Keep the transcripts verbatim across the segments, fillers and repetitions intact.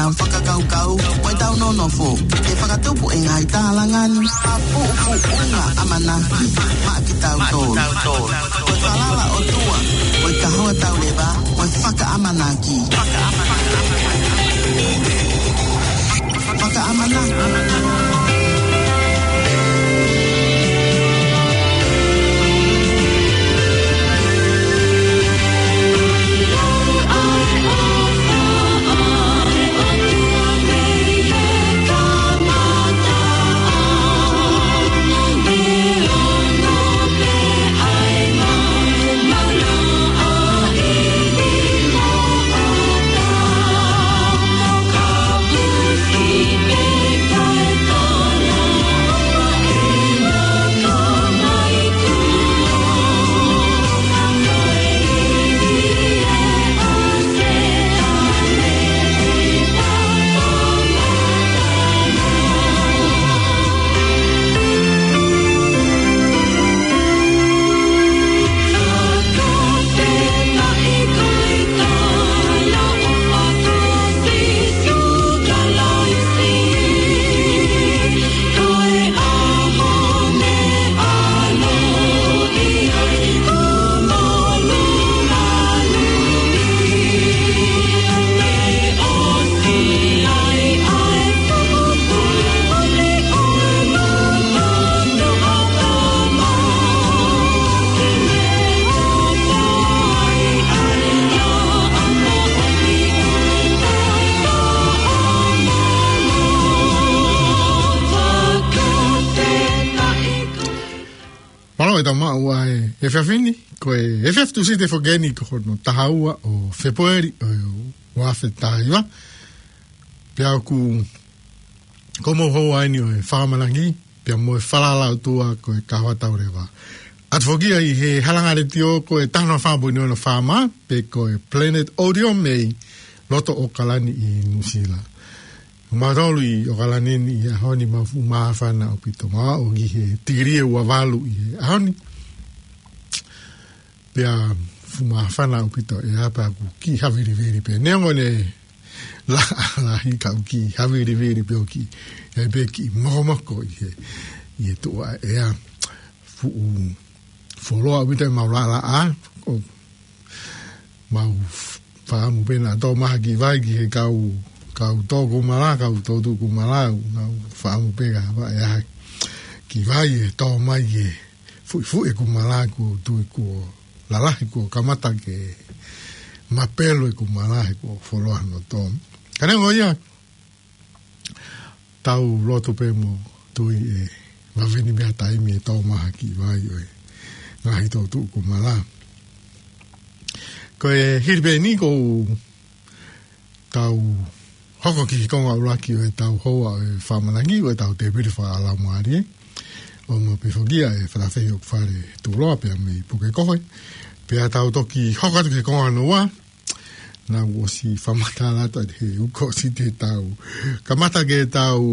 Fakakaukau, mo ʻetau nonofo, ʻe fakatupu ʻe he ngaahi tālanga ni ha puʻupuʻunga ʻamanaki maʻa kitautolu. Ko e falala ʻOtua, ko e kahoa tauleva, ko e fakaʻamanaki. Fakaʻamanaki. Mālō e tau maʻu ʻa e efiafi ni, ko e efiafi Tūsite foki eni ko hono taha ua ʻo Fēpueli ʻo e ua afe taha hiva. Pea ʻoku ko mo hou ai ni ʻo e fakaʻamanaki, pea mo e falala ʻOtua ko e kahoa tauleva. ʻAtu foki ia ʻi he halanga letiō ko e taha noa fā poini ono FM, pe ko e Planet Audio mei loto ʻAokalani ʻi Nuʻusila. Mātolu ʻi ʻAokalani ni ʻi he ʻaho ni, mau fuʻu māfana ʻaupito, mau ʻi he tikilī ʻe ua valu ʻi he ʻaho ni. Pea fuʻu māfana ʻaupito, ʻe apa ʻoku kiʻi havilivili pē. Neongo ʻene laʻā lahi ka ʻoku kiʻi havilivili pē ʻoku kiʻi, ʻe pē kiʻi mokomoko ʻi he, ʻi he tuʻa ʻea. Fuʻu fuoloa ʻaupito ʻemau laʻalaʻā, ʻoku mau fakaʻamu pē naʻa tō mai ha kiʻi vai ki he kau, kau tō kumala, kau tō tuʻu kumala, mau fakaʻamu pē ka ʻe ʻi ai ha kiʻi vai ʻe tō mai ke fuʻifuʻi e kumala, kuo tui kuo lalahi, kuo kamata ke mapelu e kumala he kuo fuoloa hono tō. Ka neongo ia, tau lotu pē mo tui ʻe vave ni mei ha taimi ʻe tō mai ha kiʻi vai ʻo e ngaahi tō tuʻu kumala. Ko e hili pē eni kuo tau hoko ki he konga ʻuluaki ʻo e tau houa ʻo e fakaʻamanaki ʻo e tau tēpile fakalaumālie. ʻO mau pē foki ia ʻe Falafehi ʻOkufale Tuʻuloa pea mei Pukekohe. Pea tau toki hoko atu ki he konga hono ua. Naʻa ku ʻosi fakamatala atu ʻi he uko ʻosi te tau kamata ke tau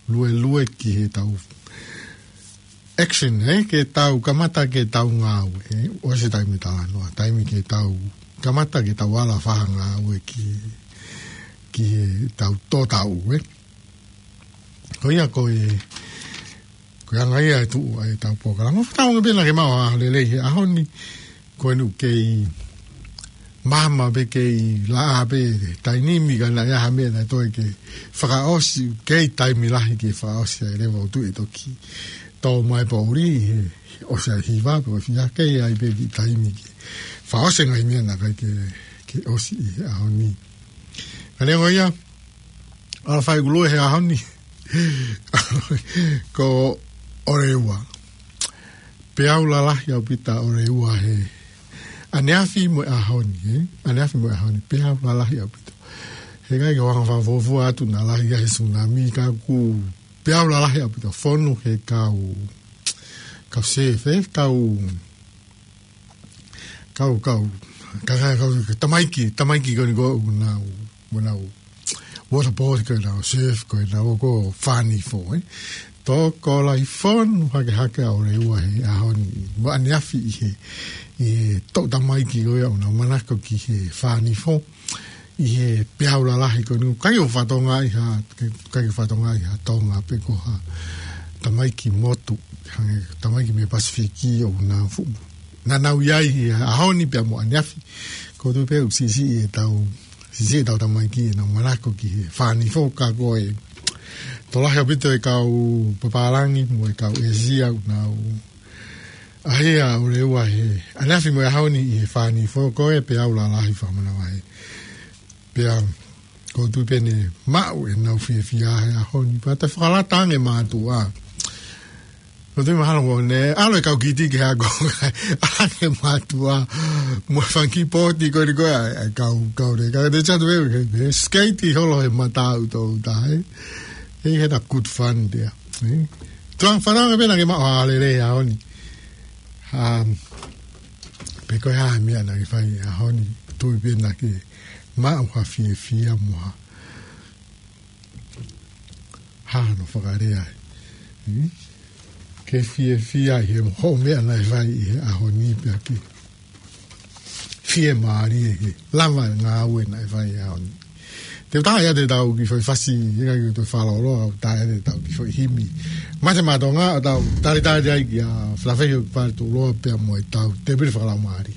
luelue ki he tau action, ē, ke tau kamata ke tau ngāue, ē, ʻosi taimi talanoa, taimi ke tau kamata ke tau ala fakangāue ki, ki he tau tō tau, ē. Ko ia ko e, ko e anga ia e tuʻu ʻa e tau polokalama. Fakatauange pē naʻa ke maʻu ha lelei he ʻaho ni, ko eni ʻoku kei maama pē, kei laʻā pē taimi ni, ka naʻe ʻi ai ha meʻa naʻe toe ke fakaʻosi, kei taimi lahi ke fakaʻosi ai leva ʻo tuʻu ʻe toki tō mai poʻuli he ʻosi ʻa e hiva pe ko e fiha, kei ʻi ai pē kiʻi taimi ke fakaʻosi e ngaahi meʻa naʻe ʻikai ke, ke ʻosi ʻi he ʻaho ni. Ka neongo ia, ʻa e fai kulue he ʻaho ni. Ko ʻOreua. Peau lalahi ʻaupito ʻOreua he ʻaneafi mo e ʻaho ni, ē? ʻAneafi mo e ʻaho ni, peau lalahi ʻaupito. He ʻikai ke u hanga fakafuofua atu naʻa lahi ia he sunami ka ʻoku peau lalahi ʻaupito. Fonu he kau, kau surf, ē? Kau kau, kau, ka, ka, kau, ka tamaiki, tamaiki ko eni ko ʻenau, ʻenau waterboard, ko ʻenau surf, ko ʻenau ko e fānifo, ē. Tokolahi fonu hake hake ʻa ʻOreua he ʻaho ni, mo ʻaneafi ʻi he, ʻi he toʻu tamaiki ko ia ʻoku nau manako ki he fānifo. ʻi he peau lalahi ko eni, ʻikai ʻo fakatonga ʻi ha, ʻikai ʻo fakatonga ʻi ha Tonga pe ko ha tamaiki motu, hangē tamaiki mei Pasifiki ʻoku nau fuʻu. Naʻa nau ʻi ai ʻi he ʻaho ni pea mo ʻaneafi. ʻOku ou tui pē ʻoku siʻisiʻi ʻetau, siʻisiʻi ʻetau tamaiki ʻenau manako ki he fānifo ka ko e tokolahi ʻaupito e kau papālangi mo e kau ʻĒsia ʻoku nau ʻaʻahi ʻo lea he ʻaneafi mo e ʻaho ni ʻi he fānifo ko e peau lalahi fakamanavahē. Pea ʻoku ou tui pē ne maʻu ʻenau fiefia he ʻaho ni pea toe fakalata ange mātuʻa. ʻOku ou tui mahalo ko ʻene ʻalu e kau kiti ki he ako ʻalu ange mātuʻa mo e fanga kiʻi pōti ko eni ko e ʻa e kau, kau le kau te chatu e he, he skeiti holo he mata ʻoku tau tahe. He he na good fun there. Tuʻa fānau pē naʻa ke maʻu ha lelei he ʻaho ni. Um, pe ko e hā e meʻa naʻa ke fai he ʻaho ni, tui pē naʻa ke maʻu ha fiefia mo ha, ha no fakalea. Hmm? Ke fiefia ʻi he hoʻo meʻa naʻe fai ʻi he ʻaho ni pea ke fiemālie he lava ngāue naʻe fai he ʻaho ni. Te u taʻe ʻiate kitautolu kiʻi foʻi fasi, ʻikai ke toe fakalōloa, ʻoku taʻe ʻiate kitautolu kiʻi foʻi himi. Mate Maʻa Tonga, ʻo tau talitali ai kia Felafehi ʻOkipale Tuʻuloa pea mo ʻetau tēpile fakalaumālie.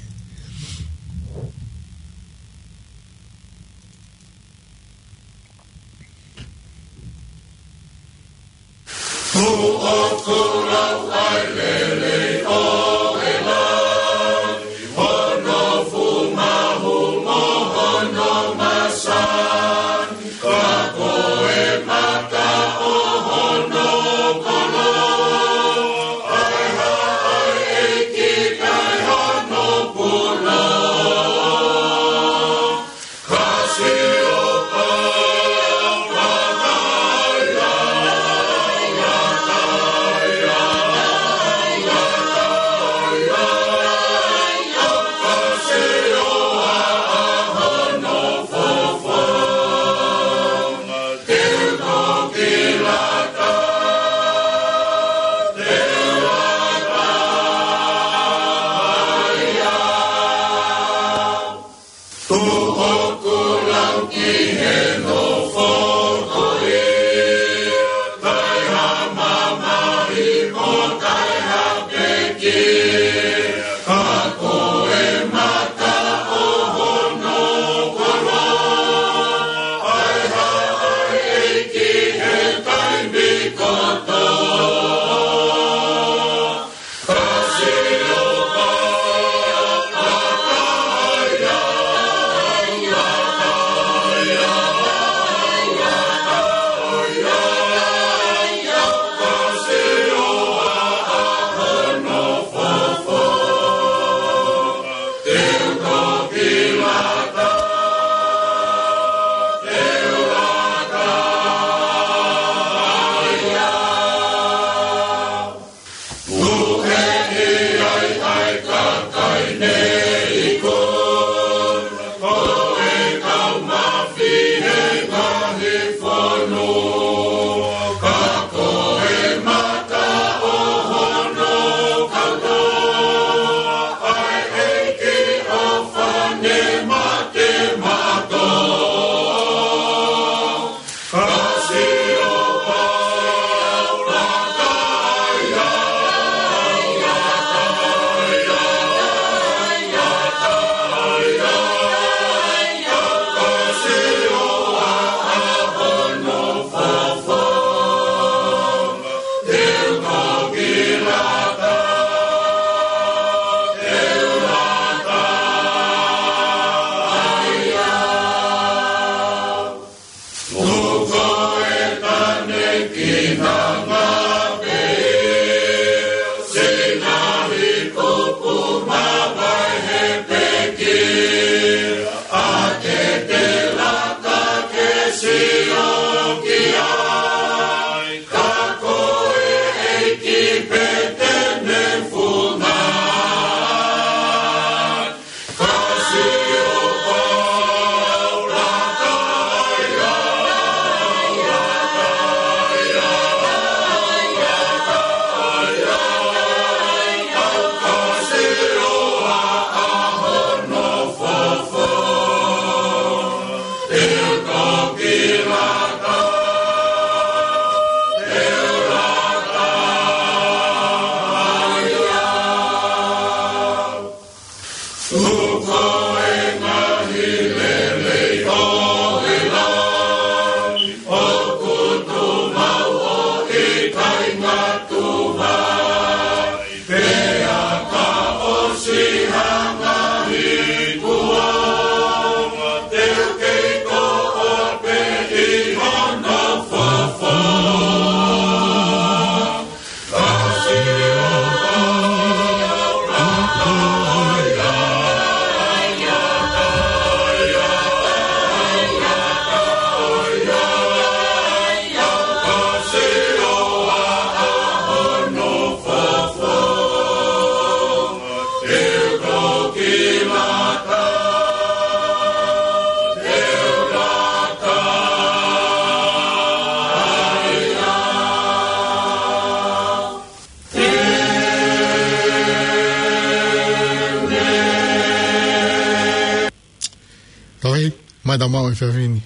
Mai tau maʻu e efiafi ni.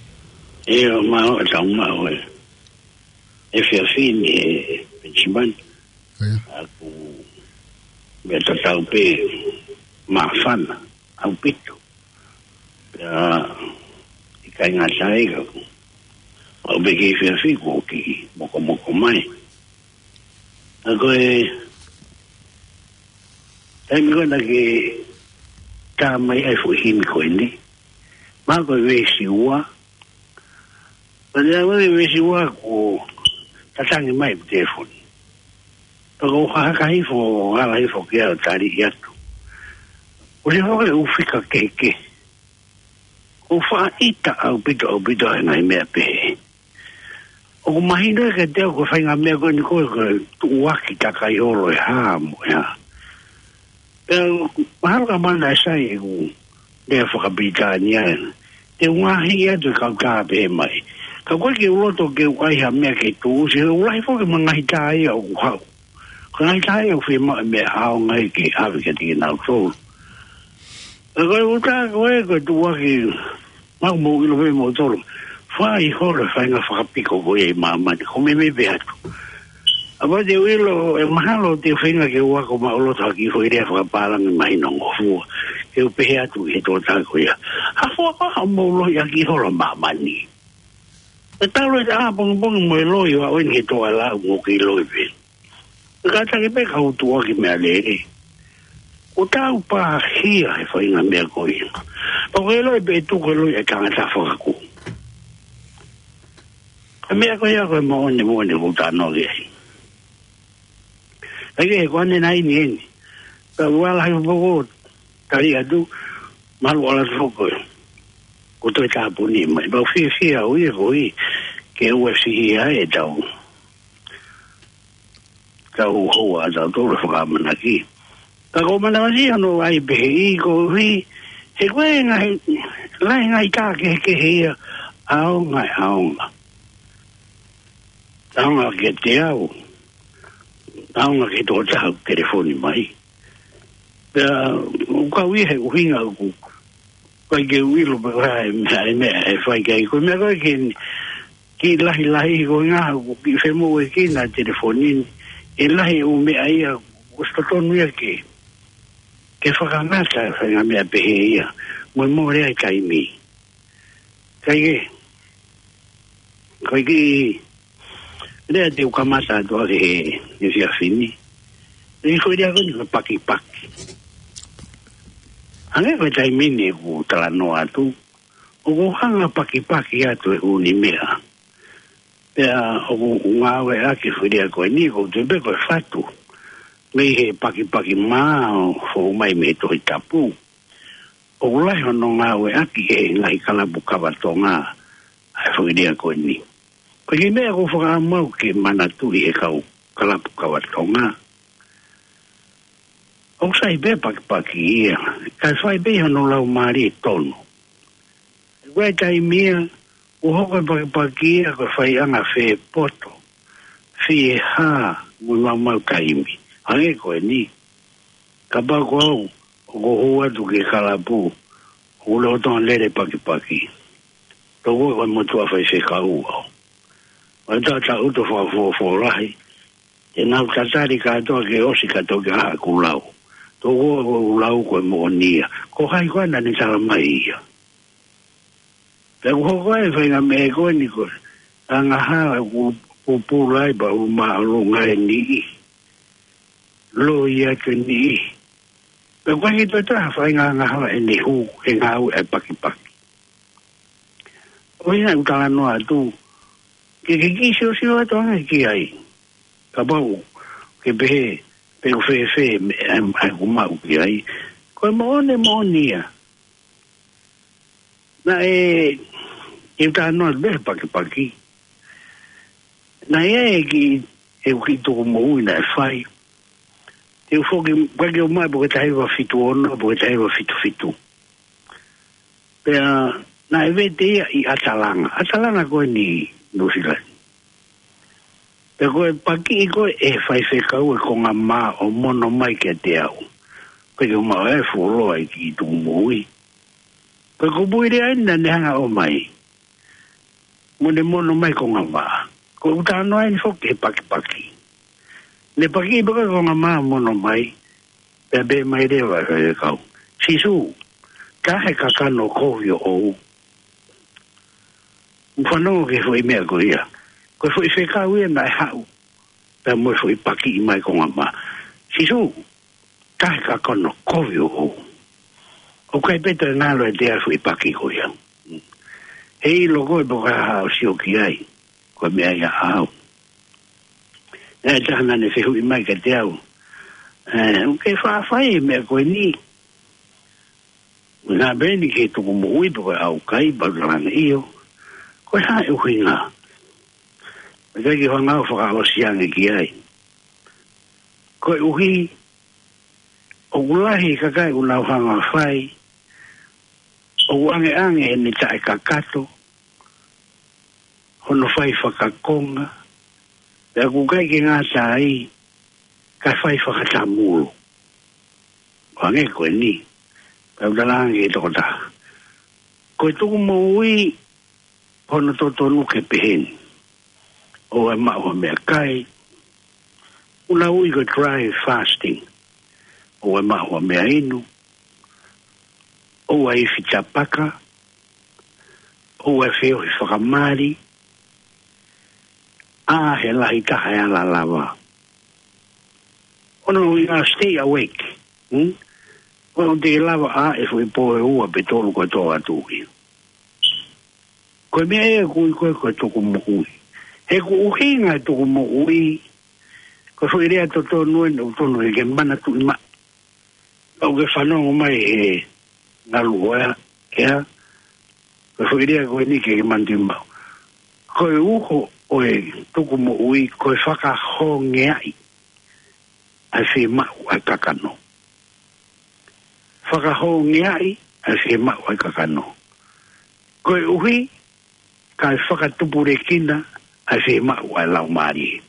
ʻIo, maʻu e tau maʻu e efiafi ni, ʻe Penisimani. ʻIo. ʻOku meʻa tatau pē māfana ʻaupito. Pea ʻikai ngata ai ka ʻoku, ʻoku pē ke efiafi kuo kiʻi mokomoko mai. ʻA ko e taimi ko ē naʻa ke tā mai ai e foʻi himi ko eni. Mahalo ko e veesi ua. Pea lea mai e veesi ua kuo tatangi mai e telefoni. Pea ko u hahaka hifo, hala hifo ki ai ʻo tali atu. ʻOsi hoko e ʻū fika kehekehe. ʻOku faʻa ʻita ʻaupito, ʻaupito ʻa e ngaahi meʻa pehē. ʻOku mahino kiate au ko e faʻahinga meʻa ko eni ko e, ko e tuʻuaki takai holo e hā mo e hā. Pea mahalo ka mana e sai ʻeku lea fakapilitānia. Te u ngaohi atu e kau tā pehē mai. Ka ko e ke u loto ke u ʻai ha meʻa ke tuʻusi, he ʻoku lahi foki mo e ngaahi tā ia ʻoku haʻu. Ko e ngaahi tā ia ʻoku fiemaʻu e meʻa ʻaonga ia ke ʻave kiate kinautolu. Ka ko e ʻū tā ko ē, ko e tuʻuaki, mahalo mou ʻilo pē moutolu. Fai holo e faʻahinga fakapiko ko ia ʻi māmani, ko e meimei pē atu. ʻA ia te u ʻilo, ʻe mahalo te u feinga ke u ako maʻuloto ha kiʻi foʻi lea fakapālangi mahinongofua. Ke u pehē atu ki he tokotaha ko ia. Ha fua ko ha mou lohi ʻaki holo māmani. ʻE talu e ʻapongipongi mo e loi ʻo aʻu eni ki he tō ʻa e lau mo ke loi pē. Kātaki pē ka u tuʻuaki meʻalele. ʻOku tau pāhia he faʻahinga meʻa ko ia. Pea ko e loi pē tuku e loi e tangata fakakū. Ko e meʻa ko ia ko e moʻoni, moʻoni ʻoku tau noa ki ai. Kae kehe ko ʻene nai ni eni. Ka ua lahi poko tali atu, malu ala toko. Ko e toe tāpuni mai. Pea u fiefia au ia ko ia. Ke u ʻosi ia e tau. Ka u hoa ʻa tautolu e fakaʻamanaki. Ka ko e manavasiʻi hono ʻai pehē ʻi ko hui, he ko e ngaahi, lahi ngaahi tā kehekehe ia, ʻaonga, ʻaonga. ʻAonga kiate au, ʻaonga ki he tokotaha ʻoku telefoni mai. Pea, ʻoku ou ʻi he ʻuhinga ʻoku, ʻikai ke u ʻilo pe ko e hā e meʻa, e meʻa, ʻe fai ki ai. Ko e meʻa ko ē ke ni, kiʻi lahilahi ko e ngaahi, ʻoku kiʻi femoʻuekina e telefoni ni. ʻE lahi e ʻū meʻa ia, ʻoku ʻosi totonu ia ke, ke fakangata e faʻahinga meʻa pehē ia. Mo e mole ai taimi. Kae kehe, ko e kiʻi lea te u kamata atu ʻaki he, he efiafi ni. ʻE ko e lea ko eni ko e pakipaki. Hangē ko e taimi ni ʻoku talanoa atu. ʻOku hanga pakipaki atu e ʻū meʻa. Pea ʻoku ngāueʻaki e foʻi lea ko eni ʻoku ou tui pē ko e fatu. Mei he pakipaki mā ʻoku fou mai mei he Tohi Tapu. ʻOku lahi hono ngāueʻaki ʻe he ngaahi kalapu kava Tonga ʻa e foʻi lea ko eni. Ko e kiʻi meʻa ʻoku ou fakaʻamu au ke manatuʻi ʻe he kau kalapu kava Tonga. ʻOku sai pē pakipaki ia, kae fai pē hono laumālie tonu. Ko e taimi ia, ʻoku hoko e pakipaki ia ko e faiʻanga fie poto, fie hā, mo e maumau taimi. Hangē ko eni, kapau ko au, ʻoku ou hū atu ki he kalapu, ʻoku lolotonga lele pakipaki. Tau ko e motuʻa faifekau au. ʻOku ou taʻutaʻu ʻo fakafuofuolahi. Te nau tatali kātoa ke ʻosi ka toki ʻaha ʻeku lau. Tau ko e lau ko e moʻoni ia. Ko hai koā naʻa ne tala mai ia. Pea ʻoku hoko ai e faʻahinga meʻa ko eni ko e angahala ʻoku pupula ai pea ʻoku māʻolunga e niʻihi. Loi atu e niʻihi. Pea ʻoku ʻikai ke toe ʻi ai ha faʻahinga angahala ʻe ne hū he ngāue ʻa e pakipaki. ʻOku ʻi ai e talanoa atu. Ke ke kiʻi siosio atu ange ki ai. Kapau ke pehē, pe ʻoku fēfē, meʻa, ʻa ʻeku maʻu ki ai. Ko e moʻoni, moʻoni ia. Naʻe, ke u talanoa pē he pakipaki. Naʻe ʻi ai e kiʻi, ʻeku kiʻi tukumoʻui naʻe fai. Te u foki, ʻikai ke u maʻu pe ko e taha hiva fitu ono, pe ko e taha hiva fitu fitu. Pea, naʻe vete ia ʻi ʻAtalanga. ʻAtalanga ko eni Nuʻusila ni. Pea ko e pakiʻi ko ē ʻe he faifekau e konga mā ʻo mono mai kiate au. Pea ke u maʻu e fuoloa e kiʻi tukumoʻui. Ko e kupuʻi lea eni naʻa ne hanga ʻo ʻomai. Mo ne mono mai konga mā. Ko ʻeku talanoa eni foki he pakipaki. Ne paki pē ko e konga mā mono mai. Pea pehē mai leva ʻe he kau, Sīsū, taʻe kakano kovi ʻoʻou. Fanongo ki he foʻi meʻa ko ia. Ko e foʻi fekau ia naʻe haʻu. Pea mo e foʻi pakiʻi mai konga mā. Sīsū, taʻe kakano kovi ʻoʻou. ʻOku ʻikai pē toe ngalo ʻiate au e foʻi paki ko ia. He ʻilo ko ē pe ko e hā ʻoku sio ki ai. Ko e meʻa ia ʻaʻau. Naʻe ʻi ai e taha naʻa ne fehuʻi mai kiate au. ʻE, ʻoku ke faʻa fai e meʻa ko eni. Naʻa pehē ni ki he tukumoʻui pe ko e ʻaukai, pea u talaange ʻio. Ko e hā e ʻuhinga. Pea ʻikai ke u hanga ʻo fakaʻosi ange ki ai. Koeʻuhi, ʻoku lahi e kakai ʻoku nau hanga ʻo fai, ʻoku ʻangeʻange ʻene taʻekakato, hono fai fakakonga, pea ʻoku ʻikai ke ngata ai, kae fai fakatamulo. ʻO hangē ko eni, pea u talaange ki he tokotaha. Ko e tukumoʻui, hono totonu ke pehē ni. ʻOua ʻe maʻu ha meʻakai. ʻOku nau ui ko e dry fasting. ʻOua ʻe maʻu ha meʻainu. ʻOua ʻe ifi tapaka. ʻOua ʻe feohi fakamali. ʻA, he lahi taha e ala lava. ʻO nau ui ia stay awake. Hmm? ʻOua te ke lava ʻa e foʻi pō ʻe ua pe tolu ko e tō atu ia. Ko e meʻa ia ʻoku ui ko ē ko e tukumoʻui. He ko e ʻuhinga e tukumoʻui, ko e foʻi lea totonu eni ʻoku totonu ke ke manatuʻi mai. ʻOku ke fanongo mai he ngalu ʻo ea, ea, ko e foʻi lea ko eni ke ke manatuʻi mai. Ko e uho ʻo e tukumoʻui, ko e fakahongeaʻi ʻa e fiemaʻu ʻa e kakano. Fakahongeaʻi ʻa e fiemaʻu ʻa e kakano. Koeʻuhi, kae fakatupulekina ʻa e fiemaʻu ʻa e laumālie.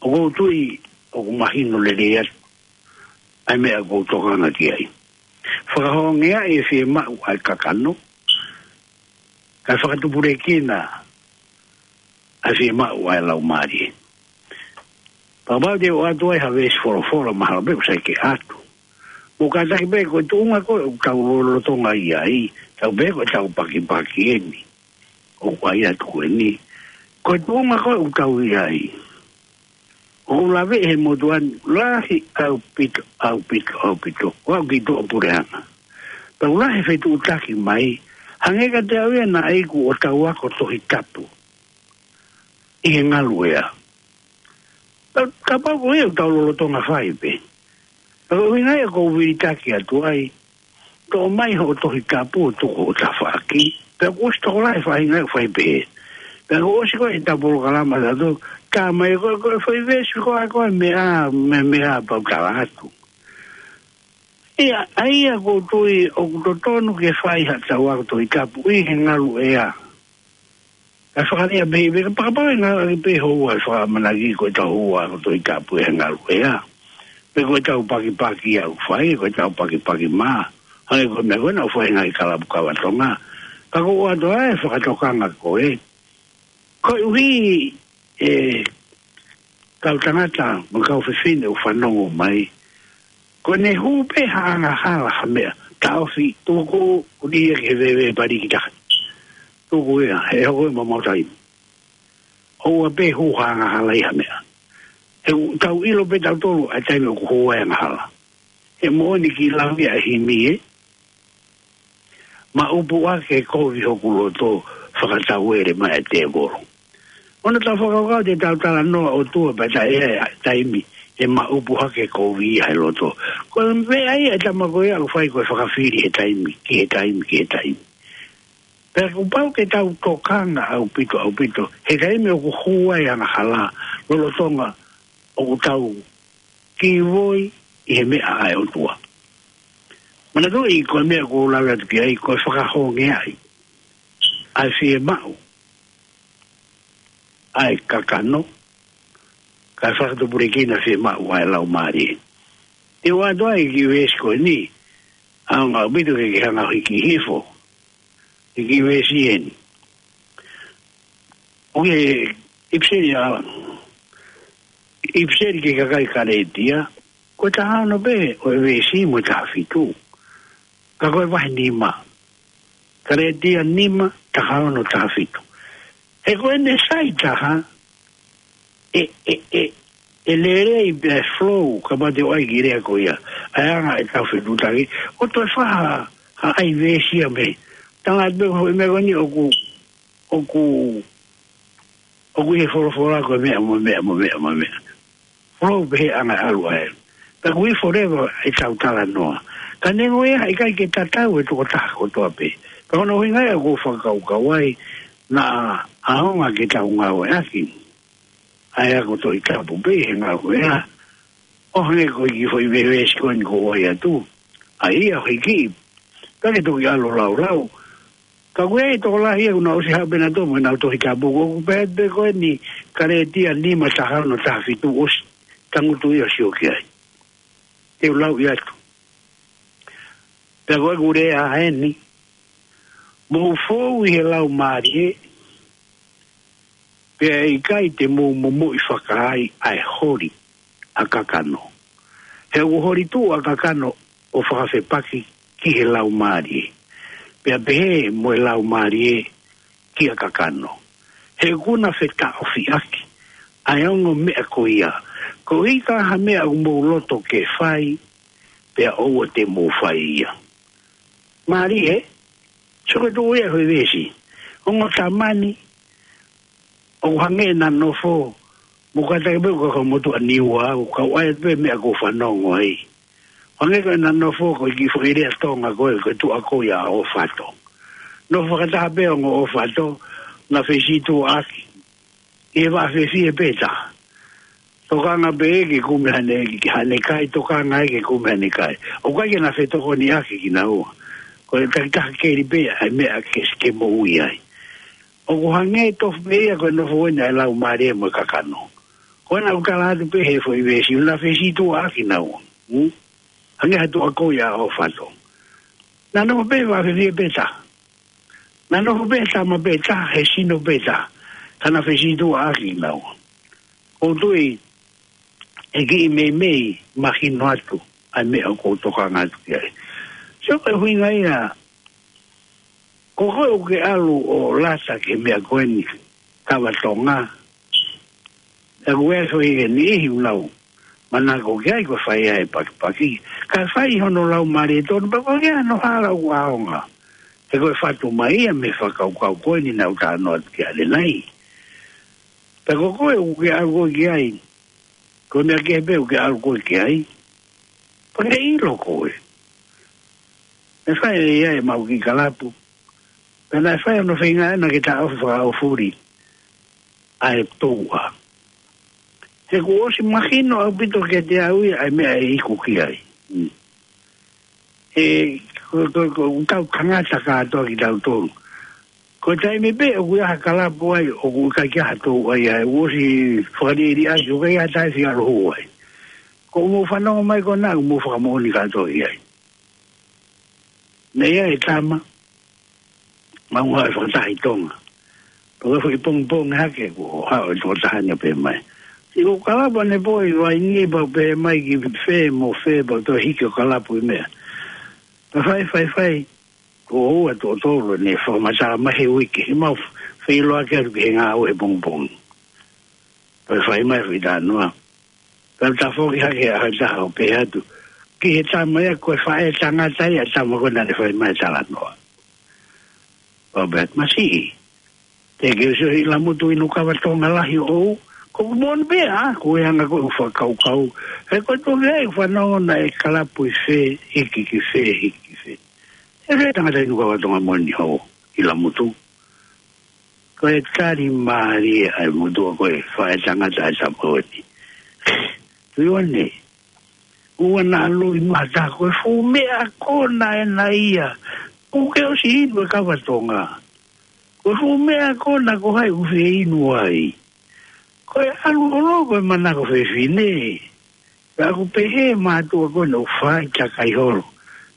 ʻOku ou tui, ʻoku mahino lelei atu ʻa e meʻa ʻoku ou tokanga ki ai. Fakahongeaʻi e fiemaʻu ʻa e kakano, kae fakatupulekina ʻa e fiemaʻu ʻa e laumālie. Kapau te u ʻoatu ai ha veesi folofola mahalo pē ʻoku sai ke ʻoatu. Mou kātaki pē ko e tuʻunga ko ē ʻoku tau lolotonga ʻi ai, tau pē ko ʻetau pakipaki eni. ʻOku ʻai atu ko eni. Ko e tuʻunga ko ē ʻoku tau ʻi ai. ʻOku laveʻi he motuʻa ni, lahi ʻaupito, ʻaupito, ʻaupito. ʻOku ʻi tuʻa puleʻanga. Tau lahi fetuʻutaki mai, hangē kiate au ia naʻe iku ʻo tau ako Tohi Tapu. ʻI he ngalu ʻea. Ka, kapau ko ia ʻoku tau lolotonga fai pē. Ka ko e ʻuhinga ia ʻoku ou vilitaki atu ai. Toʻo mai hoʻo Tohi Tapu ʻo tuku hoʻo tafaʻaki. Pea kuo ʻosi tokolahi e faʻahinga ʻoku fai pehē. Pea kuo ʻosi ko ē ʻetau polokalama ʻatautolu. Tā mai ko ē, ko e foʻi veesi ko ē, ko e meʻa, meʻa, meʻa pau tala atu. ʻIa, ʻa ia ʻoku ou tui ʻoku totonu ke fai haʻatau ako Tohi Tapu ʻi he ngalu ʻea. Ka fakalea pē, pē, kapakapa e ngalo ake pē houa e fakamanaki ko ʻetau houa ako Tohi Tapu ʻi he ngalu ʻea. Pe ko ʻetau pakipaki ʻoku fai, ko ʻetau pakipaki mā. Hangē ko e meʻa ko ē naʻe fai he ngaahi kalapu kava Tonga. Ka ko e ʻoatu ʻa e fakatokanga ko ē. Koeʻuhi, ʻe, kau tangata, mo e kau fefine ʻoku fanongo mai. Ko ʻene hū pē ha angahala ha meʻa, taʻofi, tuku, ʻuhi ia ke veve pali ki taha. Tuku ia, he hoko ia mo mau taimi. ʻOua pē hū ha angahala ʻi ha meʻa. He ʻoku tau ʻilo pē tautolu ʻa e taimi ʻoku hū ai e angahala. He moʻoni ki lau ia ʻa e himi ē. Maʻupu hake kovi hoku loto fakatauele mai e tēvolo. ʻOua naʻa tau fakakaukau te tau talanoa ʻOtua pea taʻe ʻi ai e taimi ʻe maʻupu hake kovi ai e loto. Ko e meʻa ia ʻa e tama ko ia ʻoku fai ko e fakafili he taimi, ki he taimi, ki he taimi. Pea kuo pau ke tau tokanga ʻaupito, ʻaupito. He taimi ʻoku hū ai e angahala, lolotonga ʻoku tau kei voi ʻi he meʻa ʻa e ʻOtua. Manatuʻi ko e meʻa ʻoku ou lave atu ki ai, ko e fakahongeaʻi ʻa e fiemaʻu ʻa e kakano, kae fakatupulekina e fiemaʻu ʻa e laumālie. Te u ʻoatu ai e kiʻi veesi ko eni, ʻAonga ʻaupito ke ke hanga ʻo hiki hifo. Hiki veesi eni. ʻOku ʻipiseli ʻa, ʻipiseli ki he kakai Kalētia, ko e taha ono pē ʻo e veesi mo e taha fitu. Ka ko e vahe nima. Kalētia nima, taha ono, taha fitu. He ko ʻene sai taha, ʻe, ʻe, ʻe, ʻe lelei pē ʻa e flow, kapau te u ʻai ki he lea ko ia. ʻA e anga ʻetau fetuʻutaki, ʻo toe fai ha, ha ʻai veesi ia mei. Tala atu pē ko e meʻa ko eni ʻoku, ʻoku, ʻoku ʻi he folofola ko e meʻa mo e meʻa mo e meʻa mo e meʻa. Flow pē he anga ʻalu ai. Pea ʻoku ʻi forever ʻetau talanoa. Ka neongo ia, ʻikai ke tatau e tokotaha kotoa pē. Ka ko hono ʻuhinga ia ʻoku ou fakakaukau ai, naʻa ʻaonga ke tau ngāueʻaki ʻa e ako Tohi Tapu pē he ngāue ia. ʻO hangē ko e kiʻi foʻi veesi ko eni kuo u ʻai atu. ʻA ia, hiki. Ka ke toki ʻalu ʻo laulau. Ka ko e tokolahi ia kuo nau ʻosi haʻu pē nautolu mo ʻenau Tohi Tapu, ʻoku pehē pē ko eni Kalētia nima, taha ono, taha fitu, ʻosi tangutu ia ʻo sio ki ai. Te u lau ia atu. Pea ko ʻeku lea eni, mou fou ʻi he Laumālie, pea ʻe ʻikai te mou momoʻi fakaai ʻa e holi ʻa kakano. He ʻoku holi tuʻu ʻa kakano ʻo fakafepaki ki he Laumālie. Pea pehē mo e Laumālie kia kakano. He ʻoku na fetaʻofiʻaki ʻa e ongo meʻa ko ia. Ko e hā ha meʻa ʻoku mou loto ke fai, pea ʻoua te mou fai ia. Mālie, sio ko e tuʻu ia ko e veesi. Ongo tamani, ʻoku hangē naʻa nofo, mo kātaki pē ʻoku ka motuʻa Niua, ʻoku kau ai pē meʻa ʻoku fanongo ai. Hangē ko ʻena nofo ko e kiʻi foʻi lea Tonga ko e, ko e tuʻa ko ia ʻo Fato. Nofo fakataha pē ongo ʻo Fato, na fesītuʻaʻaki. ʻI he vaʻa fefie pē taha. Tokanga pē ke kumi haʻane, haʻane kai, tokanga ke kumi haʻane kai. ʻOku ʻikai ke na fetokoniʻaki kinaua. Ko e takitaha keli pē ʻa e meʻa ke, ke moʻui ai. ʻOku hangē tofu pē ia ko e nofo eni ʻa e Laumālie mo e kakano. Ko ena ʻoku tala atu pē he foʻi veesi, na fesītuʻaʻaki naua. Hmm? Hangē ha tuʻa ko ia ʻo Fato. Na nofo pē vaʻa fefie pē taha. Na nofo pē tama pē taha, he sino pē taha. Ka na fesītuʻaʻaki naua. ʻOku ou tui ʻe kiʻi meimei mahino atu ʻa e meʻa ʻoku ou tokanga atu ki ai. Sio ko e ʻuhinga ia, ko koe ʻoku ke ʻalu ʻo lata ki he meʻa ko eni, Kava Tonga. ʻOku ʻi ai e foʻi niʻihi ʻoku nau manako ki ai ko e fai ʻa e pakipaki. Ka fai hono Laumālie tonu, pea ko e hā hano hala ʻoku ʻaonga. He ko e fatu mai ia mei he fakakaukau ko eni naʻa ku talanoa atu ki ai ʻanenai. Pea ko koe ʻoku ke ʻalu koe ki ai, ko e meʻa kehe pē ʻoku ke ʻalu koe ki ai, pea ke ʻilo koe. Naʻe fai ʻe ia ʻemau kiʻi kalapu. Pea naʻe fai hono feinga ʻena ke taʻofi fakaʻaufuli ʻa e touʻa. He kuo ʻosi mahino ʻaupito kiate au ia ʻa e meʻa ʻe iku ki ai. Mm. He ko, ko, ko, ʻoku tau tangata kātoa kitautolu. Ko e taimi pē ʻoku ʻi ai ha kalapu ai, ʻoku ʻikai ke ʻi ai ha touʻa ai, ʻoku ʻosi fakaliliʻaki, ʻoku ʻikai ha taʻe fia ʻalu hū ai. Ko hoʻomou fanongo mai ko ena, ʻoku mou fakamoʻoni kātoa ki ai. Naʻe ʻi ai e tama, mau haʻu ʻo fakataha ʻi Tonga. Pea ko e foʻi pongipongi hake kuo haʻu e tokotaha ni ʻo pehē mai, siʻi ko e kalapu ʻanepō ʻi Vainī, pea pehē mai ki fē mo fē, pea toe hiki ʻo kalapu ʻi meʻa. Pea fai, fai, fai. Kuo ua tuʻo tolu ʻene fakamatala mai he uike, he mau feʻiloaki atu ki he ngāue he pongipongi. Pea fai mai e foʻi talanoa. Pea tafoki hake ʻa e taha ʻo pehē atu ki he tama ia, ko e faʻē tangata ia ʻa e tama ko ē naʻa ne fai mai e talanoa. Pea pehē atu, masiʻi, teʻeki ke u sio ʻi Lamutu inu kava Tonga lahi ʻoʻou. Ko ʻeku moʻoni pē ʻaʻaku e anga ko ē ʻeku fakakaukau. He ko e tuʻu ki ai ʻeku fanongo naʻe kalapu ʻi fē, hiki ki fē, hiki ki fē. ʻE fē tangata inu kava Tonga moʻoni ʻoʻou ʻi Lamutu? Ko e tali mālie ʻa e motuʻa ko ē, faʻē tangata ʻa e tama ko eni. Tuione, ʻoua naʻa loi mata, ko e fuʻu meʻa ko ena ʻena ia. ʻOku ke ʻosi inu e kava Tonga. Ko e fuʻu meʻa ko ena, ko hai ʻoku fie inu ai? Ko e ʻalu holo ko e manako fefine. Pea ʻoku pehē mātuʻa ko ena ʻoku fai takai holo.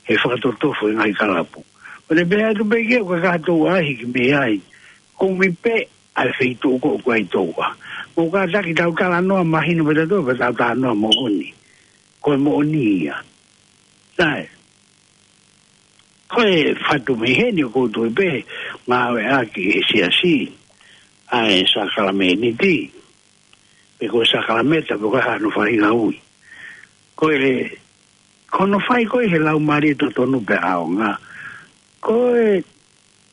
he fakatotofo e ngaahi kalapu. ʻO ne pehē atu pē ki ai, ʻoku ʻikai ke tau ʻai hiki mei ai. Kumi pē ʻa e feituʻu ko ē ʻoku ʻi ai touʻa. Mou kātaki tau talanoa mahino pē tautolu, pea tau talanoa moʻoni. Ko e moʻoni ia. Sai. Ko e fatu mei heni ʻoku ou tui pē, ngāueʻaki ʻe he siasi ʻa e sākalamēniti, pe ko e sākalamēniti, pe ko e hā hono faʻahinga ui. Ko e, ko hono fai ko ē he Laumālie totonu pea ʻaonga, ko e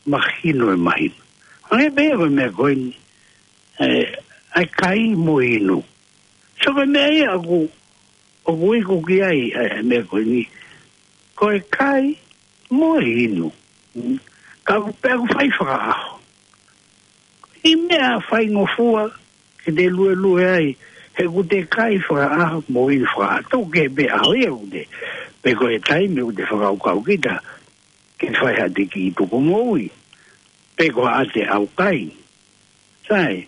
mahino e mahino. Hangē pē ko e meʻa ko eni, ē, ʻa e kai mo e inu. So ko e meʻa ia ʻoku, ʻoku iku ki ai, ē, meʻa ko eni. Ko e kai mo e inu. Mm. Ka ʻoku pē ʻoku fai fakaʻaho. ʻI he meʻa faingofua ke te luelue ai, he ʻoku te kai fakaʻaho mo inu fakaʻaho. Tau ke pē ʻaho ia ʻoku te, pe ko e taimi ʻoku te fakakaukau kita ke fai ha te kiʻi tuku moʻui, pe ko ha te ʻaukai. Sai,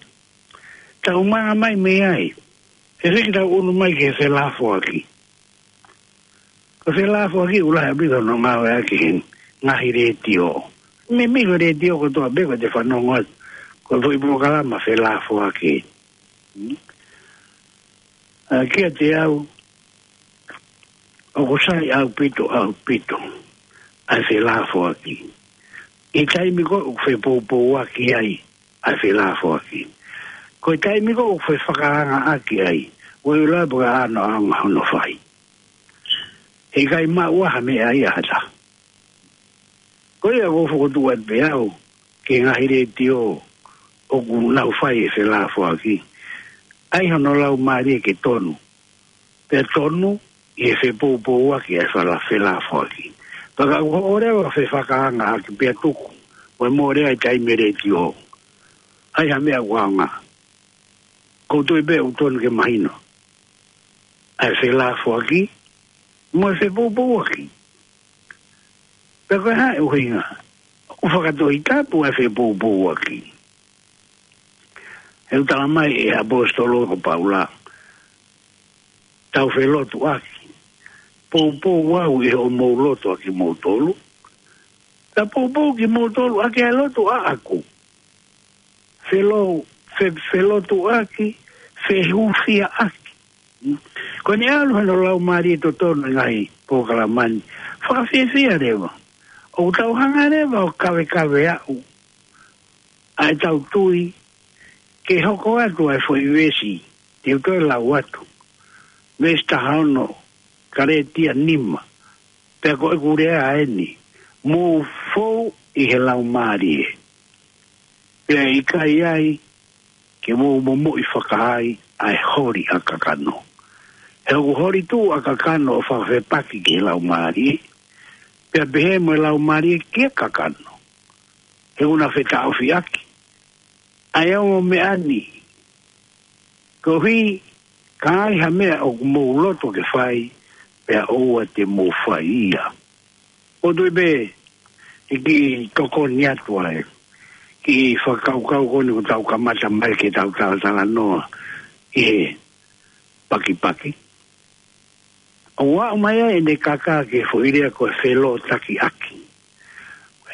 tau mana mai mei ai. He fiki tau ʻunu mai ki he felafoaki. Ko e felafoaki ʻoku lahi ʻaupito hono ngāueʻaki he ngaahi letiō. Meimei ko e letiō kotoa pē ko ē te fanongo atu, ko e foʻi polokalama felafoaki. Hmm? ʻA, kiate au, ʻoku sai ʻaupito, ʻaupito ʻa e felafoaki. ʻI he taimi ko ē ʻoku fepoupouaki ai ʻa e felafoaki. Ko e taimi ko ē ʻoku fefakaangaʻaki ai, ʻoku ʻikai pē ke ʻi ai hano ʻaonga hono fai. He ʻikai maʻu ha meʻa ia ʻe ha taha. Ko ia ʻoku ou fokotuʻu atu pē au ki he ngaahi letiō ʻoku nau fai e felafoaki, ʻai hono laumālie ke tonu. Pea tonu ʻi he fepoupouaki ʻa e fala-, felafoaki. Pea ka ʻoku ʻosi leva fefakaangaʻaki pea tuku, ʻoku mole ai taimi letiō. ʻAi ha meʻa ʻoku ʻaonga. ʻOku ou tui pē ʻoku tonu ke mahino ʻa e felafoaki mo e fepoupouaki. Pea ko e hā e ʻuhinga? ʻOku fakatohitapu ʻa e fepoupouaki. He ʻoku tala mai ʻe he ʻaposetolo ko Paula, tau felotuʻaki. Poupou au ʻi hoʻomou lotu ʻa kimoutolu. Pea poupou kimoutolu ʻaki ʻa e lotu ʻaʻaku. Felo-, fe-, felotuʻaki, fehūfiaʻaki. Ko ʻene ʻalu hono laumālie totonu ʻi he ngaahi polokalama ni, fakafiefia leva. ʻOku tau hanga leva ʻo kavekave aʻu ʻa ʻetau tui ke hoko atu ʻa e foʻi veesi te u toe lau atu. Veesi taha ono, Kalētia nima. Pea ko ʻeku lea eni, mou fou ʻi he laumālie. Pea ʻikai ai ke mou momoʻi fakaai ʻa e holi ʻa kakano. He ʻoku holi tuʻu ʻa kakano ʻo fakafepaki ki he laumālie. Pea pehē mo e laumālie ki he kakano. He ʻoku na fetaʻofiʻaki ʻa e ongo meʻa ni. Koeʻuhi ka ai ha meʻa ʻoku mou loto ke fai, pea ʻoua te mou fai ia. ʻOku ou tui pē ʻe kiʻi tokoni atu ʻa e kiʻi fakakaukau ko eni ʻoku tau kamata mai ke tau talatalanoa ʻi he pakipaki. ʻOku aʻu mai ai ʻene kaka ki he foʻi lea ko e felotakiʻaki.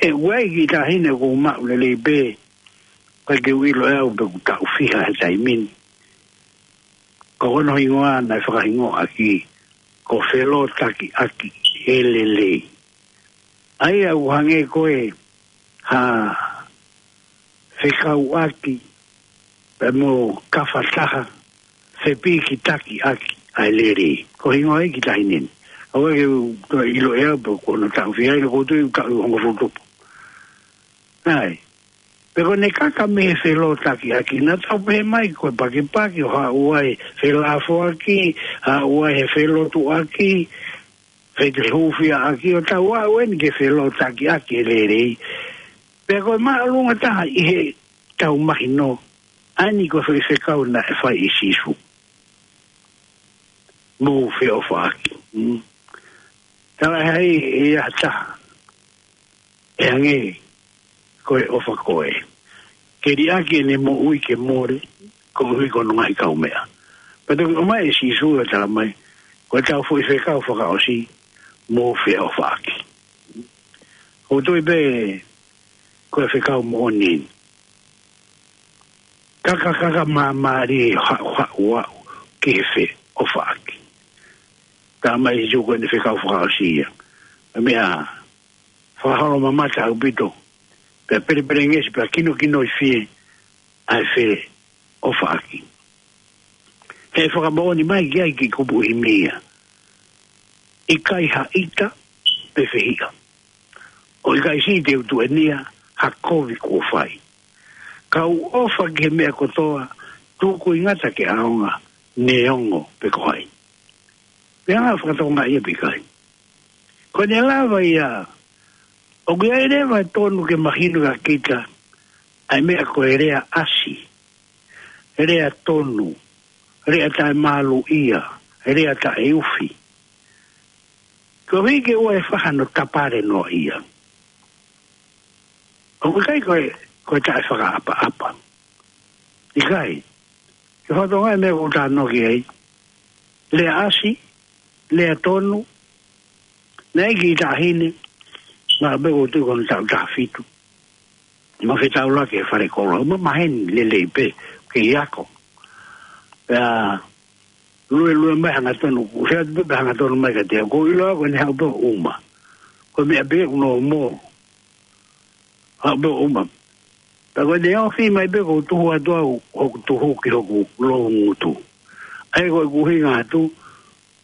ʻE ʻoku ʻi ai e kiʻi taʻahine ʻoku ou maʻu lelei pē, ʻikai ke u ʻilo ʻe au pe ʻoku taʻu fiha he taimi ni. Ko hono hingoa naʻe fakahingoa ʻaki ko Felotakiʻaki Lelei. ʻA ia ʻoku hangē ko e hā, fekauʻaki pea mo kafataha, fepīkitakiʻaki ʻa e lelei. Ko e hingoa ia e kiʻi taʻahine ni. ʻOku ʻikai ke u toe ʻilo ʻe au pe ko hono taʻu fiha, ʻoku ou tui ʻoku taʻu hongofulu tupu. ʻAi. Pea ko ʻene kaka mei he felotakiʻaki, naʻa tau pehē mai ko e pakipaki ʻo haʻu ai e felafoaki, haʻu ai e felotuʻaki, fehūfiaʻaki, ʻo tau aʻu eni ki he felotakiʻaki e lelei. Pea ko e māʻolunga taha ʻi heʻetau mahino, ʻa eni ko e foʻi fekau naʻe fai ʻe Sīsū. Mou feʻofaʻaki. Mm. Talaʻehai ʻe ha taha ʻe hangē ko e ʻofa ko ē. Ke liʻaki ʻene moʻui ke mole, koeʻuhi ko hono ngaahi kaumeʻa. Pea toki ʻomai ʻe Sīsū ʻo tala mai, ko ʻetau foʻi fekau fakaʻosi, mou feʻofaʻaki. ʻOku ou tui pē ko e fekau moʻoni. Kakakaka māmālie haʻu haʻu aʻu ki he fe ʻofaʻaki. Talamai ʻe Sīsū ko ʻene fekau fakaʻosi ia. Meʻa fakaholomamata ʻaupito. Pea pelepelengesi pea kinokinoifie ʻa e fe ʻofaʻaki. He fakamoʻoni mai ki ai ki kupu ʻi mia. ʻIkai ha ʻita pe fehiʻa. ʻO ʻikai siʻi te u tuʻenia ha kovi kuo fai. Ka u ʻofa ki he meʻa kotoa, tuku ʻi ngata ke ʻaonga, neongo pe ko hai. Pea nga fakatokangaʻi ia pe ʻikai. Ko ʻene lava ia, ʻoku ʻi ai leva e tonu ke mahino kia kita, ʻa e meʻa ko e lea ʻasi, lea tonu, lea taʻemāluʻia, lea taʻeufi. Koeʻuhi ke ʻoua ʻe fai hano tapale noa ia. ʻOku ʻikai ko e, ko e taʻefakaʻapaʻapa. ʻIkai. Ke fakatokangaʻi e meʻa ʻoku ou talanoa ki ai. Lea ʻasi, lea tonu, naʻe ʻi ai e kiʻi taʻahine, naʻe pē ʻoku ou tui ko hono taʻu taha fitu. Mo fetaulaki he fale kolo, mo maheni lelei pē, kei ako. Pea luelue mai hangatonu, ʻoku ʻosi atu pē hangatonu mai kiate au, ʻoku ou ʻilo au ko ʻene haʻu pē ʻo ʻuma. Ko e meʻa pē ʻoku nau mo. Haʻu pē ʻo ʻuma. Pea ko ʻene ofi mai pē ʻoku ou tuhu atu au, hoku tuhu ki hoku loungutu. ʻA ia ko ʻeku ʻuhinga atu,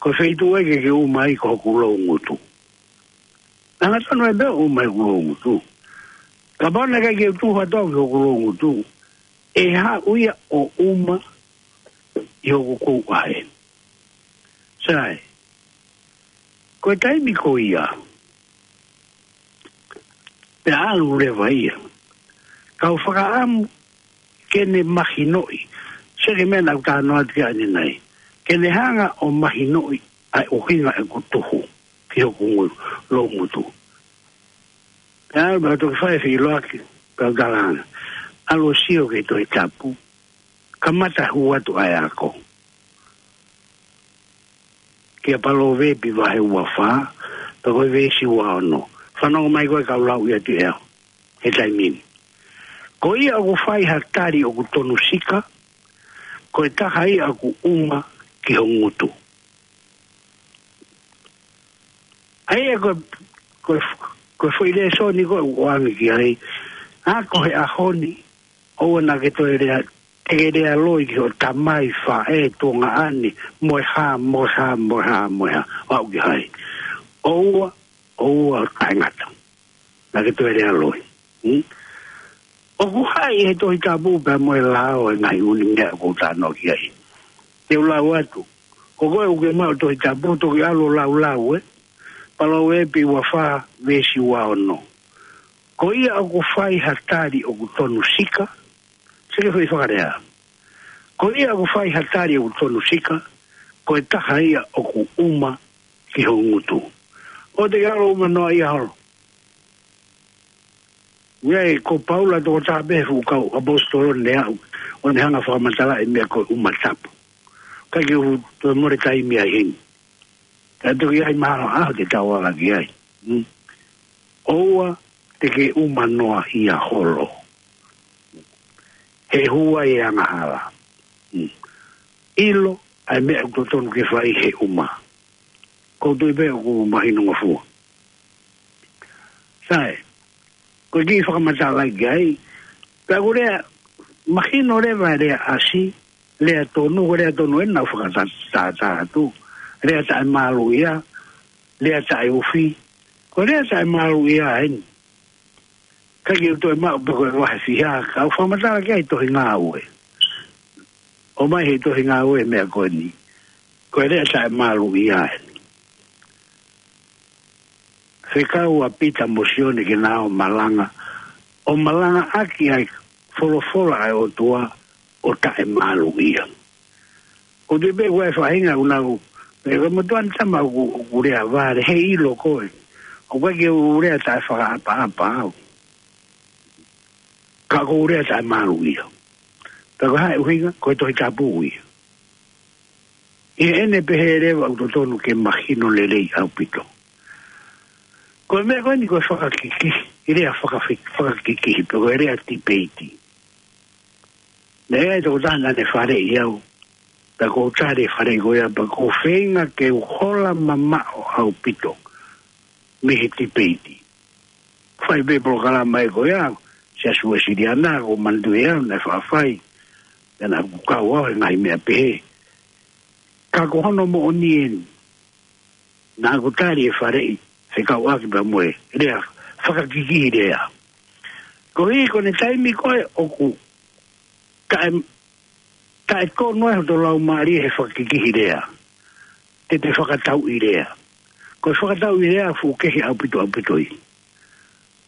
ko e feituʻu ia ke ke ʻuma ai ko hoku loungutu. Hangatonu ai pē ʻo ʻuma ʻi hoku loungutu. Kapau naʻe ʻikai ke u tuhu atu au ki hoku loungutu, ʻe haʻu ia ʻo ʻuma ʻi hoku kouʻahe. Sai. Ko e taimi ko ia, pea ʻalu leva ia. Ka u fakaʻamu ke ne mahinoʻi. Sio ki he meʻa naʻa ku talanoa atu ki ai ʻanenai. Ke ne hanga ʻo mahinoʻi ʻa e ʻuhinga ʻeku tuhu ki hoku ngu-, loungutu. Pea ʻalu pea toki fai e feʻiloaki, pea u talaange. ʻAlu ʻo sio ki he Tohi Tapu. Kamata hū atu ʻa e ako. Kia Palōvepi vahe ua fā, pea ko e veesi ua ono. Fanongo mai ko e kau lau ia ʻe au he taimi ni. Ko ia ʻoku fai ha tali ʻoku tonu sika, ko e taha ia ʻoku ʻuma ki ho ngutu. ʻA ia ko, ko, ko e foʻi lēsoni ko ē ʻoku ʻoange ki ai, ʻa ko e ʻaho ni, ʻoua naʻa ke toe lea, te ke lea loi ki hoʻo tamai, faʻē, tuongaʻane, mo e hā, mo e hā, mo e hā, mo e hā, ʻo aʻu ki hai. ʻOua, ʻoua ʻo taʻengata. Naʻa ke toe lea loi. Hmm? ʻOku haʻi he Tohi Tapu pea mo e lao e ngaahi ʻū meʻa ʻoku ou talanoa ki ai. Te u lau atu. Ko koe ʻoku ke maʻu Tohi Tapu, toki ʻalu ʻo laulau, ē. Palōvepi ua fā, veesi ua ono. Ko ia ʻoku fai ha tali ʻoku tonu sika, sio ki he foʻi fakalea. Ko ia ʻoku fai ha tali ʻoku tonu sika, ko e taha ia ʻoku ʻuma ki ho ngutu. ʻOua te ke ʻalu ʻo ʻuma noa ia holo. ʻA ia ko Paula tokotaha pē he fuʻu kau ʻaposetolo naʻe aʻu ʻo ne hanga ʻo fakamatalaʻi e meʻa ko e ʻuma tapu. Ka ke u toe mole taimi ai heni. Ka toki ʻi ai mahalo ʻaho te tau ala ki ai. Hmm. ʻOua te ke ʻuma noa ia holo. He hū ai e angahala. Hmm. ʻIlo ʻa e meʻa ʻoku totonu ke fai he ʻuma. ʻOku ou tui pē ʻoku mahinongofua. Sai, ko e kiʻi fakamatalaʻi ki ai, pea ʻoku lea, mahino leva e lea ʻasi, lea tonu, ko e lea tonu ʻeni naʻa ku fakatātā atu, lea taʻemāluʻia, lea taʻeufi, ko e lea taʻemāluʻia ʻeni. Ka ke u toe maʻu pē ko e vahe fiha, ka u fakamatala ki ai Tohi Ngāue. ʻOmai he Tohi Ngāue e meʻa ko eni. Ko e lea taʻemāluʻia ʻeni. Fekau ʻa Pita mo Sione ke nau ō ʻo malanga. ʻO malangaʻaki ʻa e folofola ʻa e ʻOtua ʻo taʻemāluʻia. ʻOku ou tui pē ʻoku ʻi ai e faʻahinga ʻoku nau, ʻe, ko e motuʻa ni tama ʻoku, ʻoku lea vale, heiʻilo koe. ʻOku ʻikai ke u lea taʻefakaʻapaʻapa au. Ka ʻoku ou lea taʻemāluʻia. Ka ko e hā e ʻuhinga, ko e Tohi Tapu ia. ʻI heʻene pehē leva ʻoku totonu ke mahino lelei ʻaupito. Ko e meʻa ko eni ko e fakakikihi, e lea fakafi-, fakakikihi, pe ko e lea tipeiti. Naʻe ʻi ai e tokotaha naʻa ne faleʻi au, pea ʻoku ou tali e faleʻi ko ia, pea ʻoku ou feinga ke u hola mamaʻo ʻaupito mei he tipeiti. Fai pē polokalama ē ko ia, Siasi Uēsiliana, ʻoku ou manatuʻi au naʻe faʻa fai, pea naʻa ku kau au he ngaahi meʻa pehē. Ka ko hono moʻoni eni, naʻa ku tali e faleʻi, fekauʻaki pea mo e lea fakakikihi lea. Koeʻuhi ko ʻene taimi ko ē ʻoku taʻe, taʻe tonu ai hoto laumālie he fakakikihi lea. Te te fakatauʻi lea. Ko e fakatauʻi lea fuʻu kehe ʻaupito ʻaupito ia.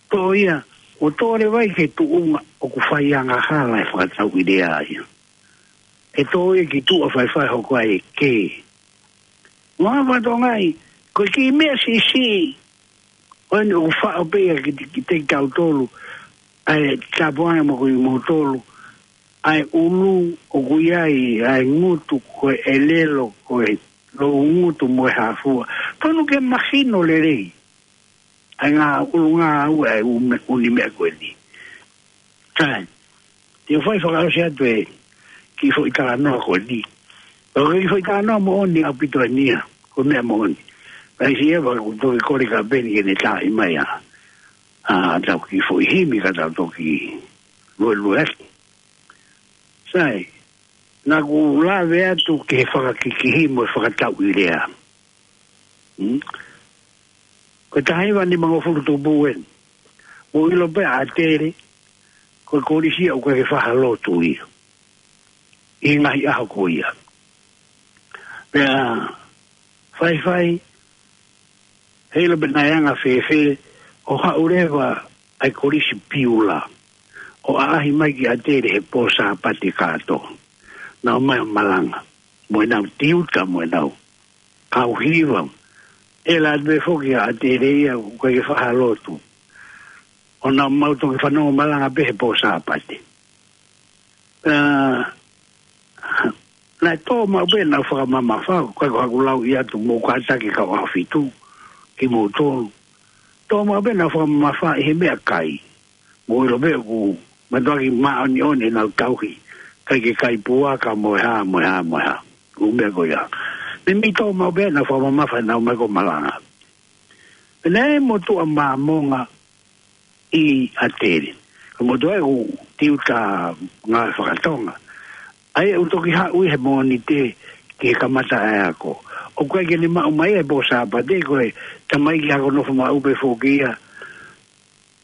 Ko ia, ʻoku tō leva ia ki he tuʻunga ʻoku fai angahala e fakatauʻi lea ia. ʻE tō ia ki tuʻa faifai hoko ai e kē. Mo ha fatongia, ko e kiʻi meʻa siʻisiʻi, ʻo eni ʻoku faʻo pē ia ki, ki te kitautolu, ʻa e tāpuaki mo kimoutolu, ʻa e ʻulu ʻoku ʻi ai, ʻa e ngutu ko e ʻelelo, ko e loungutu mo e hāfua. Tonu ke mahino lelei ʻa e ngaahi ʻulungaanga ʻa e ʻū me-, ʻū meʻa ko eni. Sai. Te u fai fakaʻosi atu e kiʻi foʻi talanoa ko eni. Ko e kiʻi foʻi talanoa moʻoni ʻaupito eni ia, ko e meʻa moʻoni. Pea ʻi he ʻaho ʻoku toki kole kia Peni ke ne taaʻi mai ʻa, ʻa ʻetau kiʻi foʻi himi ka tau toki luelue atu. Sai, naʻa ku lave atu ki he fakakikihi mo e fakatauʻi lea. Hmm? Ko e taha hiva nimangofulu tupu eni. Mou ʻilo pē ʻa ʻAtele, ko e kolisi ia ʻoku ʻikai ke fai ha lotu ia ʻi he ngaahi ʻaho ko ia. Pea faifai, heiʻilo pē naʻe anga fēfē, ʻo haʻu leva ʻa e kolisi Piula ʻo ʻaʻahi mai ki ʻAtele he pō Sāpate kātoa. Naʻa nau ō mai ʻo malanga mo ʻenau tiuta mo ʻenau kau hiva. ʻEla atu pē foki ʻa ʻAtele ia ʻoku ʻikai ke fai ha lotu, ʻo nau mau toki fanongo malanga pē he pō Sāpate. Ā, naʻe tō maʻu pē ʻenau fakamamafa, ʻikai ko haʻaku lauʻi atu, mou kātaki kau ʻaho fitu kimoutolu. Tō maʻu pē ʻenau fakamamafa ʻi he meʻakai. Mou ʻilo pē ʻoku mātuʻaki māʻoniʻoni ʻenau tauhi, ʻikai ke kai puaka mo e hā, mo e hā, mo e hā. ʻŪ meʻa ko ia. Meimei tō maʻu pē ʻenau fakamamafa ʻenau ō mai ʻo malanga. Pea naʻe ʻi ai e motuʻa Māmonga ʻi ʻAtele. Ko e motuʻa ia ʻoku tiuta ngāue fakatonga. ʻA ia ʻoku toki haʻu ia he Mōnite ki he kamata ʻa e ako. ʻOku ʻikai ke ne maʻu mai ia he pō Sāpate, ko e tamaiki ako nofo maʻu pē foki ia.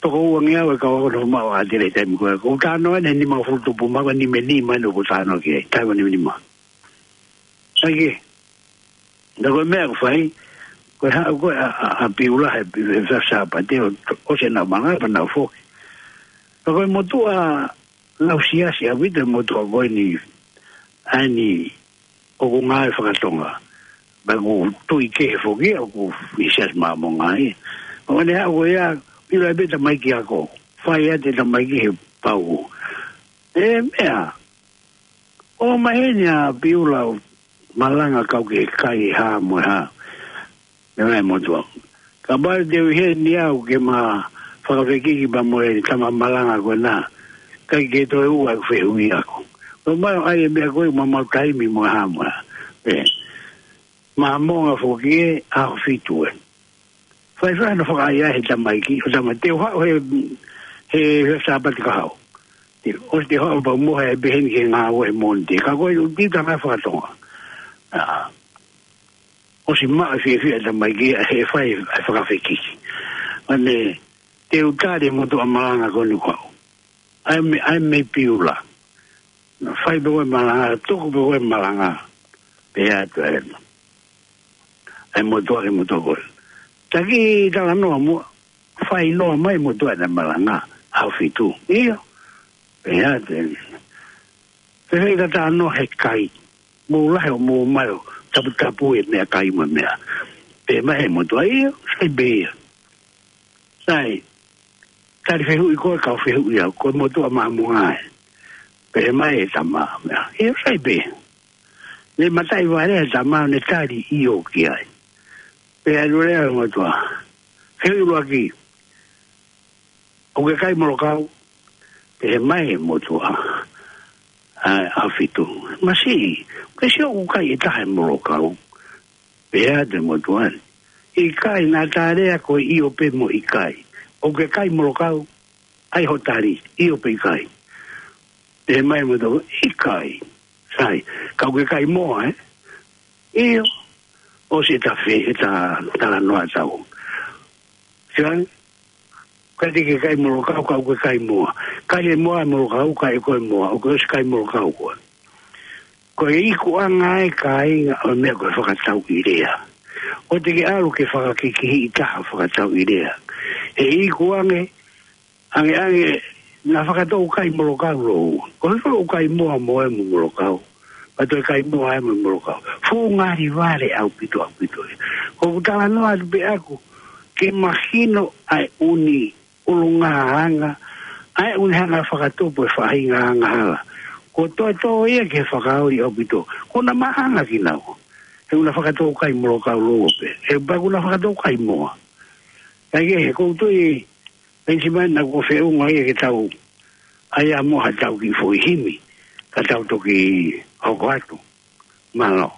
Toko uangeau e kau ako nofo maʻu ʻa ʻAtele he taimi ko ē. ʻOku ou talanoa eni he nimangofulu tupu, mahalo ko e nimanima eni ʻoku ou talanoa ki ai, taimi nimanima. Sai ke, naʻa ko e meʻa ʻoku fai, ko e haʻu ko ē ʻa, ʻa, ʻa Piula he, he, he Sāpate ʻo, ʻosi ʻenau malanga pea nau foki. Ka ko e motuʻa lau siasi ʻaupito e motuʻa ko eni, ʻa eni ʻoku ngāue fakatonga. Pea ʻoku tui kehe foki ia ʻoku ʻi he Siasi Māmonga ia. ʻO ne haʻu ko ia, ʻilo ai pē tamaiki ako. Fai atu e tamaiki he pau. E meʻa, ʻomai heni ʻa Piula ʻo malanga kau ki he kai hā mo e hā. Meʻa mai motuʻa. Kapau te u ʻi heni au ke ma fakafekiki pea mo e tama malanga ko ena, ʻikai ke toe ua ʻeku fehuʻi ako. Ko e mai ʻai e meʻa ko ē ma mau taimi mo e hā mo e hā. Ē. Māmonga foki ē, ʻaho fitu ē. Faifai hono fakaʻaiʻai he tamaiki, ʻo tama te u haʻu he, he, he Sāpate ka haʻu. Te, ʻosi te u haʻu pea mo e pehē ni ke ngāue he Mōnite. Ka ko e ʻuti tanga fakatonga. Ā, ʻosi maʻu e fiefia e tamaiki ia he fai e fakafekiki. ʻA ē, te u tali e motuʻa malanga ko eni ʻoku haʻu. ʻAi mei, ʻai mei Piula. Naʻa fai pē ko e malanga, tuku pē ko e malanga. Pea atu ē. ʻAi motuʻa ki he motuʻa ko ē. Taki talanoa muʻa, fai noa mai motuʻa ʻene malanga, ʻaho fitu. ʻIo. Pea atu ē. Pea fai talanoa he kai. Mou lahi ʻo mou mai ʻo taputapu e meʻakai mo e meʻa. Pea mai he motuʻa ʻio, sai pē ia. Sai, tali fehuʻi ko ē kau fehuʻi au, ko e motuʻa Māmonga ē. Pea mai e tama, meʻa. ʻIo, sai pē. Ne mataʻi vale e tama, ne tali ʻio ki ai. Pea ʻalu leva e motuʻa. Ke ʻuluaki, ʻoku ke kai molokau? Pehē mai e motuʻa ʻa, ʻa Fitu: Masiʻi, ʻoku ke sio ʻoku kai ʻe taha e molokau? Pehē atu e motuʻa ni: ʻIkai, naʻa ta lea ko e ʻio pē mo ʻikai. ʻOku ke kai molokau? ʻAi hoʻo tali, ʻio pe ʻikai. Pehē mai e motuʻa: ʻIkai. Sai, ka ʻoku ke kai moa, ē? ʻIo. ʻOsi ʻeta fe-, ʻeta talanoa ʻatautolu. Sai, ʻikai te ke kai molokau, ka ʻoku ke kai moa. Kai e moa e molokau, kai ʻe koe e moa, ʻoku ke ʻosi kai molokau koe. Ko e ikuʻanga e kāinga ʻo e meʻa ko e fakatauʻilea. ʻOua te ke ʻalu ke fakakikihiʻi taha fakatauʻilea. He ikuʻanga, ange, ange, naʻa Fakatou kai molokau lōua. Ko e hifo ʻoku kai moa mo e mo molokau. Pea toe kai moa e mo molokau. Fuʻu ngali vale ʻaupito, ʻaupito. Ko ʻeku talanoa atu pē ʻaku ke mahino ʻa e ʻū ʻulungaanga, ʻa e ʻū hanga fakatupu e faʻahinga angahala. Ko e toʻotoʻo ia ke fakaoli ʻaupito. Ko ʻena maʻanga kinaua. He ʻoku na Fakatou kai molokau lōua pē. He pea ʻoku na Fakatou kai moa. Kae kehe, ʻoku ou tui, Penisimani, naʻa kuo feʻunga ia ke tau ʻai ā mo ha tau kiʻi foʻi himi, ka tau toki hoko atu. Mālō.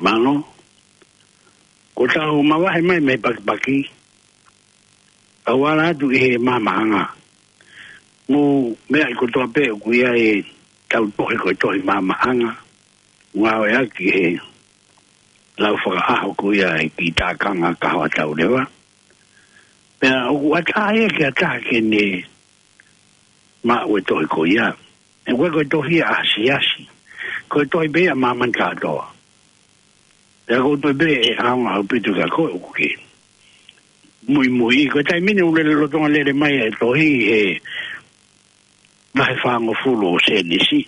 Mālō. Kuo tau mavahe mai mei he pakipaki, tau ala atu ʻi he maamaʻanga. Mou meaʻi kotoa pē ʻoku ʻi ai ʻetau tohi ko e tohi maamaʻanga, ngāueʻaki he lau fakaʻaho ko ia ʻa e kiʻi tākanga kaho ʻa Tauleva. Pea ʻoku ʻatā ia ke ʻatā ke ne maʻu e tohi ko ia. He ko e, ko e tohi ʻa e siasi. Ko e tohi pē ia ʻa māmani kātoa. Pea ʻoku ou tui pē ʻe ʻaonga ʻaupito kia koe ʻoku ke muimui. Ko e taimi ni ʻoku lele lolotonga lele mai e tohi he vahe fāngofulu ʻo Sēnesi.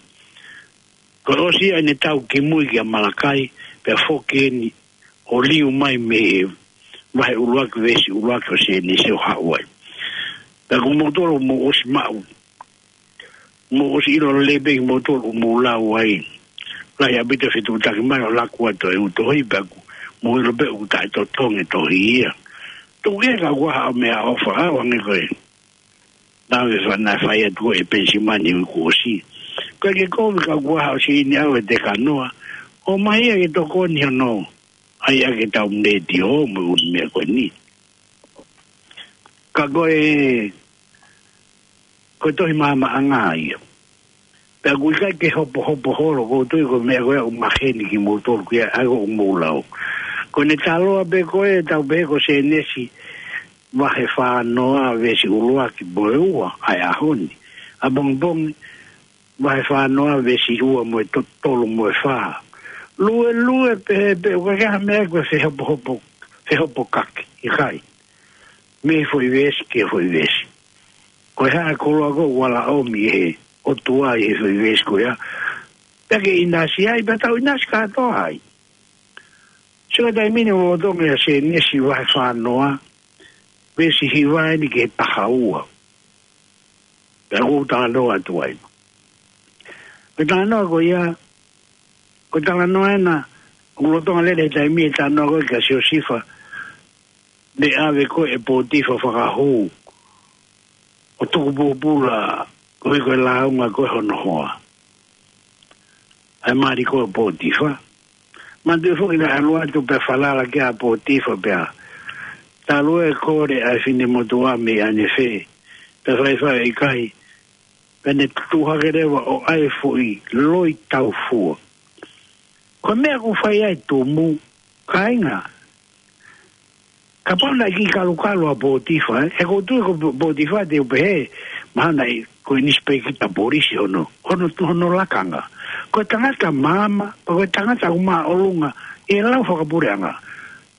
Ko e ʻosi ia ʻene tau kimui kia Malakai, pea foki eni ʻo liu mai mei he vahe ʻuluaki veesi ʻuluaki ʻo Sēnesi ʻo haʻu ai. Pea ko moutolu mou ʻosi maʻu, mou ʻosi ʻilo lelei pē kimoutolu ʻoku mou lau ai. Lahi ʻaupito e fetuʻutaki mai ʻo laku atu e ʻū tohi pea ʻoku mou ʻilo pē ʻoku taʻetotongi e tohi ia. Tuku ke ka ʻoku ʻi ai haʻo meʻaʻofa, ʻa, ʻoange ko e lave fana fai atu ko e Penisimani ʻi he uike kuo ʻosi. Ko e ke kovi ka ʻoku ʻi ai haʻo siʻi ni au e te kanoa. ʻOmai ia ke tokoni hono ʻai ʻaki e tau letiō mo e ʻū meʻa ko eni. Ka ko e, ko e tohi maʻamaʻanga ia. Pea ʻoku ʻikai ke hopohopo holo, ʻoku ou tui ko e meʻa ko ia ʻoku maheni kimoutolu ki ai, ʻa ia ʻoku mou lau. Ko ʻene taloa pē ko e tau pehē ko Sēnesi vahe fānoa veesi ʻuluaki mo e ua ʻa e ʻaho ni. ʻApongipongi vahe fānoa veesi ua mo e to-, tolu mo e fā. Luelue pehē pē, ʻoku ʻikai ha meʻa ko e fehopohopo, fehopokaki, ʻikai. Mei he foʻi veesi ki he foʻi veesi. Ko e hā e koloa ko ē ʻoku ala ʻomi ʻe he ʻOtua ʻi he foʻi veesi ko ia. Pea ke ʻinasi ai, pea tau ʻinasi kātoa ai. Sio ki he taimi ni ʻoku lolotonga ia Sēnesi vahe fānoa, veesi hiva eni ki he taha ua. Pea ʻoku ou talanoa atu ai. Ko e talanoa ko ia, ko e talanoa ena, ʻoku lolotonga lele he taimi e talanoa ko ē kia Siosifa, ne ʻave ko ē ʻe Pōtifa fakahū ʻo tuku pōpula koeʻuhi ko e lāunga ko ē hono hoa. ʻA e mali ko ē ʻo Pōtifa. Manatuʻi foki naʻe ʻalu atu pea falala ki ai ʻa Pōtifa pea talu ʻe kole ʻa e finemotuʻa mei ʻanefē. Pea faifai ʻikai. Pea ne tuʻu hake leva ʻo ʻai e foʻi loi taufua. Ko e meʻa ʻoku fai ai e tumu, kāinga. Kapau naʻe kiʻi kalukalu ʻa Pōtifa, ē? He ʻoku ou tui ko Pō-, Pōtifa te u pehē, mahalo naʻe ko e nisipēkita polisi hono, hono, hono lakanga. Ko e tangata maama, ko e tangata ʻoku māʻolunga ʻi he lau fakapuleʻanga.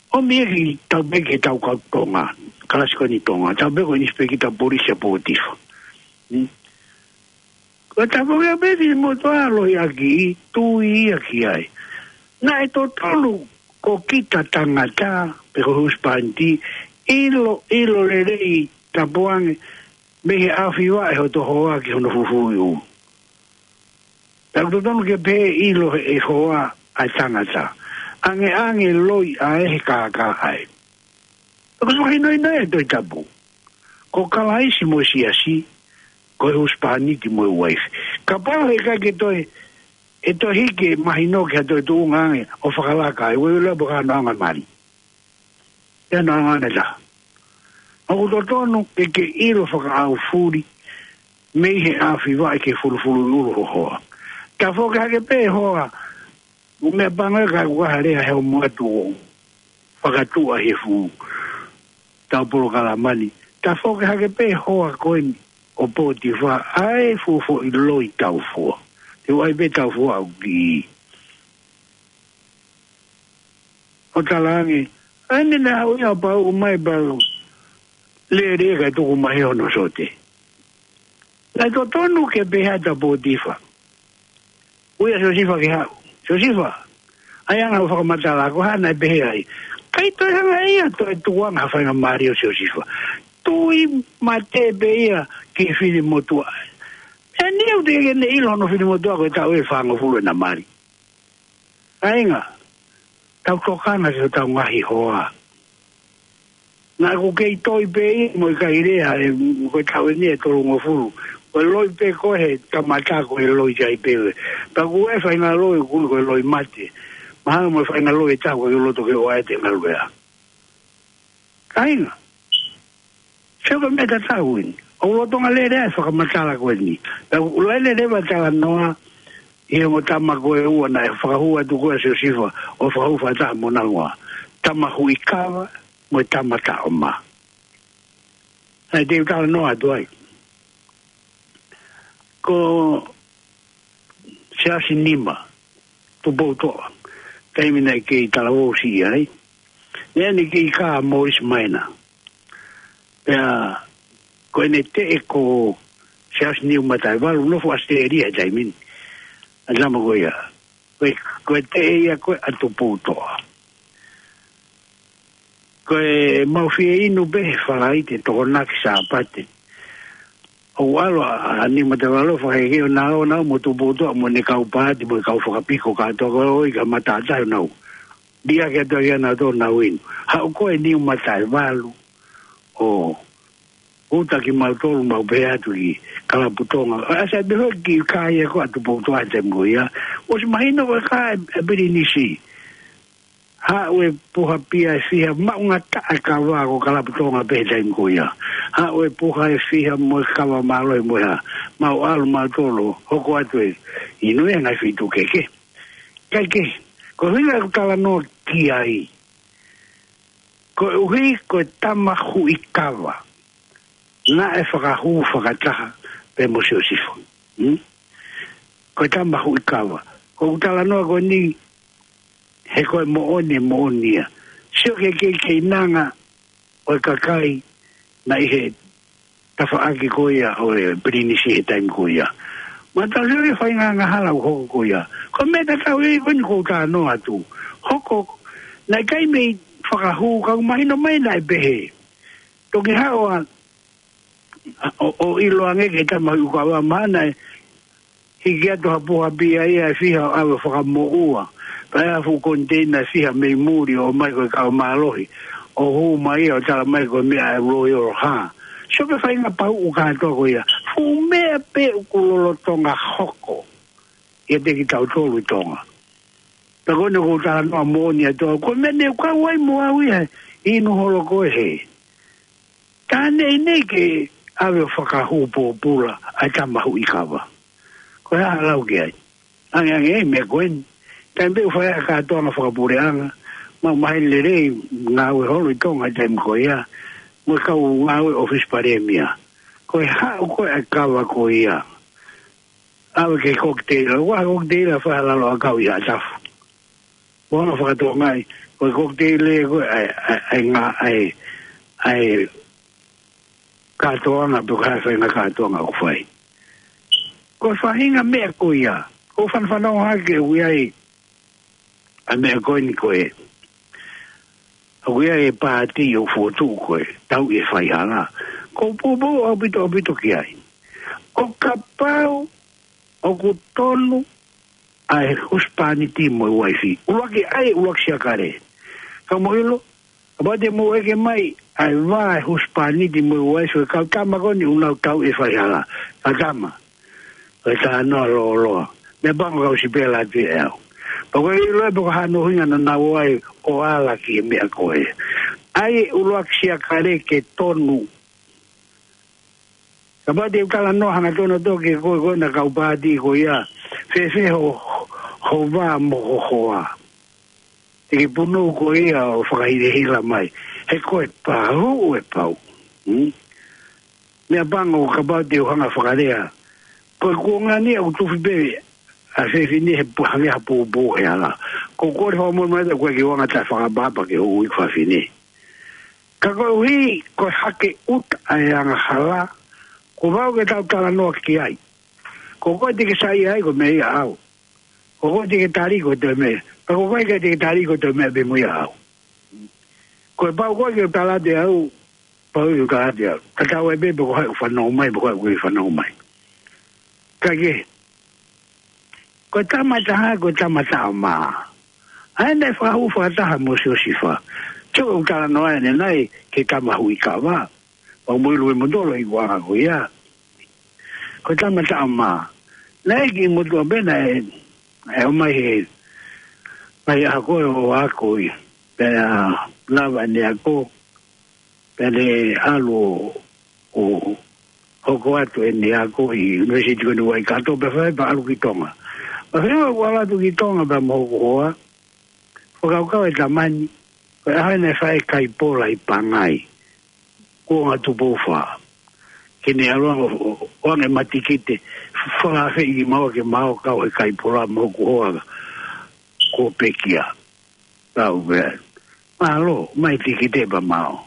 ʻOmi ia ke tau pehē ki he tau kau Tonga, kalasi ko eni Tonga, tau pehē ko e nisipēkita polisi ʻa Pōtifa. Hmm? Ko e tafoki ʻa e finemotuʻa loi ʻaki, tui ia ki ai. Naʻe totonu ko kita tangata, pe ko e husepāniti, ʻilo, ʻilo lelei tapu ange, mei he ʻaofi vaʻe hoto hoa ki hono fufulu ʻulu. Pea ʻoku totonu ke pehē ʻilo ʻe he hoa ʻa e tangata. ʻAngeʻange loi ʻa e he kākā ai. Ko e fakahinohino ia ʻa e Tohi Tapu. Ko Kalaisi mo e siasi, ko e husepāniti mo e uaifi. Kapau he ʻikai ke toe, ʻe toe hiki e mahino ki ha toe tuʻunga ange ʻo fakalaka ai, ueue lea pea ka noʻanga mali. Ia noʻanga ange ta. ʻOku totonu ke ke ʻilo fakaʻaufuli, mei he ʻaofi vaʻe ki he fulufuluʻulu ho hoa. Tafoki hake pē hoa, ʻoku meʻapango ia ka ʻoku ʻi ai ha lea he ʻoku ʻoatu ʻo fakatuʻa he fuʻu tau polokalama ni. Tafoki hake pē hoa ko eni ʻo Pōtifa, ʻa e fuʻu foʻi loi taufua. Te u ʻai pē taufua ʻoku ki. ʻO talaange, ʻa eni naʻe haʻu ia ʻo pauʻu mai pau. Lele ka tuku mai hono sote. Naʻe totonu ke pehē atu ʻa Pōtifa. Ui ʻa Siosifa ke haʻu. Siosifa, ʻai ange ʻo fakamatala, ko e hā naʻe pehē ai. ʻIkai toe hanga ia ʻo toe tukuange ha faingamālie ʻo Siosifa. Tui mate pē ia ki he finemotuʻa. ʻE niu te ke ne ʻilo hono finemotuʻa ko e taʻu ʻe fāngofulu ʻena mali. Kāinga, tau tokanga ki hotau ngaahi hoa. Naʻa ku kei toi pē ia mo e kai lea, ʻe, ko e taʻu eni ʻe tolungofulu. Ko e loi pē ko ē he kamata ko e loi ai pē. Pea ko e faʻahinga loi ʻoku ui ko e loi mate. Mahalo mo e faʻahinga loi ʻe taha ʻoku ʻikai loto ke ʻoatu e ngaahi lea. Kāinga. Sio ki he meʻa tatau eni. ʻOku lolotonga lele ʻa e fakamatala ko eni. Pea ʻoku lele leva e talanoa ʻi he ongo tama ko ē ʻe ua naʻe fakahū atu ko ē ʻa Siosifa ʻo fakahū fakataha mo hono hoa. Tama Huʻikava mo e tama Taʻoma. Naʻe te u talanoa atu ai. Ko Siaosi Nima. Tupoutoʻa. Taimi naʻe kei talavou siʻi ai. Naʻe ʻi ai ʻene kei kā Morris Minor. Pea ko ʻene teʻe ko Siaosi Niumataʻevalu, nofo ʻAositelēlia he taimi ni. ʻA e tama ko ia. Ko e, ko e teʻe ia ko ē ʻa Tupoutoʻa. Ko e mau fie inu pē he Falaite, Tokonaki, Sāpate. ʻOku ʻalu ʻa, ʻa Niumataʻevalu ʻo fakaeke ʻo nau, nau mo Tupoutoʻa mo ʻene kau paati mo e kau fakapiko kātoa ko ē ʻo ʻi he matātahi ʻo nau. Liʻaki atu ʻa kinautolu ʻo nau inu. Haʻu ko ē Niumataʻevalu ʻo uta kimautolu mau pehē atu ki Kalapu Tonga. ʻA, sai pē hoi ki kā ia ko ē ʻa Tupoutoʻa he taimi ko ia. ʻOsi mahino ko e kā ʻe, ʻe Pilinisi. Haʻu e puha pia ʻe fiha, maʻungataʻa e kava ko Kalapu Tonga pē he taimi ko ia. Haʻu e puha ʻe fiha mo e kava mālohi mo e hā. Mau ʻalu mautolu, hoko atu e inu e ngaahi feituʻu kehekehe. Kae kehe, ko e ʻuhinga ʻeku talanoa ki ai. Koeʻuhi ko e tama huʻi kava. Naʻe fakahū fakataha pē mo Siosifa. Hmm? Ko e tama huʻi kava. Ko ʻeku talanoa ko eni, he ko e moʻoni, moʻoni ia. Sio ki he kei, keinanga ʻo e kakai naʻe ʻi he tafaʻaki ko ia ʻo e Pilinisi he taimi ko ia. Mahalo sio ki he faʻahinga angahala ʻoku hoko ko ia. Ko e meʻa tatau ia ko eni ʻoku ou talanoa atu. Hoko, naʻe ʻikai mei fakahū, ka ʻoku mahino mai naʻe pehē. Toki haʻu ʻa, ʻo, ʻo ʻilo ange ki he tama huʻi kava, mahalo naʻe hiki atu ha puha pia ia ʻe fiha ʻo ʻave ʻo fakamoʻua. Pea ʻi ai ha fuʻu koniteina ʻe fiha mei muli ʻo ʻomai ko e kava mālohi. ʻO hū mai ia ʻo tala mai ko e meʻa ʻa e Royal hā. Sio ki he faʻahinga pauʻu kātoa ko ia. Fuʻu meʻa pē ʻoku lolotonga hoko ʻiate kitautolu ʻi Tonga. Pea ko eni ʻoku ou talanoa moʻoni atu au. Ko e meʻa naʻe kau ai mo au ia, inu holo ko ē he. Ka naʻe ʻi ai ke ʻave ʻo fakahū pōpula ʻa e tama huʻi kava. Ko e hā ʻa e lau ki ai? Angeange e meʻa ko eni. Taimi pē ʻoku fai ai e kātoanga fakapuleʻanga, mau maheni lelei ngāue holo ʻi Tonga he taimi ko ia. Mo e kau ngāue ʻōfisi palēmia. Ko e haʻu ko ē ʻa e kava ko ia. ʻAve ki he kokiteila. Ua ha kokiteila fai ha lalo ʻakau ʻi Haʻatafu. Mo hanga ʻo fakatokangaʻi, ko e kokiteila ko ē ʻa e, ʻa e, ʻa e ngā, ʻa e, ʻa e kātoanga, pe ko e hā e faʻahinga kātoanga ʻoku fai. Ko e faʻahinga meʻa ko ia, ʻoku ou fanafana hake ʻoku ʻi ai ʻa e meʻa ko eni ko ē. ʻOku ʻi ai e paati ʻoku fokotuʻu ko e tauʻi e faihala. ʻOku ou poupou ʻaupito, ʻaupito ki ai. ʻO kapau ʻoku tonu ʻa e husepāniti mo e uaifi. ʻUluaki ʻai, ʻuluaki siakale. Ka mou ʻilo, kapau te mou ʻeke mai ʻa e vā e husepāniti mo e uaifi, ʻo e kau tama ko eni ʻoku nau tauʻi e faihala. Kau tama. Ko e talanoa lōloa. Meʻapango kau sipela atu ʻe au. Pea ʻoku ʻikai ʻilo pe ko e hā hono ʻuhinga naʻa nau ō ai ʻo ala ki he meʻa ko ē. ʻAi e ʻuluaki siakale ke tonu. Kapau te u talanoa hangatonu atu ki he ko ē ko ē ʻa e kau paati ko ia. Fēfē ho, ho vā mo ho hoa. Te ke punou koe ia ʻo fakahilahila mai. He ko e pau, ʻe pau. Hmm? Meʻapango kapau te u hanga ʻo fakalea. Ko e kuonga ni ʻoku tufi pē ʻa e fefine he pu-, hangē ha pōpō he hala. ʻOku ou kole fakamolemole atu ʻoku ʻikai ke u anga taʻefakaʻapaʻapa ki hoʻo ui ko e fefine. Ka koeʻuhi, ko e hake ʻuta ʻa e angahala, kuo pau ke tau talanoa ki ai. Ko koe te ke saiʻia ai ko e meʻa ia ʻaʻau. Ko koe te ke tali ko e toe meʻa. Ka ko koe ʻikai te ke tali ko e toe meʻa pē mo ia ʻaʻau. Ko e pau koe ke tala atu ʻe au, pau ke tala atu ʻe au. Tatau ai pē pe ko hai ʻoku fanongo mai, pe ko hai ʻoku ʻikai fanongo mai. Kae kehe, ko e tama ʻe taha, ko e tama taʻamā. ʻA ē naʻe fakahū fakataha mo Siosifa. Sio ki heʻeku talanoa ʻanenai ki he tama huʻi kava. Pea mou ʻilo ʻe moutolu e ikuʻanga ko ia. Ko e tama taʻamā. Naʻe ʻi he motuʻa pē naʻe, ʻe ō mai he, mai ʻa ko ē ʻo ako ia. Pea lava ʻene ako. Pea ne ʻalu ʻo, ʻo hoko atu ʻene ako ʻi he ʻUnivēsiti ko eni Waikato pea fai pea ʻalu ki Tonga. Pea fai ʻo ʻalu atu ki Tonga pea mo hoku hoa. Fakakaukau e tama ni, ko e ʻaho naʻe fai e kaipola ʻi Pangai. Kuonga Tupou Fā. Ke ne ʻalu ange ʻo, ʻo, ʻo ʻoange matikite, fakaafeʻi kimaua ke mau kau he kaipola mo hoku hoa. ʻo pekia. Tau pē. Mālō, mai tiki te pa mao.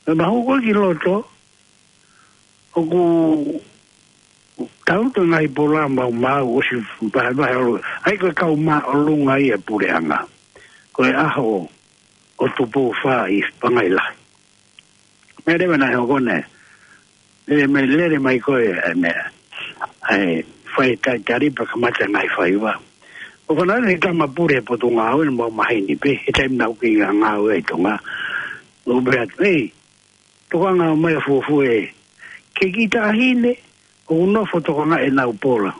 Pea mau hoko ki loto, ʻoku tau to ngai pola mau mau ʻosi vahevahe ʻo. ʻAi ko e kau māʻolunga ia puleʻanga. Ko e ʻaho ʻo Tupou Fā ʻi Pangai Lahi. Meʻa leva naʻe hoko ne. Lele mai, lele mai ko e, e meʻa. ʻAi, fai tai tari pa kamata ngai faiva. ʻO fanau ne tama pule he Potungāue ne mau maheni pē, he taimi naʻa ku kei ngāue ʻi Tonga. ʻO pehē atu, ei, tokanga mai fuofua ē. Ke ki taʻahine, ʻoku nofo tokanga ʻenau pola.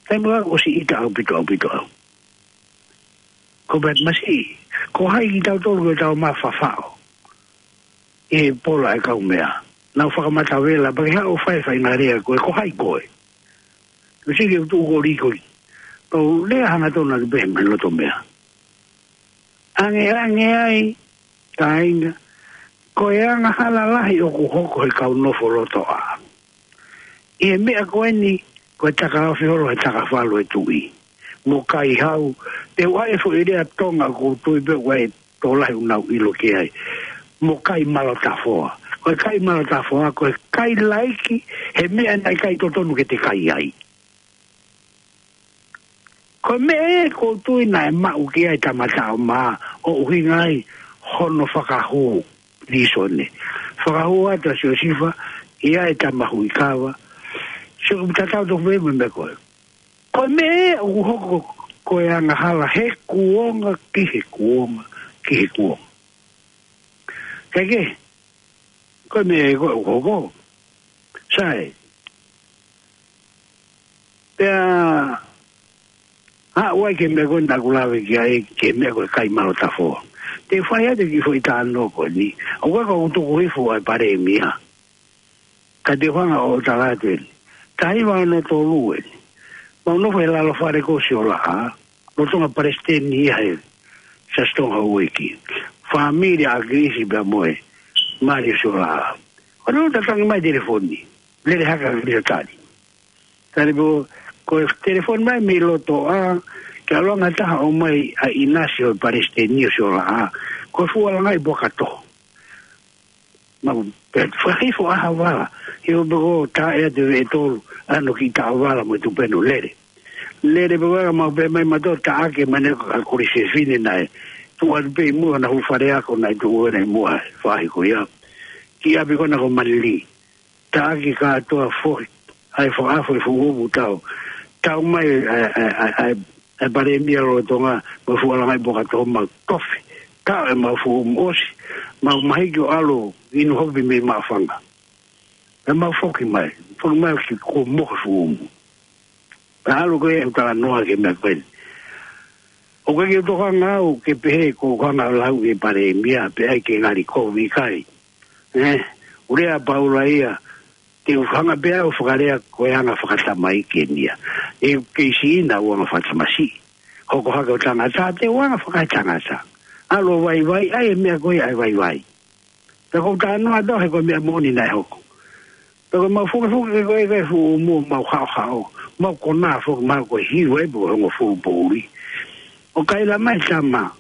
Taimi ʻoku ʻosi ʻita ʻaupito, ʻaupito au. Ko Bat Masi, ko hai kitautolu ko e tau mafafaʻo ʻi he pola e kau meʻa. Nau fakamatavela, pea ke haʻu ʻo fai faʻahinga lea ko e, ko hai koe. Ko siki ʻoku tuʻu ko likoi. Pau lea hangatonu atu pē mai loto meʻa. Ange, ange ai, kāinga, ko e angahala lahi ʻoku hoko he kau nofo loto ʻā. ʻI he meʻa ko eni, ko e taka ofi holo he taka falu e tuʻi. Mo kai hau, te u ʻai e foʻi lea Tonga ʻoku ou tui pē ʻoku ʻi ai e tokolahi ʻoku nau ʻilo ki ai. Mo kai malotafoa. Ko e kai malotafoa, ko e kai laiki, he meʻa naʻe ʻikai totonu ke te kai ai. Ko e meʻa ē ʻoku ou tui naʻe maʻu ki ai Tama Taʻomā, ʻo ʻuhinga ai hono fakahū lēsoni. Fakahū atu ʻa Siosifa, ʻi ai e tama huʻi kava. Sio ʻoku tatau tofu pē mo e meʻa ko ē. Ko e meʻa ē ʻoku hoko ko e angahala he kuonga ki he kuonga ki he kuonga. Kae kehe, ko e meʻa ē ko ē ʻoku hoko. Sai. Pea, haʻu ai ki he meʻa ko ē naʻa ku lave ki ai, ki he meʻa ko e kai malotafoa. Te u fai atu e kiʻi foʻi talanoa ko eni. ʻOku ʻikai ko ʻeku tuku hifo ʻa e Palēmia. Ka te u hanga ʻo tala atu eni. Taha hiva ono tolu eni. Mau nofo he lalo fale ko Siolaʻā. Lolotonga palesiteni ia he Siasi Tonga Houʻeiki. Fāmili ʻa ʻAkilisi pea mo e mali ʻo Siolaʻā. ʻO ne ʻo tatangi mai telefoni. Lele hake ʻa ʻAkilisi ʻo tali. Tali pē, ko e telefoni mai mei loto ʻā, ke ʻaluʻanga taha ʻomai ʻa ʻInasi ʻo e palesiteni ʻo Siolaʻā. Ko e fuʻu ʻalunga ʻi Puakatoho. Mau pehē atu, fakahifo ʻa ha vala. Hifo pē ko e taʻe atu e veʻe tolu, ʻa hono kiʻi taʻovala mo e tupenu lele. Lele pē ko ē mau pehē mai mautolu taʻaki mai ʻe he kau Kolisi Fefine naʻe tuʻu atu pē ʻi muʻa, naʻa ku fale ako naʻe tuʻu ʻi muʻa, faʻahi ko ia. Ki ʻapi ko ena ko Manili. Taʻaki kātoa foki. ʻAi fakaʻafu e fuʻu umu tau. Tau mai, ʻa e, ʻa e, ʻa e, ʻa e, ʻa e Palēmia lolotonga, mo e fuʻu ʻalunga ʻi Puakatoho mau tofi. Tau e mau fuʻu umu ʻosi, mau mahiki ʻo ʻalu inu hopi mei Maʻufanga. Pea mau foki mai, foki mai ki kuo mohe fuʻu umu. Pea ʻalu ko ē ʻeku talanoa ki he meʻa ko eni. ʻOku ʻikai ke u tokanga au ke pehē ko e hanga ʻo lau ʻe he Palēmia, pe ʻai ke ngali kovi kai. ʻE, ʻoku lea ʻa Paula ia, te u hanga pē au ʻo fakalea ko e anga fakatamaiki eni ia. ʻE kei siʻi ʻena ʻa e anga fakatamasiʻi. Hoko hake ʻo tangata, te u anga fakaetangata. ʻAlu ʻo vaivai, ʻai e meʻa ko ia ʻa e vaivai. Pea ko u talanoa atu he ko e meʻa moʻoni naʻe hoko. Pea ko e mau fukefuke ko ē ko e fuʻu umu mau haʻohaʻo. Mau konā foki mau ko e hiu ai pē ko e hongofulu poʻuli. ʻO kaila mai tama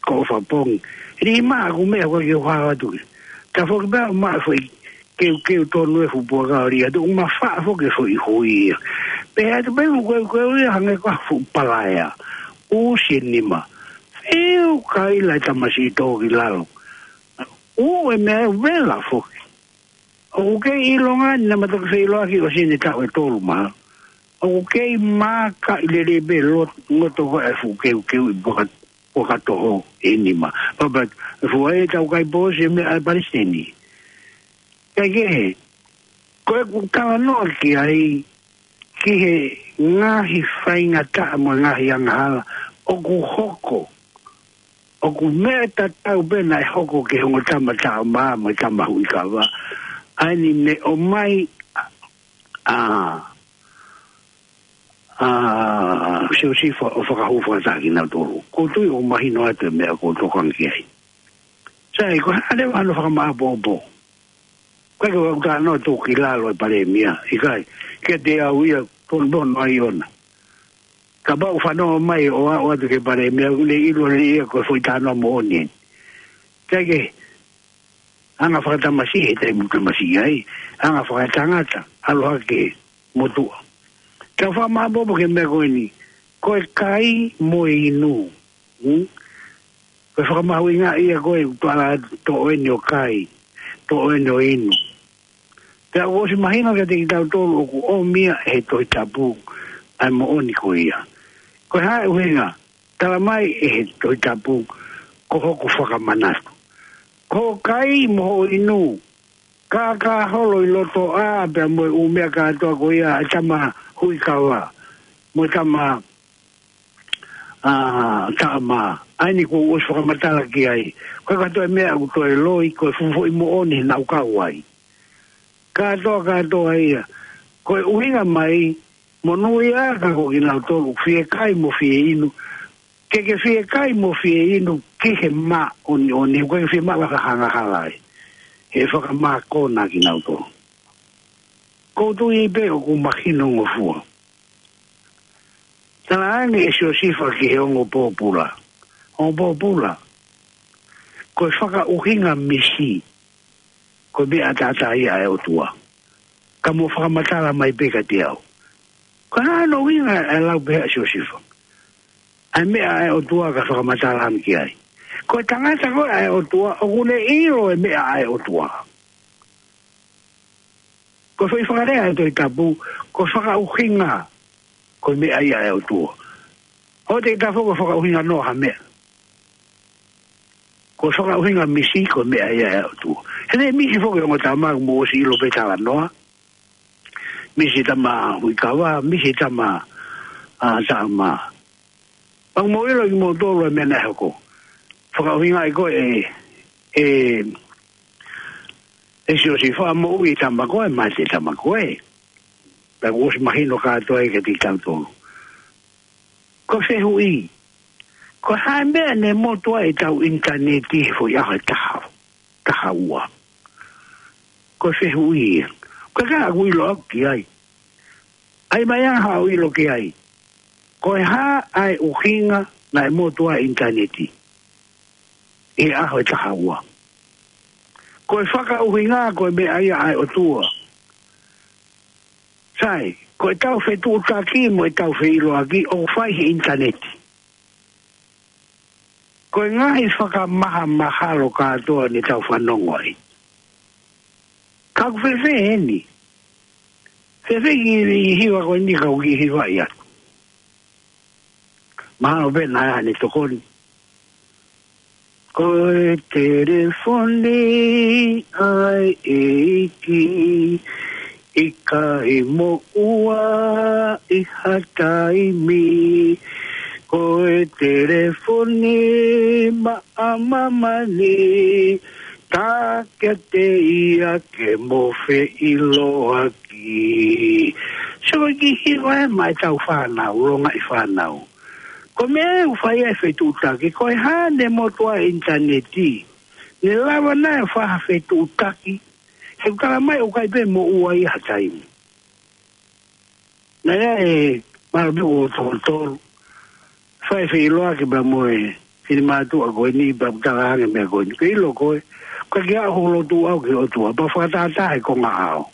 ko ʻOfapongi. Lima ʻaku meʻa ko e ke u hao atu ke. Ta foki pea ma foʻi keukeu tonu e fuʻu puaka ʻo lī atu, ʻoku mafaʻa foki e foʻi hui ia. Pea atu pē ʻoku keukeu ia hangē ko ha fuʻu palaea. ʻUsi e nima. Fiu kaila e tamasiʻi tō ki lalo. ʻUu e meʻa ʻe vela foki. ʻOku kei ʻilonga ni naʻa ma toki feʻiloaki ʻosi ʻene taʻu ʻe tolu mā. ʻOku kei mākaʻi lelei pē lo-, ngoto ko e fuʻu keukeu ʻi Puaka-, Puakatoho ʻe nima. Papa, e fuʻu ai e tau kai pōsi e meʻa ʻa e palesiteni. Kae kehe, ko ʻeku talanoa ki ai, ki he ngaahi faingataʻa mo e ngaahi angahala, ʻoku hoko, ʻoku meʻa tatau pē naʻe hoko ki he ongo tama Taʻomā mo e tama Huʻikava, ʻa eni ne ʻomai, ʻa, ʻa, Siosifa ʻo fakahū fakataha kinautolu. Ko u tui ʻoku mahino atu e meʻa ko u tokanga ki ai. Sai, ko e hā leva hono fakamāʻopoʻopo. ʻIkai ke u talanoa tuku ki lalo e palēmia, ʻikai, kiate au ia, tonu pē hono ʻai ʻona. Kapau ʻoku fanongo mai ʻo aʻu atu ki he palēmia, ʻoku ne ʻilo lelei ia ko e foʻi talanoa moʻoni eni. Kae kehe, anga fakatamasiʻi he taimi ʻoku tamasiʻi ai, anga fakatangata, ʻalu hake motuʻa. Tau fakamāʻopoʻopo ki he meʻa ko eni, ko e kai mo e inu. Hmm? Ko e fakamahuʻingaʻi ia ko e ʻutuala toʻo eni ʻo kai, toʻo eni ʻo inu. Pea ʻoku ʻosi mahino kiate kitautolu ʻoku ʻomi ia ʻe he Tohi Tapu ʻa e moʻoni ko ia. Ko e hā e ʻuhinga? Tala mai ʻe he Tohi Tapu, ko hoku fakamanatu. Ko hoʻo kai mo hoʻo inu, kākā holo ʻi loto ʻā pea mo e ʻū meʻa kātoa ko ia ʻa e tama huʻi kava, mo e tama, ʻa, taʻamā. ʻA eni kuo u ʻosi fakamatala ki ai. Ko e kātoa e meʻa ʻoku toe loi, ko e fuʻu foʻi moʻoni naʻa ku kau ai. Kātoa, kātoa ia. Ko e ʻuhinga mai, monūʻia ka ko kinautolu ʻoku fie kai mo fie inu. Ke ke fie kai mo fie inu ki he māʻoniʻoni, ʻoku ke fie maʻu ha angahala ai. He fakamākona kinautolu. Ko u tui pē ʻoku mahinongofua. Talaange ʻe Siosifa ki he ongo pōpula. Ongo pōpula. Ko e fakaʻuhinga misi. Ko e meʻa ʻataʻatā ia ʻa e ʻOtua. Ka mou fakamatala mai pē kiate au. Ko e hā hono ʻuhinga ʻa e lau pehē ʻa Siosifa? ʻA e meʻa ʻa e ʻOtua ka fakamatala ange ki ai. Ko e tangata ko ē ʻa e ʻOtua, ʻoku ne ʻilo e meʻa ʻa e ʻOtua. Ko e foʻi fakalea ʻa e Tohi Tapu, ko e fakaʻuhinga, ko e meʻa ia ʻa e ʻOtua. ʻOua te ke tala foki ko e fakaʻuhinga noa ha meʻa. Ko e fakaʻuhinga misi, ko e meʻa ia ʻa e ʻOtua. He naʻe misi foki ongo tama, mou ʻosi ʻilo pē talanoa. Misi tama huʻi kava, misi tama, ʻa, taʻamā. Pea mou ʻilo ʻe kimoutolu e meʻa naʻe hoko. Fakaʻuhingaʻi ko ē ʻe, ʻe, ʻe Siosifa, moʻui e tama ko ē, mate e tama ko ē. Pea kuo ʻosi mahino kātoa ia kiate kitautolu. Ko e fehuʻi, ko e hā e meʻa ne motu ai ʻetau ʻinitaneti he foʻi ʻaho ʻe taha, taha ua? Ko e fehuʻi ia. Ko e ka ʻoku ʻilo au ki ai. ʻAi mai ange haʻo ʻilo ki ai. Ko e hā ʻa e ʻuhinga naʻe motu ai e ʻinitaneti he ʻaho ʻe taha ua? Ko e fakaʻuhinga ko e meʻa ia ʻa e ʻOtua. Sai, ko ʻetau fetuʻutaki mo ʻetau feʻiloaki ʻoku fai he ʻinitaneti. Ko e ngaahi fakamahamahalo kātoa ne tau fanongo ai. Ka ʻoku fēfē eni? Fēfē kiʻi hiva ko eni ka ʻoku kiʻi hivaʻi atu? Mahalo pē naʻa ne tokoni. Ko e telefoni ʻa e ʻEiki, ʻikai moʻua ʻi ha taimi. Ko e telefoni maʻa māmani, tā kiate ia ke mo feʻiloaki. So, kiʻi hiva ē maʻa ʻetau fānau, longaʻi fānau. Ko e meʻa ʻoku fai ai e fetuʻutaki, ko e hā ne motu ai e ʻinitaneti? Ne lava naʻe fai ha fetuʻutaki, he ʻoku tala mai ʻoku ʻikai pē moʻua ia ha taimi. Naʻe ʻi ai e malu meʻa ʻo tolotolo. Fai feʻiloaki pea mo e finemātuʻa ko eni pea ʻoku tala ange meʻa ko eni. Ke ʻilo koe, ko e ke aʻu hoʻo lotu ʻau ki he ʻOtua, pea fakatātā he konga ʻao.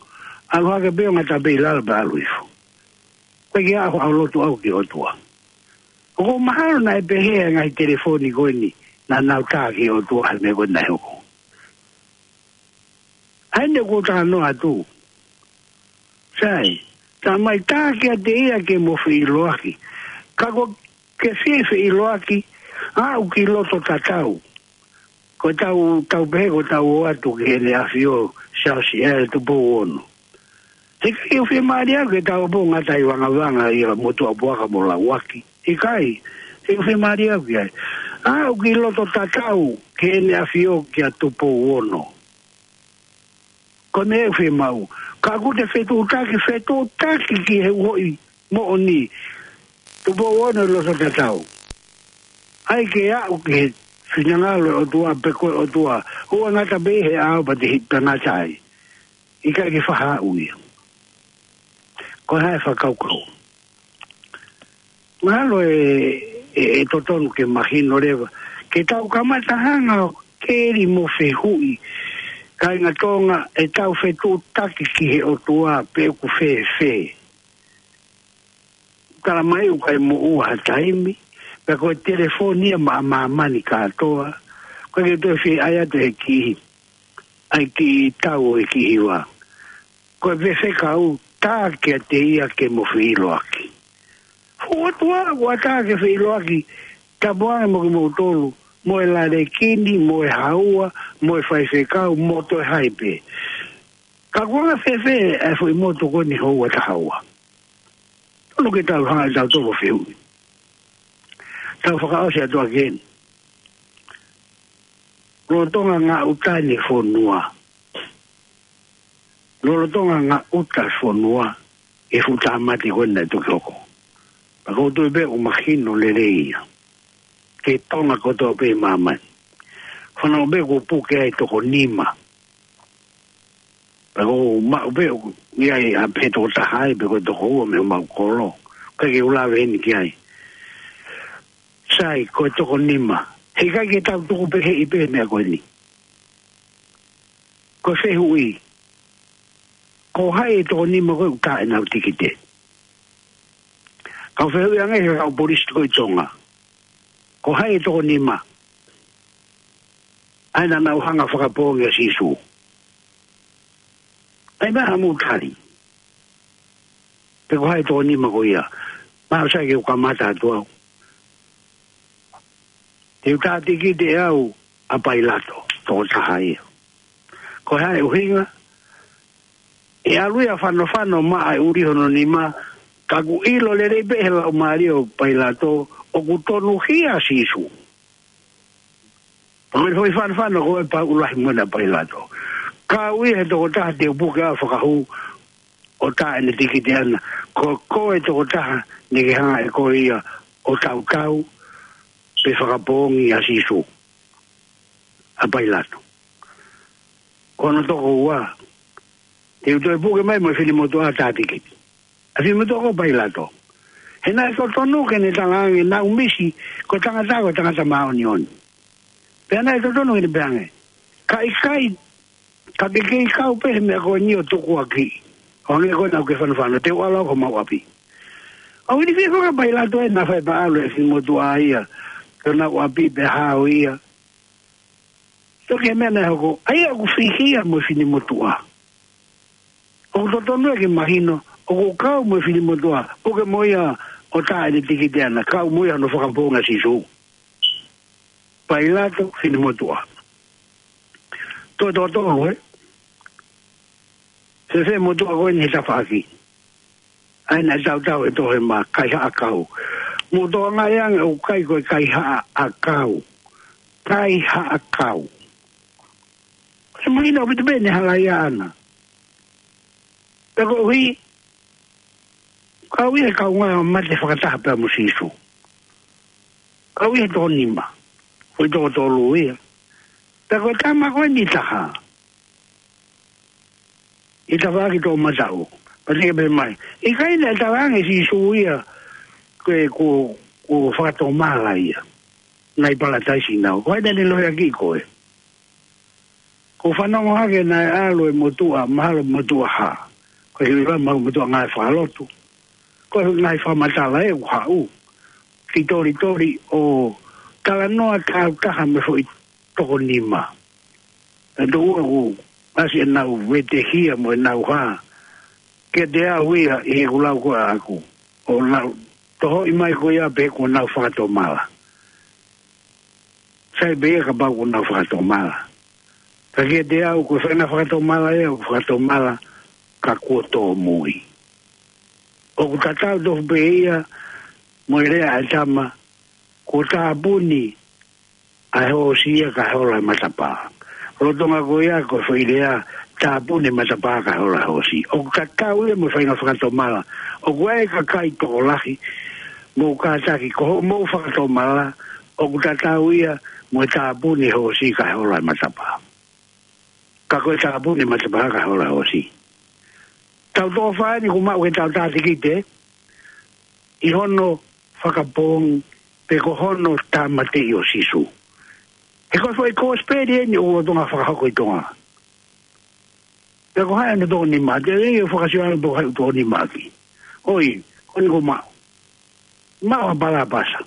ʻAlu hake pē ʻo ngata pē ʻi lalo pea ʻalu hifo. Ko e ke aʻu hoʻo lotu ʻau ki he ʻOtua. ʻOku mahalo naʻe pehē ʻa e ngaahi telefoni ko eni, naʻa nau tā ki he ʻOtua he meʻa ko eni naʻe hoko. ʻA eni ʻoku ou talanoa atu. Sai, tā mai tā kiate ia ke mo feʻiloaki. Ka ko e ke fie feʻiloaki, aʻu ki loto tatau. Ko ʻetau, tau pehē ko ʻetau ō atu ki heʻene ʻafio, Siaosi ʻa e Tupou Ono. He ʻikai ke u fiemālie au ke tau ō ʻo ngata ʻi vangavanga ʻi ha motuʻa puaka mo lauaki. ʻIkai, ʻikai ke u fiemālie au ki ai. Aʻu ki loto tatau ki heʻene ʻafio kia Tupou Ono. Ko e meʻa ʻoku fiemaʻu. Ka ʻoku te fetuʻutaki, fetuʻutaki ki he uhoʻi moʻoni. Tupou Ono ʻi loto tatau. ʻAi ke aʻu ki he finangalo ʻo e ʻOtua pe ko e ʻOtua. ʻOua ngata pē he ʻao pea te hiki ngata ai. ʻIkai ke faʻa aʻu ia. Ko e hā e fakakaukau? Mahalo ʻe, ʻe, ʻe totonu ke mahino leva. Ke tau kamata hanga ʻo keli mo fehuʻi. Kāinga Tonga, ʻetau fetuʻutaki ki he ʻOtua pe ʻoku fēfē. Tala mai ʻoku ʻikai moʻua ha taimi, pea ko e telefoni ia maʻa māmani kātoa. Ko e ke toe fie ʻai atu he kiʻi, ʻai kiʻi tau ʻo e kiʻi hiva. Ko e fefeka ʻoku tā kiate ia ke mo feʻiloaki. Fuʻu ʻOtua, ʻoku ʻatā ke feʻiloaki, tapu ange mo kimoutolu, mo e lalekini, mo e haua, mo e faifekau, mo toe hai pē. Ka ʻoku anga fēfē e foʻi motu ko eni houa taha ua. Tonu ke tau hanga ʻe tautolu ʻo fehuʻi. Tau fakaʻosi atu ʻaki eni. Lolotonga ngaʻuta ni fonua. Lolotonga ngaʻuta fonua. ʻE fuʻu tāmate ko eni naʻe toki hoko. Pea ʻoku ou tui pē ʻoku mahino lelei ia. Ki Tonga kotoa pē ʻi māmani. Fanongo pē kuo puke ai toko nima. Pea ʻoku ou maʻu pē ʻoku ʻi ai ʻa pē toko taha ai pe ko e toko ua mei homau kolo. ʻIkai ke u lave eni ki ai. Sai, ko e toko nima. He ʻikai ke tau tuku pē he ʻi pē meʻa ko eni. Ko e fehuʻi. Ko hai e toko nima ko ē ʻoku tā ʻenau tikite. Kau fehuʻi ange he kau polisi ko ē ʻi Tonga. Ko hai e toko nima. ʻA ia naʻa nau hanga fakapoongi ʻa Sīsū. ʻAi mai ha mou tali. Pe ko hai e toko nima ko ia. Mahalo sai ke u kamata atu au. Te u tā tikite ʻe au ʻa Pailato, toko taha ia. Ko e hā e ʻuhinga, ʻe ʻalu ia ʻo fanofano maʻa e ʻuli hono nima, ka ʻoku ʻilo lelei pē he laumālie ʻo Pailato, ʻoku tonuhia ʻa Sīsū. Pea ko e foʻi fanofano ko ē pau ʻuluaki mo ena ʻa Pailato. Kau ia he toko taha te u puke ʻo fakahū ʻo tā ʻene tikite ʻana. Ko koe toko taha naʻa ke hanga ʻe koe ia ʻo tautau pe fakapoongi ʻa Sīsū. ʻA Pailato. Ko hono toko ua. Te u toe puke mai mo e finemotuʻa tā tikite. ʻA e finemotuʻa ko Pailato. He naʻe totonu ke ne talaange naʻa ku misi ko e tangata ko e tangata māʻoniʻoni. Pea naʻe totonu ke ne pehē ange. Ka ʻikai, ka ke kei kau pē he meʻa ko eni ʻo tukuakiʻi. ʻO hangē ko ē naʻa ke fanofano, te u ʻalu au ki homau ʻapi. ʻOku ʻi ai e fie faka Pailato ē naʻa fai pē ʻalu e finemotuʻa ia. Ki honau ʻapi pea hao ia. Toki he meʻa naʻe hoko, ʻa ia ʻoku fihia mo e finemotuʻa. ʻOku totonu ia ke mahino, ʻoku kau mo e finemotuʻa, puke mo ia ʻo tā ʻene tikite ʻana, kau mo ia hono fakapoongi ʻa Sīsū. Pailato, finemotuʻa. Toe toko tolu, ē? Fēfē motuʻa ko eni he tafaʻaki. ʻA ia naʻe tautau he tohi mā, kaihaʻa kau. Mou tokangaʻi ange ʻoku ʻikai ko e kaihaʻa ʻakau. Kaihaʻa kau. Ko e mahino ʻaupito pē ʻene halaia ʻana. Pea koeʻuhi, kau ia he kaungā mate fakataha pea mo Sīsū. Kau ia he toko nima. Ko e toko tolu ia. Pea ko e tama ko eni taha. ʻI he tafaʻaki toʻomataʻu. Pea te ke pehē mai. ʻIkai naʻe talaange ʻe Sīsū ia. Ko e kuo, kuo fakatomala ia. Naʻe ʻi Palataisi naua. Ko hai naʻa ne lohiakiʻi koe. Ko u fanongo hake naʻe ʻalu e motuʻa, mahalo motuʻa hā. Ko e hiva mahalo motuʻa ngāue fakalotu. Ko e ngaahi fakamatala ē ʻoku haʻu. Ki tolitoli ʻo talanoa tāutaha mo e foʻi toko nima. ʻE tō ua ʻoku ʻasi ʻenau vetehia mo ʻenau hā. Kiate au ia ʻi heʻeku lau ko ē ʻaʻaku. ʻO nau tohoʻi mai ko ia pē kuo nau fakatomala. Sai pē ia kapau kuo nau fakatomala. Ka kiate au ko e faʻahinga fakatomala ia, ʻoku fakatomala ka kuo tōmui. ʻOku tatau tofu pē ia mo e lea ʻa e tama, kuo tāpuni ʻa e hoosi ia kae hola e matapā. Lolotonga ko ia ko e foʻi lea, tāpuni e matapā kae hola e hoosi. ʻOku tatau ia mo e faʻahinga fakatomala. ʻOku ʻi ai e kakai tokolahi, mou kātaki, ko hoʻomou fakatomala, ʻoku tatau ia mo e tāpuni e hoosi kae hola e matapā. Ka ko e tāpuni e matapā kae hola e hoosi. Tau tō fāni kuo maʻu ke tau tā tikite, ʻi hono fakapoongi, pe ko hono tāmateʻi ʻo Sīsū. He ko e foʻi kosipeli eni ʻoku lolotonga fakahoko ʻi Tonga. Pe ko hai hono toko nima, te u fakasio ʻana pe ko hai ʻoku toko nima ʻaki. ʻOi, ko eni kuo maʻu. Maʻu ʻa Palapasa.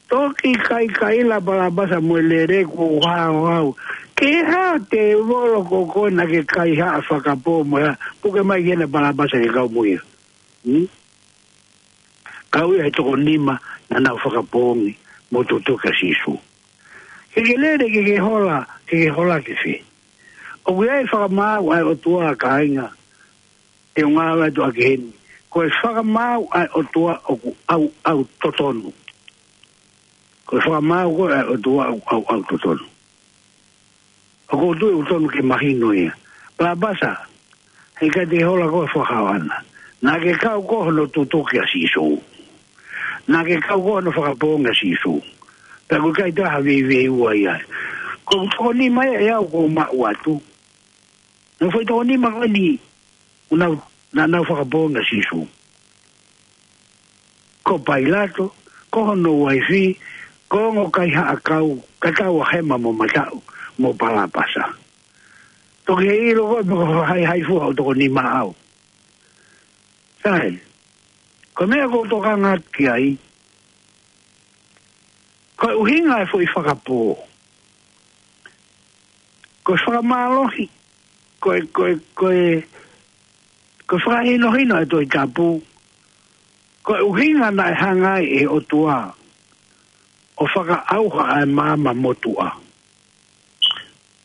Toki kaikaila Palapasa mo e lele kuo haohao. Ke hā tēvolo ko koe naʻa ke kaihaʻa fakapō mo e hā, puke mai ki hena Palapasa ke kau mo ia. Hmm? Kau ia he toko nima naʻa nau fakapoongi mo tutuki ʻa Sīsū. Ke ke lele ke ke hola, ke ke hola ki fē? ʻOku ʻi ai e fakamaau ʻa e ʻOtua, kāinga, te u ngāueʻaki heni. Ko e fakamaau ʻa e ʻOtua ʻoku ʻauʻau totonu. Ko e fakamaau ko ē ʻa e ʻOtua ʻoku ʻauʻau totonu. ʻOku ou tui ʻoku totonu ke mahino ia. Palapasa, heʻikai te ke hola koe ʻo fakahao ʻana. Naʻa ke kau koe hono tutuki ʻa Sīsū. Naʻa ke kau koe hono fakapoongi ʻa Sīsū. Pea ʻoku ʻikai toe ha veiveiua ia. Ko e toko nima ia ʻe au kuo maʻu atu. Naʻa foʻi toko nima ko eni naʻa nau, naʻa nau fakapoongi ʻa Sīsū. Ko Pailato, ko hono uaifi, ko e ongo kaihaʻa kau, ka tau ʻa hema mo mataʻu, mo Palapasa. Toki ʻilo koe pe ko e haihai fua ʻo e toko nima ʻaʻau. Sai, ko e meʻa ʻoku ou tokanga ki ai, ko e ʻuhinga e foʻi fakapō. Ko e fakamālohi, ko e, ko e, ko e, ko e fakahinohino e Tohi Tapu, ko e ʻuhinga naʻe hanga ai ʻe he ʻOtua ʻo fakaʻauha ʻa e maama motuʻa.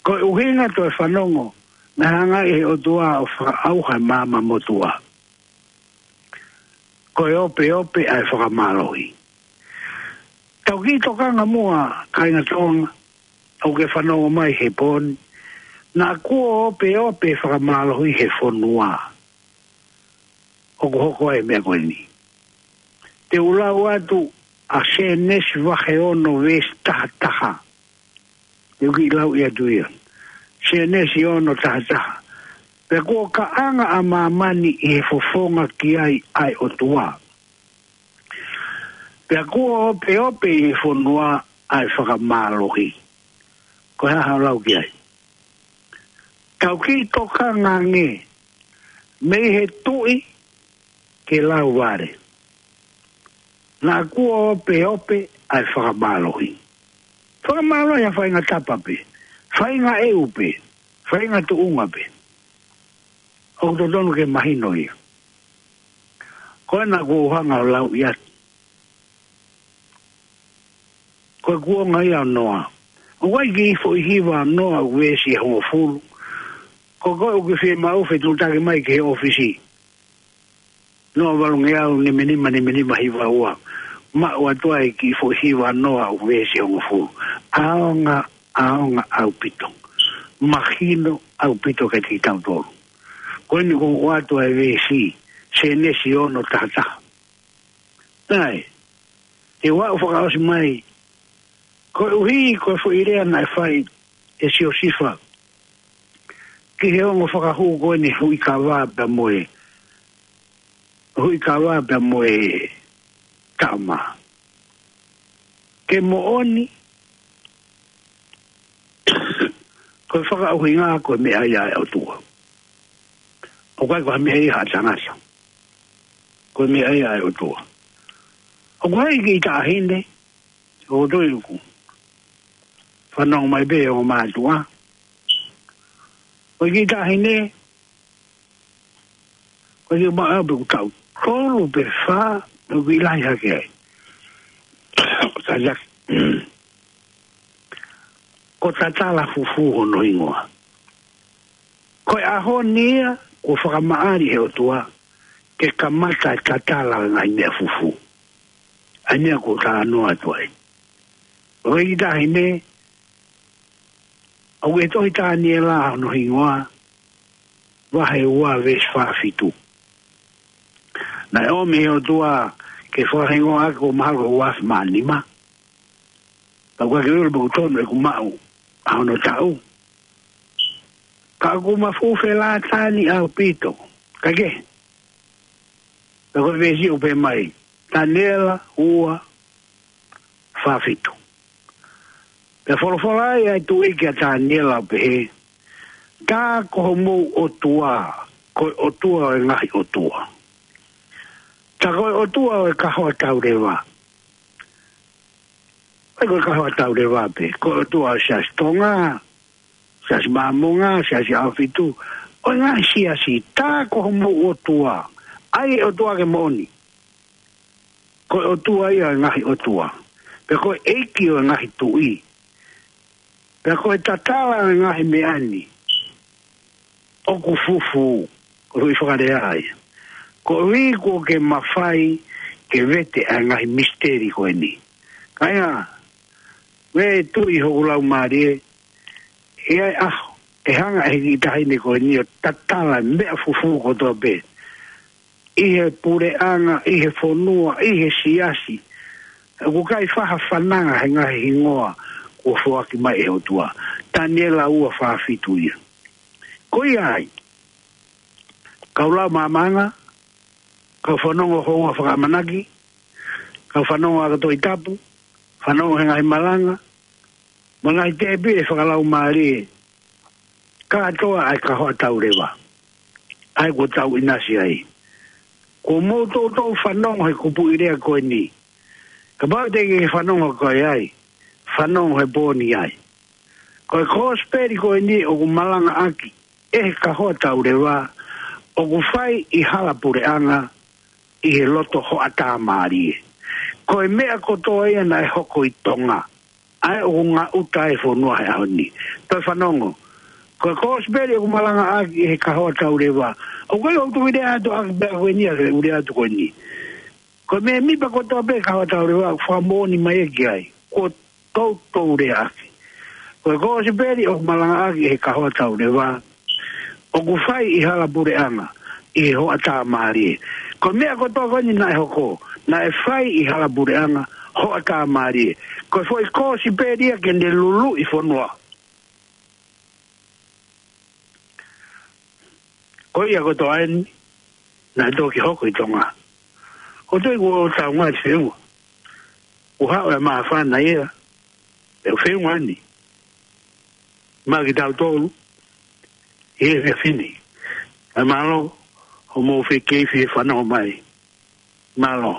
Ko e ʻuhinga toe fanongo naʻe hanga ai ʻe he ʻOtua ʻo fakaʻauha e maama motuʻa. Ko e opeope ʻa e fakamālohi. Tau kiʻi tokanga muʻa, kāinga Tonga, ʻoku ke fanongo mai he pō ni. Naʻa kuo opeope fakamālohi he fonua. ʻOku hoko ai e meʻa ko eni. Te u lau atu ʻa Sēnesi vahe ono veesi taha taha. Te u kiʻi lau ia atu ia. Sēnesi ono taha taha. Pea kuo kaʻanga ʻa māmani ʻi he fofonga ki ai ʻa e ʻOtua. Pea kuo opeope ʻi he fonua ʻa e fakamālohi. Ko e hā haʻo lau ki ai? Tau kiʻi tokanga ange mei he tuʻi ki he lauvale. Naʻa kuo opeope ʻa e fakamālohi. Fakamālohi ʻa e faʻahinga tapa pē, faʻahinga ʻeu pē, faʻahinga tuʻunga pē. ʻOku totonu ke mahino ia. Ko ena ʻoku ou hanga ʻo lau ia. Ko e kuonga ia ʻo Noa. ʻOku ʻi ai e kiʻi foʻi hiva ʻo Noa ʻoku veesi ʻe hongofulu. Ko koe ʻoku ke fiemaʻu fetuʻutaki mai ki he ʻōfisi. Noa valungeau nima nima nima nima hiva ua. Maʻu atu ai e kiʻi foʻi hiva ʻo Noa ʻoku veesi ʻe hongofulu. ʻAonga, ʻaonga ʻaupito. Mahino ʻaupito kiate kitautolu. Ko eni ʻoku ou ʻoatu ai e veesi, Sēnesi ono taha taha. Naʻe, te u aʻu fakaʻosi mai, koeʻuhi ko e foʻi lea naʻe fai ʻe Siosifa ki he ongo fakahū ko eni, Huʻikava pea mo e, Huʻikava pea mo e Taʻamā. Ke moʻoni, ko e fakaʻuhinga ko e meʻa ia ʻa e ʻOtua. ʻOku ʻikai ko ha meʻa ia ʻa e tangata. Ko e meʻa ia ʻa e ʻOtua. ʻOku ʻi ai e kiʻi taʻahine, ʻoku ou tui ʻoku fanongo mai pē ʻa e ongo mātuʻa. Ko e kiʻi taʻahine, ko e kiʻi maʻau pē ʻoku taʻu tolu pe fā, ʻoku ʻi lahi hake ai. Ka ia, ko Tatala Fufū hono hingoa. Ko e ʻaho ni ia, kuo fakamaʻali ʻe he ʻOtua, ke kamata e tatala ʻo e ngaahi meʻa fufū. ʻA ia ʻoku ou talanoa atu ai. Ko e kiʻi taʻahine, ʻoku ʻi he tohi Taniela hono hingoa, vahe ua veesi fā fitu. Naʻe ʻomi ʻe he ʻOtua ke fakahingoa ʻaki, ʻoku mahalo ko e ua afe mā nima. Pea ʻoku ʻikai ke u ʻilo pe ʻoku tonu ʻeku maʻu ʻa hono taʻu. Ka ʻoku ma fuʻu felātani ʻaupito. Kae kehe, pea ko e veesi ʻoku pehē mai, Taniela ua fā fitu. Pea folofola ai ʻa e Tuʻi kia Taniela ʻo pehē, Tā ko homou ʻOtua, ko e ʻOtua ʻo e ngaahi ʻotua. Tā ko e ʻOtua ʻo e kahoa tauleva. ʻIkai ko e kahoa tauleva pē, ko e ʻOtua ʻo e Siasi Tonga, Siasi Māmonga, Siasi ʻAhofitu, ʻo e ngaahi siasi. Tā ko homou ʻOtua, ʻa e ʻOtua ke moʻoni. Ko e ʻOtua ia ʻo e ngaahi ʻotua. Pea ko e ʻEiki ʻo e ngaahi tuʻi. Pea ko e tatala ʻo e ngaahi meʻa ni ʻoku fufū, ko e foʻi fakalea ia. Koeʻuhi kuo ke mafai ke vete ʻa e ngaahi misiteli ko eni. Kāinga, ʻoku tui hoku laumālie, ʻe ʻi ai e ʻaho ʻe hanga ʻe he kiʻi taʻahine ko eni ʻo tatala e meʻa fufū kotoa pē ʻi he puleʻanga, ʻi he fonua, ʻi he siasi. ʻOku ʻikai faʻa fananga he ngaahi hingoa kuo foaki mai ʻe he ʻOtua. Taniela ua fā fitu ia. Ko ia ai, kau lau māmānga, kau fanongo houa fakaʻamanaki, kau fanongo ʻa e Tohi Tapu, fanongo he ngaahi malanga, mo e ngaahi tēpile fakalaumālie, kātoa ʻa e kahoa tauleva. ʻA ia kuo tau ʻinasi ai. Kuo mou toutou fanongo he kupuʻi lea ko eni. Kapau te ke fanongo koe ai, fanongo he pō ni ai. Ko e kosipeli ko eni ʻoku malangaʻaki ʻe he kahoa tauleva, ʻoku fai ʻi hala puleʻanga, ʻi he loto hoʻatā mālie. Ko e meʻa kotoa ia naʻe hoko ʻi Tonga, ʻa ia ʻoku ngaʻuta e fonua he ʻaho ni. Toe fanongo. Ko e kosipeli ʻoku malangaʻaki ʻe he kahoa tauleva. ʻOku ʻikai ke u tuʻu ʻo lea atu ʻaki pē ko eni ʻa e ʻū lea atu ko eni. Ko e mēmipa kotoa pē kahoa tauleva, fakamoʻoni mai ē ki ai. Kuo toutou lea ʻaki. Ko e kosipeli ʻoku malangaʻaki ʻe he kahoa tauleva, ʻoku fai ʻi hala puleʻanga, ʻi he hoʻatā mālie. Ko e meʻa kotoa ko eni naʻe hoko, naʻe fai ʻi hala puleʻanga, hoʻatā mālie. Ko e foʻi kosipeli ia ke ne luluʻi fonua. Ko ia kotoa eni, naʻe toki hoko ʻi Tonga. Ko e tui kuo tau ngaahi feua. Kuo haʻu e māfana ia, ʻe feua ni. Maʻa kitautolu, ʻi he efiafi ni. ʻE mālō, hoʻomou fekei fie fanongo mai. Mālō.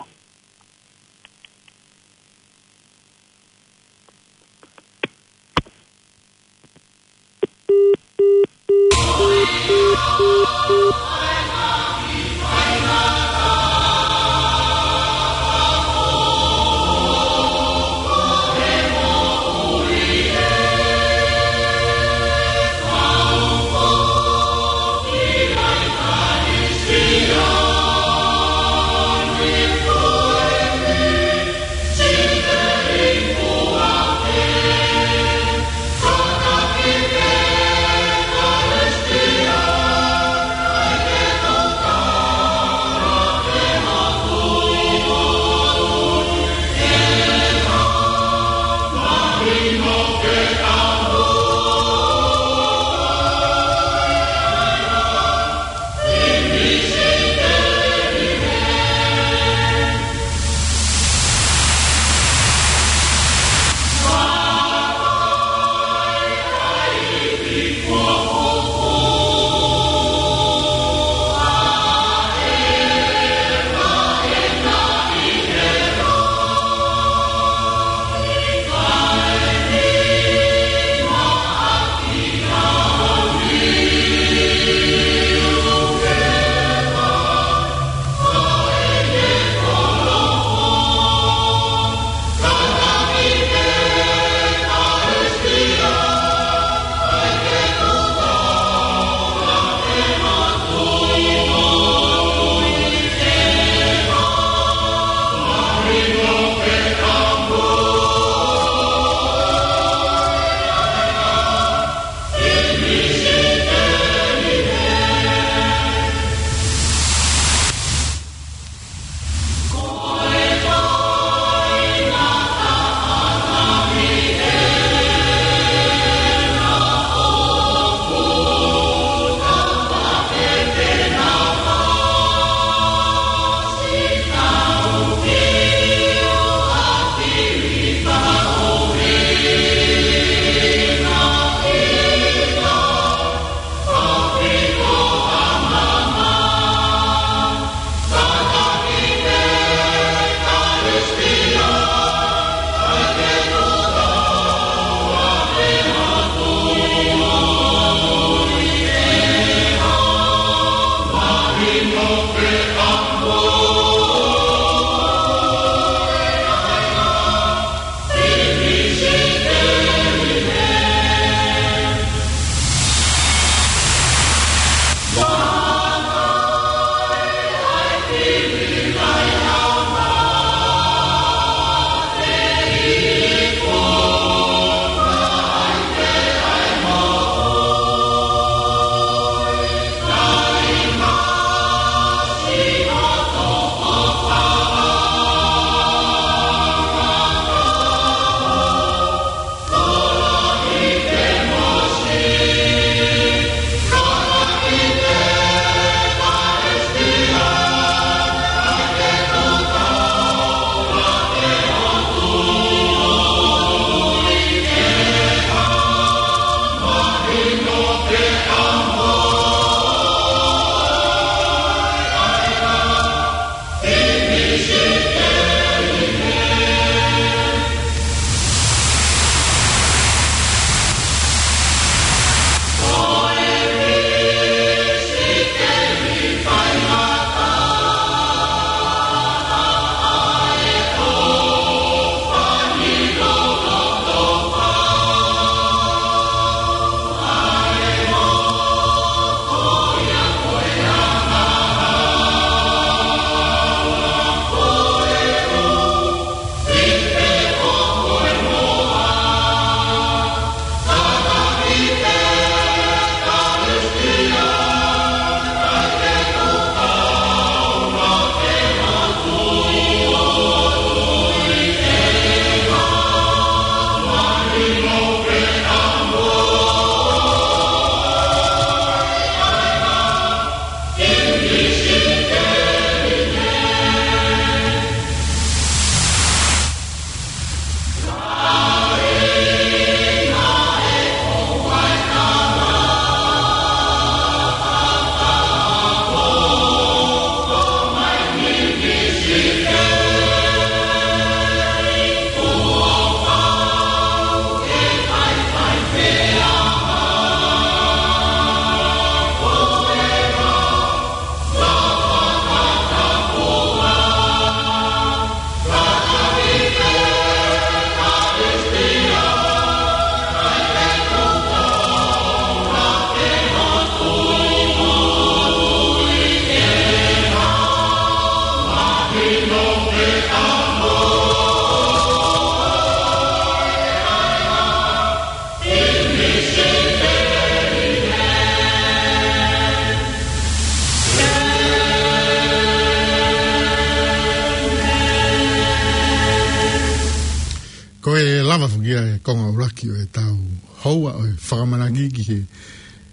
Ko e lava foki ia e konga ʻuluaki ʻo e tau houa ʻo e fakamanaki ki he,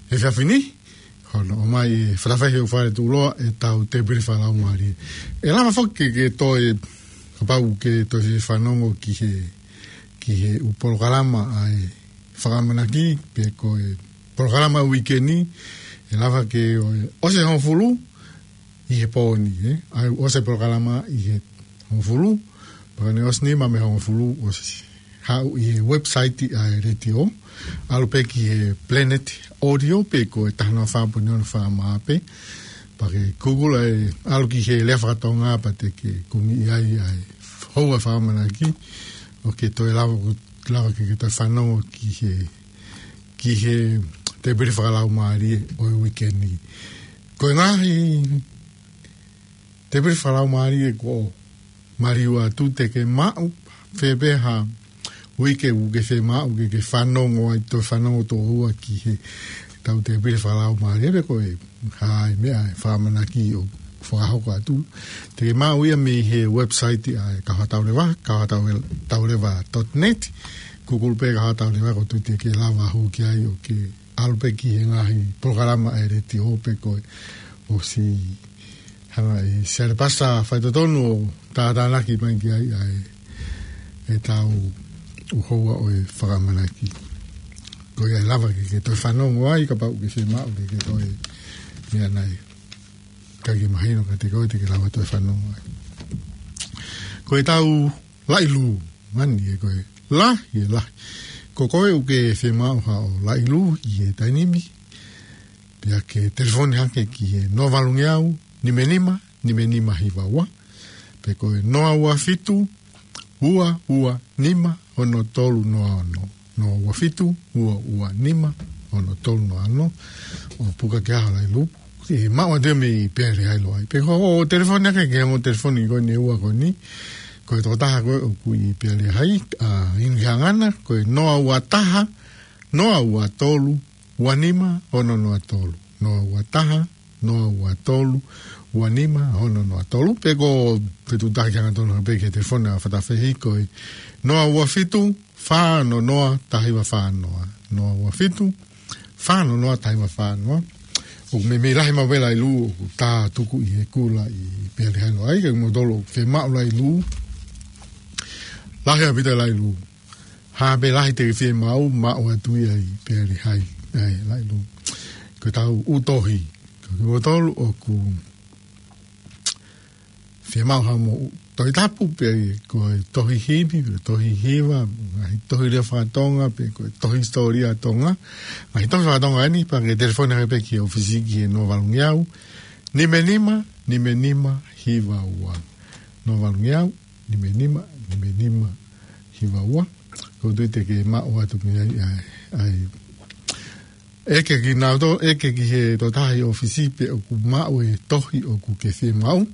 he efiafi ni. Hono ʻomai e fakafaifekau fale tuʻuloa e tau tēpile fakalaumālie. ʻE lava foki ke, ke toe, kapau ke toe fanongo ki he, ki he ʻū polokalama ʻa e fakamanaki, pe ko e polokalama ʻo e uike ni, ʻe lava ke ʻo, ʻosi e hongofulu ʻi he pō ni, ē? ʻAi ʻosi e polokalama ʻi he hongofulu, pea ka ne ʻosi nima mei he hongofulu ʻosi haʻu ʻi he website ʻa e letiō, ʻalu pē ki he Planet Audio pe ko e taha noa fā poini ono FM pē, pea ke Google ai, ʻalu ki he lea fakatonga pea te ke kungiʻi ai ʻa e houa fakamanaki, ʻo ke toe lava, lava ke, ke toe fanongo ki he, ki he tēpile fakalaumālie ʻo e uike ni. Ko e ngaahi tēpile fakalaumālie kuo maliu atu, te ke maʻu fē pē ha uike ʻoku ke fiemaʻu ke, ke fanongo ai, toe fanongo tō ua ki he tau tēpile fakalaumālie, pe ko e hā e meʻa e fakamanaki ʻoku fakahoko atu. Te ke maʻu ia mei he website ʻa e Kauhatauleva, kauhatauleva dot net. Google pē Kauhatauleva, ʻoku ou tui te ke lava hū ki ai ʻo ke ʻalu pē ki he ngaahi polokalama ʻa e letiō pe ko e ʻosi hanga ʻe Siale Pasa faitotonu ʻo tātānaki mai ki ai ʻa e, e tau ʻū houa ʻo e fakamanaki. Ko ia ʻe lava ke, ke toe fanongo ai kapau ʻoku ke fiemaʻu ke, ke toe meʻa nai. Ka ke mahino ka te koe te ke lava toe fanongo ai. Ko e tau laʻi lū, mani e ko e lahi, e lahi. Ko koe ʻoku ke fiemaʻu haʻo laʻi lū ʻi he taimi ni, pea ke telefoni hake ki he noa valungeau, nima nima, nima nima hiva ua, pe ko e noa ua fitu, ua ua nima, ono tolu noa ono. Noa ua fitu, ua ua nima, ono tolu noa ono. ʻO puka ke ʻaho laʻi lū, ʻe maʻu atu ia mei Pea Lehailoa ai. Pe ko hoʻo telefoni hake ki he ongo telefoni ko eni ʻe ua ko eni. Ko e tokotaha ko ē ʻoku ʻi Pea Lehai, ʻa, inu ki he anga na, ko e noa ua taha, noa ua tolu, ua nima, ono noa tolu. Noa ua taha, noa ua tolu, ua nima, ono noa tolu. Pe ko e fetuʻutaki hangatonu pē ki he telefoni ʻa Fatafehi ko e noa ua fitu, fā ono noa, taha hiva fā noa. Noa ua fitu, fā ono noa, taha hiva fā noa. ʻOku meimei lahi maʻu pē laʻi lū ʻoku tā tuku ʻi he kula ʻi Pea Lehailoa ai, ka mou tolo fiemaʻu laʻi lū. Lahi ʻaupito laʻi lū. Hā pē lahi te ke fiemaʻu, maʻu atu ia ʻi Pea Lehai. ʻAi, laʻi lū. Ko e tau ʻū tohi. Ko kimoutolu ʻoku fiemaʻu haʻamou ʻū Tohi Tapu pe ko e tohi himi, pe tohi hiva, ngaahi tohi lea fakatonga, pe ko e tohi hisitōlia Tonga. Ngaahi tohi fakatonga eni, pea ke telefoni hake pē ki he ʻōfisi ki he noa valungeau, nima nima, nima nima, hiva ua. Noa valungeau, nima nima, nima nima, hiva ua. ʻOku ou tui te ke maʻu atu mei ai, ʻai, ʻai. ʻEke kinautolu, ʻeke ki he tokotaha ʻi ʻōfisi pe ʻoku maʻu e tohi ʻoku ke fiemaʻu.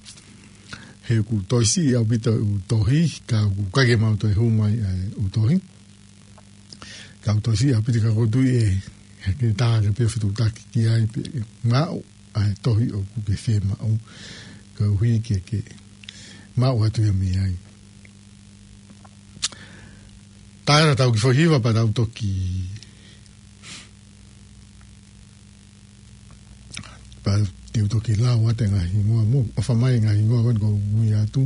He ʻoku toe siʻi ʻaupito e ʻū tohi, ka ʻoku ʻikai ke mau toe hū mai ʻa e ʻū tohi. Ka ʻoku toe siʻi ʻaupito ka ʻoku ou tui ʻe, ʻe ʻikai ke taha ke pē fetuʻutaki ki ai pe maʻu ʻa e tohi ʻoku ke fiemaʻu. Koeʻuhi ke ke maʻu atu ia mei ai. Taera tau kiʻi foʻi hiva pea tau toki, pea te u toki lau atu e ngaahi hingoa mo ʻofa mai e ngaahi hingoa ko eni kuo u ui atu,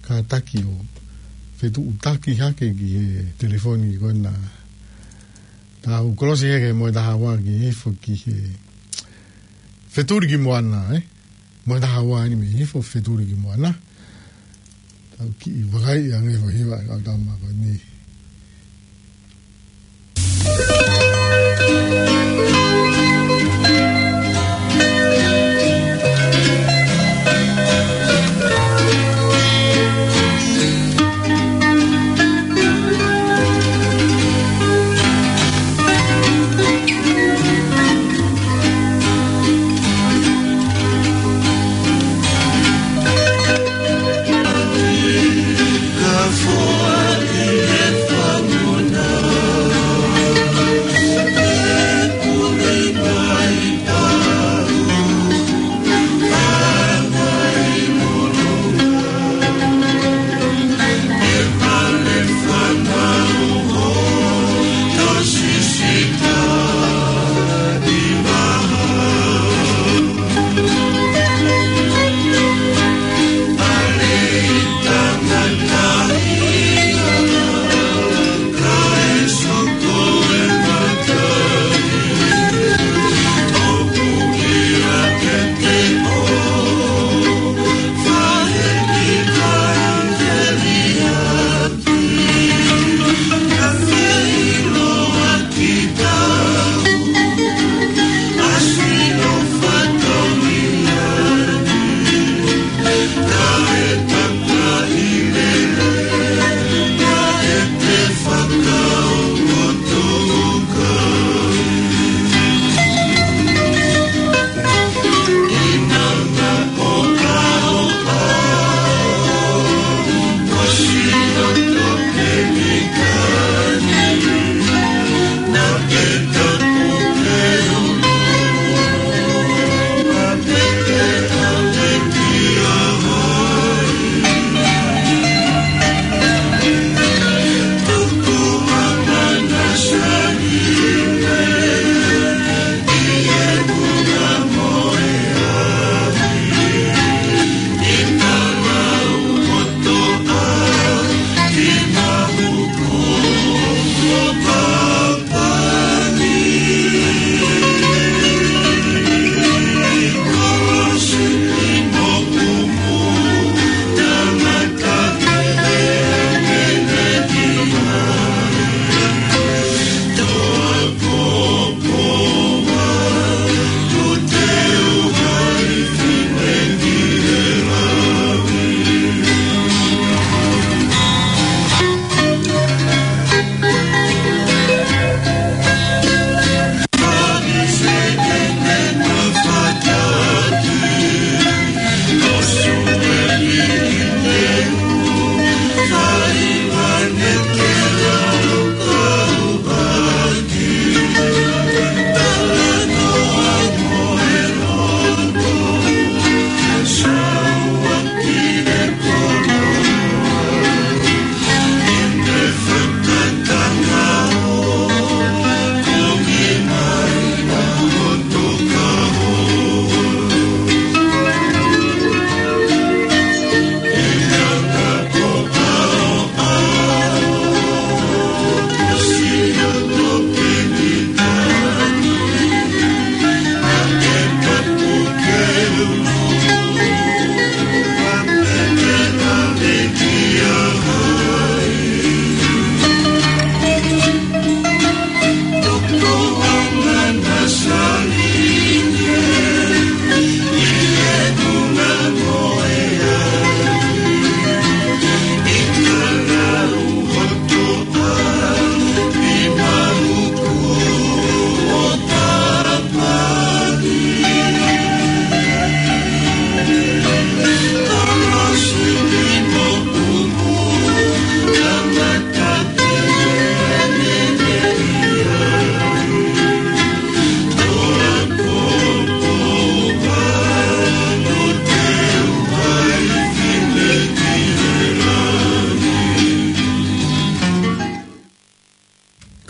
kātaki ʻo fetuʻutaki hake ki he telefoni ko ena. Tau kolosi hake mo e taha ua ki hifo ki he Fetuli ki Moana, ē? Mo e taha ua eni mei hifo, Fetuli ki Moana. Tau kiʻi vakai ange foʻi hiva ʻa e kau tama ko eni.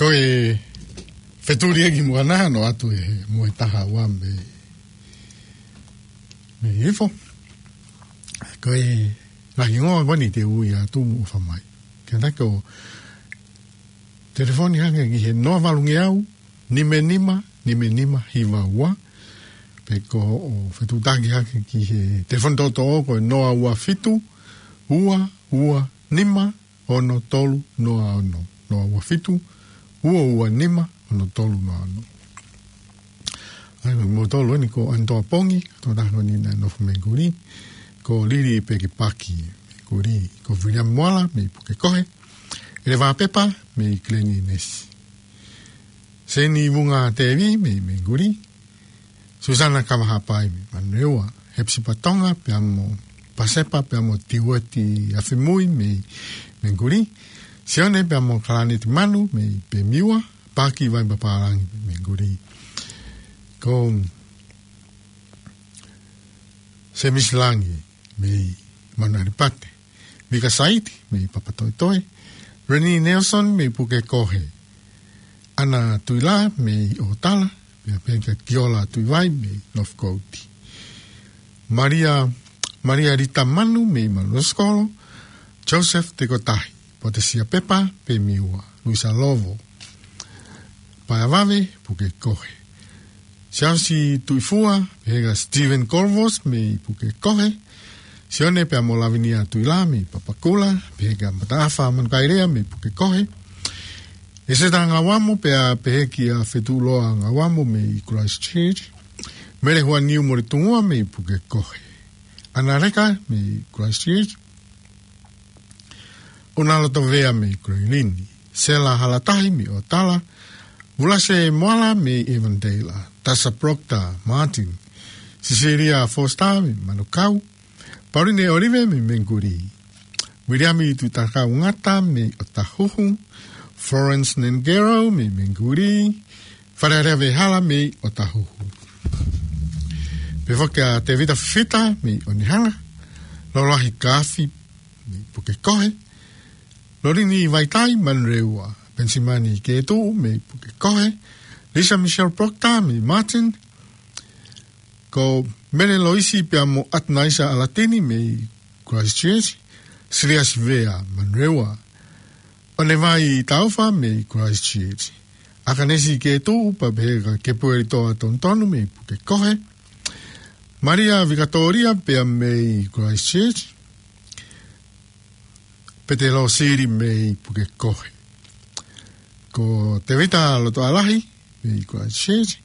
Ko e fetuli ʻe ki muʻa naʻa nau atu ʻe he moe taha ua mei, mei Ifo. Ko e ngaahi hingoa ko eni te u ui atu mo ʻofa mai. Ke naka ʻo telefoni hake ki he noa valu ngeau, nima nima, nima nima hiva ua. Pe ko hoʻo fetuʻutaki hake ki he telefoni toʻotoʻo ko e noa ua fitu, ua ua nima, ono tolu noa ono. Noa ua fitu, ua ua nima, ono tolu noa ono. ʻA ia, mo tolu eni ko Antoa Pongi, tō taha ko eni naʻe nofo Menguli, ko Lili Pekipaki, Menguli, ko Viliami Moala, mei Pukekohe, ʻEleva Pepa, mei Kileni Nesi. Seni Vunga Tevi, mei Menguli, Susana Kavahapai mei Manurewa, Hepsipa Tonga, pea mo Pasepa, pea mo Tiueti Afimui mei Menguli, Sione, pea mo Kalaneti Manu mei Pemiua, Paki Vaipapālangi mei Menguli. Ko Semisi Langi mei Manuʻanipate. Mika Saiti mei Papatoetoe. Reni Nelson mei Pukekohe. Ana Tuila mei ʻOtala. Pea pehē kia Kiola Tuivai mei Northcote. Maria, Maria Rita Manu mei Manuʻasikolo. Joseph Tekotahi. Potesia Pepa, Pemiua. Luisa Lovo. Paea Vave, Pukekohe. Siaosi Tuifua, pehē kia Stephen Corvos mei Pukekohe. Sione, pea mo Lavinia Tuila mei Papakura, pehē kia Mataafa Manukaelea mei Pukekohe. ʻEseta Ngauamo, pea pehē kia Fetuʻuloa Ngauamo mei Christchurch. Mele Huaniu Moritungua mei Pukekohe. Ana Leka mei Christchurch. ʻUnalotovea mei Kuleilini, Sela Halatahi mei ʻOtala, Vulase Moala mei Avondale, Tasa Proctor Martin, Cecilia Foster mei Manukau, Pauline Olive mei Menguli, Viliami Tuitakau Ngata mei ʻOtahuhu, Florence Nengero mei Menguli, Falealea Vehala mei ʻOtahuhu. Pehē foki kia Tevita Fifita mei ʻOnehunga, Loloahi Kaafi mei Pukekohe, Lolini Vaitai Manurewa, Pensimani Ketuʻu mei Pukekohe, Lisa Michelle Proctor mei Martin, ko Mele Loisi pea mo ʻAtanaisa ʻAlatini mei Christchurch, Siliasi Vea Manurewa, ʻOnevai Taufa mei Christchurch, ʻAkanesi Ketuʻu pea pehē kia Kepueli Toa Tonutonu mei Pukekohe, Maria Vikatoria pea mei Christchurch, Pete Losili mei Pukekohe. Ko Tevita Lotoʻalahi mei Christchurch.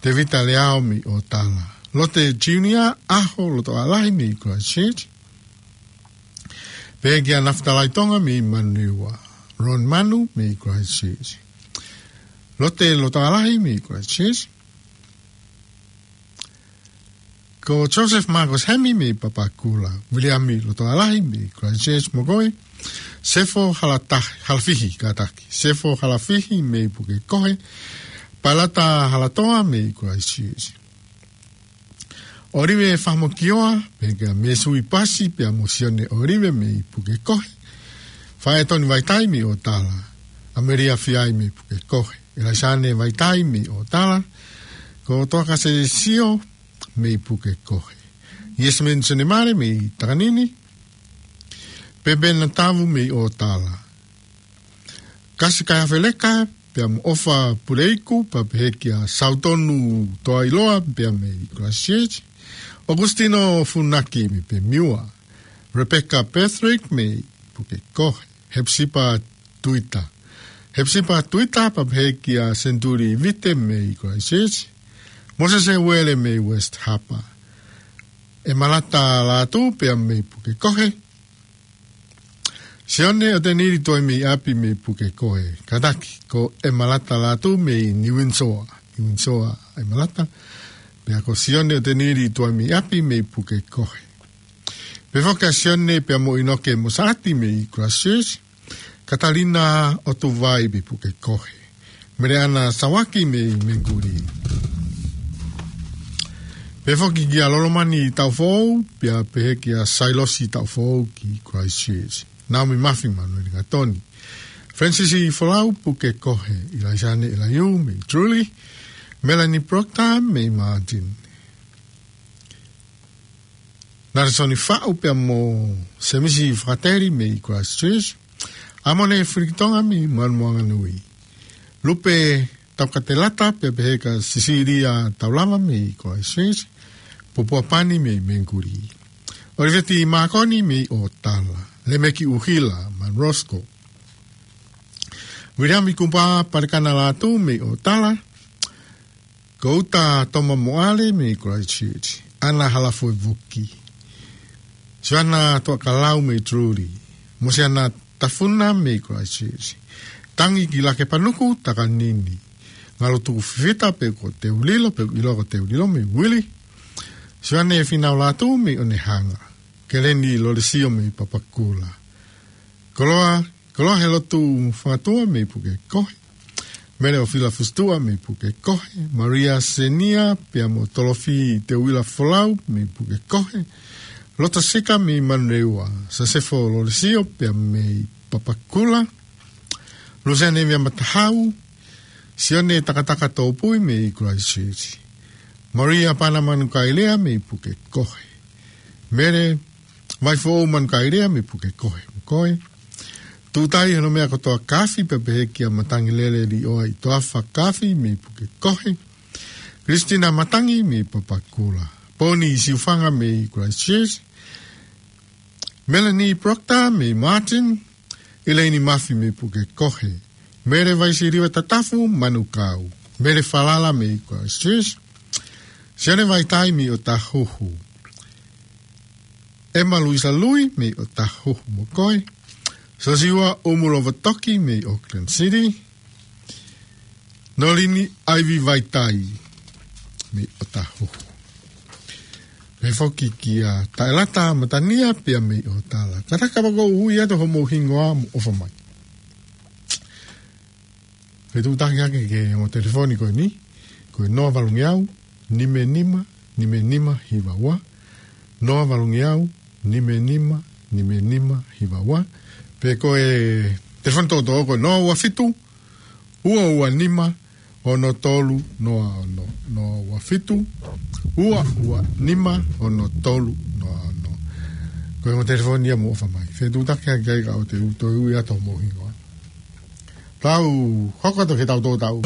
Tevita Leao mei ʻOtala. Lote Junior ʻAho Lotoʻalahi mei Christchurch. Pehē kia Nafitalai Tonga mei Manurewa. Ron Manu mei Christchurch. Lote Lotoʻalahi mei Christchurch. Ko Joseph Marcus Hemi mei Papakura, Viliami Lotoʻalahi mei Christchurch mo koe, Sefo Halatahi, Halafihi, kātaki, Sefo Halafihi mei Pukekohe, Palata Halatoa mei Christchurch. ʻOlive Fahamokioa, pehē kia Mesui Pasi, pea mo Sione ʻOlive mei Pukekohe, Faetoni Vaitai mei ʻOtala, ʻAmelia Fiai mei Pukekohe, ʻElaisane Vaitai mei ʻOtala, ko Toakase Sio mei Pukekohe. Yasmin Senemale mei Takanini. Pepe Natavu mei ʻOtala. Kasi Kaiafeleka, pea mo ʻOfa Puleiku, pea pehē kia Sautonu Toailoa, pea mei Christchurch. Augustino Funaki mei Pemiua. Rebecca Patrick mei Pukekohe. Hepsipa Tuita. Hepsipa Tuita pea pehē kia Senturi Vite mei Christchurch. Mosese Uele mei West Harbour. ʻEmalata Lātū pea mei Pukekohe. Sione ʻOtenili Tuaimeiʻapi mei Pukekohe. Kātaki, ko ʻEmalata Lātū mei Niuinisoa. Niuinisoa ʻEmalata. Pea ko Sione ʻOtenili Tuaimeiʻapi mei Pukekohe. Pehē foki kia Sione pea mo ʻInoke Mosaʻati mei Christchurch. Katalina ʻOtuvai mei Pukekohe. Meleana Sawaki mei Menguli. Pehē foki kia Lolomani Taufou, pea pehē kia Sailosi Taufou ki Christchurch. Naomi Mafi, Manueli Gatoni. Francis Folau, Pukekohe. ʻIlaisane ʻIlaiū mei Truly. Melanie Proctor mei Martin. Naresoni Faʻu pea mo Semisi Fakateli mei Christchurch. ʻAmone Filikitonga mei Manumoanganui. Lupe Taukatelata pea pehē kia Sisilia Taulava mei Christchurch. Popua Pani mei Menguli. ʻOliveti Makoni mei ʻOtala. Lemeki ʻUhila, Manrosco. Viliami Kupa Palekana Lātū mei ʻOtala. Kouta Toma Moale mei Christchurch. ʻAna Halafuevuki. Siana Tuakalau mei Truly. Mosiana Tafuna mei Christchurch. Tangi ki Lakepanuku, Takanini. Ngalo Tuku Fifita pea ko Teulilo, pea ʻilo ko Teulilo mei Wili. Siane Finau Lātū mei Onehanga. Keleni Lolesio mei Papakura. Koloa, Koloa Helotu Fangatua mei Pukekohe. Mele ʻOfila Fusitua mei Pukekohe. Maria Senia pea mo Tolofi Teuila Folau mei Pukekohe. Lota Sika mei Manurewa. Sasefo Lolesio pea mei Papakura. Luseane Via Matahau. Sione Takataka Tōpui mei Christchurch. Maria Pana Manukaelea mei Pukekohe. Mele Vaifoʻou Manukaelea mei Pukekohe. Mokoe. Tutai Honomea Kotoa Kafi pea pehē kia Matangi Lele Lioa ʻi Toafa Kafi mei Pukekohe. Christina Matangi mei Papakura. Poni Siufanga mei Christchurch. Melanie Proctor mei Martin. Elaine Mafi mei Pukekohe. Mele Vaisiliva Tatafu, Manukau. Mele Falala mei Christchurch. Sione Vaitai mei Otahuhu. Emma Luisa Lui mei Otahuhu, mokoe. Sosiua Umulova Toki mei Auckland City. Nolini Aivi Vaitai mei Otahuhu. Pehē foki kia Taelata Matania pea mei ʻOtala. Kātaki kapau ʻoku ui atu hoʻomou hingoa mo ʻofa mai. Fetuʻutaki hake ki he ongo telefoni ko eni, ko e noa valu ngeau, nima nima, nima nima hiva ua. Noa valu ngeau, nima nima, nima nima hiva ua. Pe ko e telefoni tokotaha ko e noa ua fitu, ua ua nima, ono tolu, noa ono, noa ua fitu, ua ua nima, ono tolu, noa ono. Ko e ongo telefoni ia mo ʻofa mai. Fetuʻutaki hake ai ka ʻoku te u toe ui atu hoʻomou hingoa. Tau hoko atu ki heʻetau tō tau.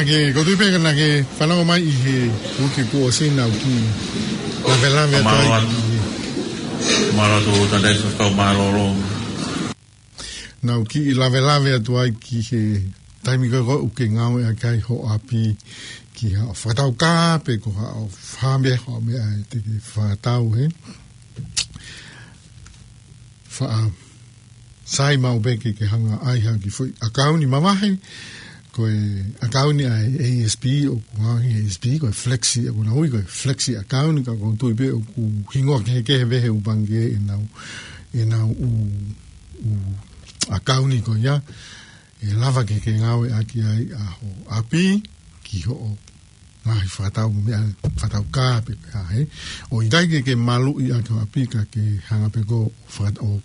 He, ko tui pē ka naʻa ke fanongo mai ʻi he uike kuo ʻosi, naʻa ku kiʻi lavelave atu ai. Mālō atu. Mālō atu, Tadei, Sofia, mālō. Naʻa ku kiʻi lavelave atu ai ki he taimi ko ē ʻoku ke ngāueʻaki ai ho ʻapi ki haʻo fakataukā pe ko haʻo fai ha meʻa ʻe te ke fakatau, he. Faʻa sai maʻu pē ke ke hanga ʻai ha kiʻi foʻi ʻakauni mavahe, ko e ʻakauni ʻa e A S B, ʻoku ngāueʻaki he A S B, ko e Flexi, ʻoku nau ui ko e Flexi ʻakauni, ka ʻoku ou tui pē ʻoku hingoa kehekehe pē he ʻū pangikē ʻenau, ʻenau ʻū, ʻū ʻakauni ko ia, ʻe lava ke ke ngāueʻaki ai ʻa ho ʻapi ki hoʻo ngaahi fakatau meʻa, fakataukā pe ko e hā, he. ʻOku ʻikai ke ke maluʻi ʻaki ho ʻapi ka ke hanga pē ko ē ʻo faka-, ʻo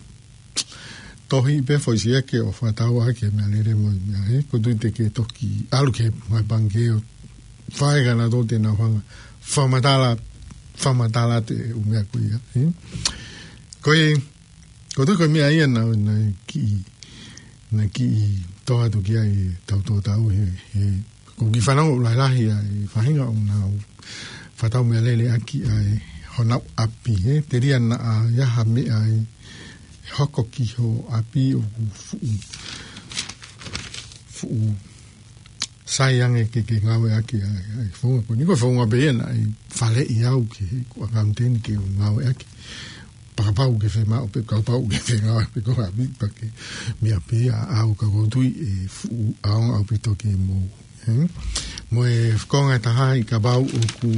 tohi pē foʻi siʻi ʻeke ʻo fakatau ʻaki e meʻalele mo e meʻa, he. Ko tui te ke toki ʻalu ki he ngaahi pangikē ʻo fai ka nautolu te nau hanga fakamatala, fakamatala atu e ʻū meʻa ko ia, he. Ko e, ko tui ko e meʻa ia naʻa, naʻa kiʻi, naʻa kiʻi toʻo atu ki ai e tau tō tau he, he ʻoku ou kiʻi fanongo ʻoku lahilahi ʻa e faʻahinga ʻoku nau fakatau meʻalele ʻaki ʻa e honau ʻapi, he. Telia naʻa ʻi ai ha meʻa ʻe hoko ki ho ʻapi ʻoku fuʻu, fuʻu sai ange ke ke ngāueʻaki ʻa e, ʻa e founga ko eni. Ko e founga pē ia naʻe faleʻi au ki heʻeku ʻakauniteni ke u ngāueʻaki. Pea kapau ʻoku ke fiemaʻu pē, kapau ʻoku ke fengāueʻaki pē ko ho ʻapi pea ke meʻa pē ia ʻaʻau, ka ʻoku ou tui ʻe fuʻu ʻaonga ʻaupito ke mou, he? Mo e konga ʻe taha ia, kapau ʻoku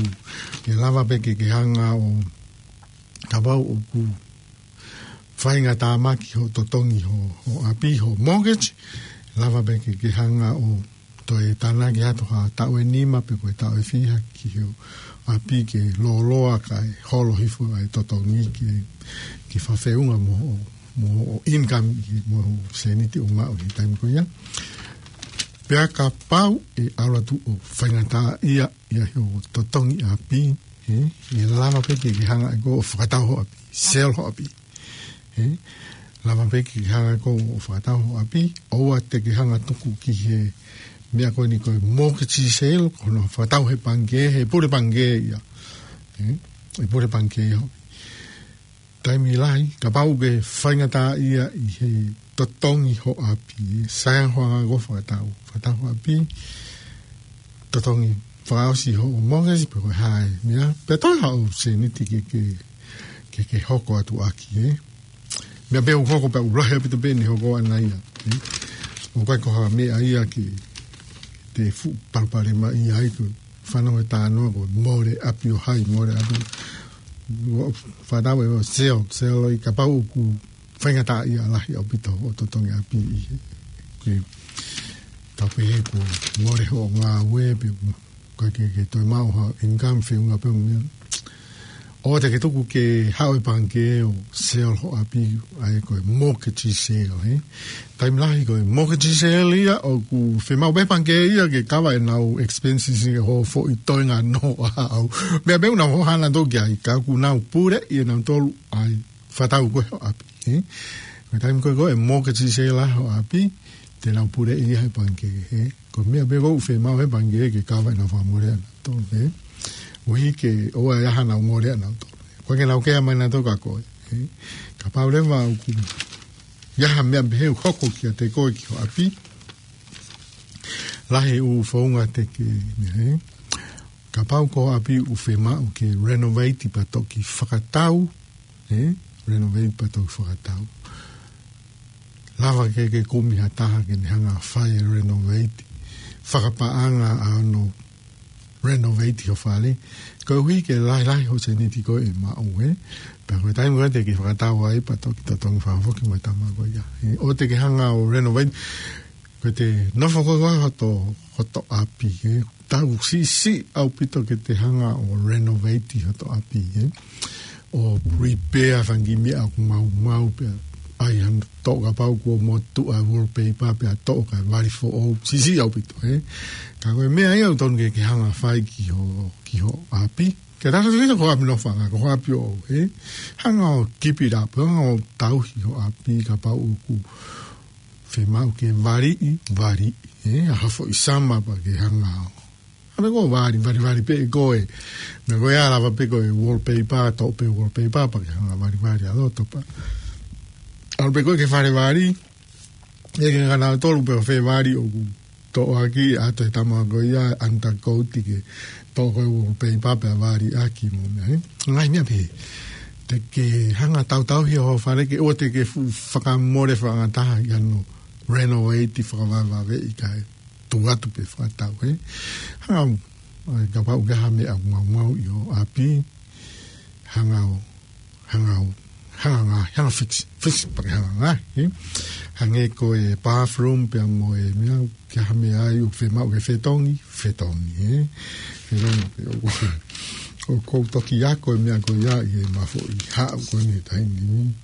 ke lava pē ke ke hanga ʻo, kapau ʻoku faingataʻa mai ki hoʻo totongi ho, ho ʻapi, ho mortgage, lava pē ke ke hanga ʻo toe tānaki atu ha taʻu ʻe nima pe ko e taʻu ʻe fiha ki ho ʻapi ke lōloa kae holo hifo ʻa e totongi ke, ke fakafeʻunga mo hoʻo, mo hoʻo income ʻi he, mo hoʻo sēniti ʻoku maʻu he taimi ko ia. Pea kapau ʻe ʻalu atu ʻo faingataʻaʻia ʻa hoʻo totongi ʻapi, he, ʻe lava pē ke ke hanga ʻe koe ʻo fakatau ho ʻapi, sell ho ʻapi. He, lava pē ke ke hanga ʻe koe ʻo fakatau ho ʻapi, ʻoua te ke hanga tuku ki he meʻa ko eni ko e mortgage sale, ko hono fakatau he pangikē, he pule pangikē ia. He, he pule pangikē ia. Taimi lahi, kapau ʻoku ke faingataʻaʻia ʻi he totongi ho ʻapi, he, sai ange hoʻo hanga ʻe koe ʻo fakatau, fakatau ho ʻapi, totongi fakaʻosi hoʻo mortgage pe ko e hā e meʻa, pea toe haʻo sēniti ke, ke, ke, ke hoko atu ʻaki, he. Meʻa pē ʻoku hoko pea ʻoku lahi ʻaupito pē ʻene hoko ʻana ia, he. ʻOku ʻikai ko ha meʻa ia ke te fuʻu palopalemaʻia ai, ko e fanongo e talanoa ko e mole ʻapi ʻo hai, mole ʻapi. ʻO fakatau ʻe koe ʻo sell, sell ʻo kapau ʻoku faingataʻaʻia lahi ʻaupito hoʻo totongi ʻapi ʻi he, ke tau pehē kuo mole hoʻo ngāue pe ʻoku ʻikai ke, ke toe maʻu ha income, feʻunga pē mo e meʻa. ʻOua te ke tuku ke haʻu e pangikē ʻo sell ho ʻapi, ʻa e ko e mortgage sale, he. Taimi lahi ko e mortgage sale ia ʻoku fiemaʻu pē pangikē ia ke cover ʻenau expenses ʻi he hoʻo foʻi toenga noa ʻaʻau. Meʻa pē ʻoku nau hohaʻa nautolu ki ai, ka ʻoku nau puleʻi ʻe nautolu ʻa e fakatau ko ē ho ʻapi, he. Ko e taimi ko ē ko e mortgage sale ʻa ho ʻapi, te nau puleʻi ia he pangikē, he. Ko e meʻa pē ʻoku fiemaʻu he pangikē ke cover ʻenau fakamole ʻanautolu, he. ʻUhi ke ʻoua ʻe ʻi ai haʻanau mole ʻanautolu. Ko e ke nau kea mai nautolu kia koe, he. Kapau leva ʻoku ʻi ai ha meʻa pehē ʻoku hoko kiate koe ki ho ʻapi, lahi e ʻū founga te ke, he. Kapau ko ho ʻapi ʻoku fiemaʻu ke renovate pea toki fakatau, he, renovate pea toki fakatau. Lava ke ke kumi ha taha ke ne hanga ʻo fai e renovate, fakapaʻanga ʻa hono renovate ho fale, koeʻuhi ke lahilahi hoʻo sēniti ko ē ʻe maʻu, he. Pea ko e taimi ko ē te ke fakatau ai pea toki totongi fakafoki mo e tama ko ia, he. ʻOua te ke hanga ʻo renovate, ko ʻete nofo ko ē ko ē hoto, hoto ʻapi, he. Tau siʻisiʻi ʻaupito ke te hanga ʻo renovate hoto ʻapi, he. ʻO repair fanga kiʻi meʻa ʻoku maumau pea ʻai hano toʻo kapau kuo motuʻa e wallpaper pea toʻo kae vali foʻou. Siʻisiʻi ʻaupito, he. Ka ko e meʻa ia ʻoku totonu ke ke hanga ʻo fai ki ho, ki ho ʻapi. Ke tau sio ko ho ʻapi nofoʻanga, ko ho ʻapi ʻoʻou, he. Hanga ʻo keep it up, hanga ʻo tauhi ho ʻapi kapau ʻoku fiemaʻu ke valiʻi, valiʻi, he. ʻAha foʻi summer pea ke hanga ʻo Hanga pē koe ʻo vali, vali, vali pē koe. Meʻa ko ia, lava pē koe wallpaper, toʻo pē wallpaper, pea ke hanga ʻo vali, vali ʻa loto pē. ʻAlu pē koe ki he fale vali, ʻeke kia kinautolu pe ko fē vali ʻoku toʻo ʻaki, ʻoatu ʻe he tama ko ia undercoat ke toʻo ko ē wallpaper pea vali ʻaki mo e meʻa, ē? Ngaahi meʻa pehē. Te ke hanga ʻo tautauhi hoʻo fale ke ʻoua te ke fuʻu fakamole faingataʻa ʻi hono renovate, fakavavevave ʻi ai, kae tuku atu pē fakatau, ē? Hanga ʻo, ʻai, kapau ʻoku ʻi ai ha meʻa ʻoku maumau ʻi ho ʻapi, hanga ʻo, hanga ʻo, hanga ʻo ngaahi, hanga ʻo fix, fix pea ke hanga ʻo ngaahi, ē? Hangē ko e bathroom pea mo e meʻa, ʻoku ʻi ai ha meʻa ai ʻoku fiemaʻu ke fetongi, fetongi, ē? Fetongi, ʻoku, ʻoku ou toki ako e meʻa ko ia ʻi heʻema foʻi haʻu ko eni he taimi ni.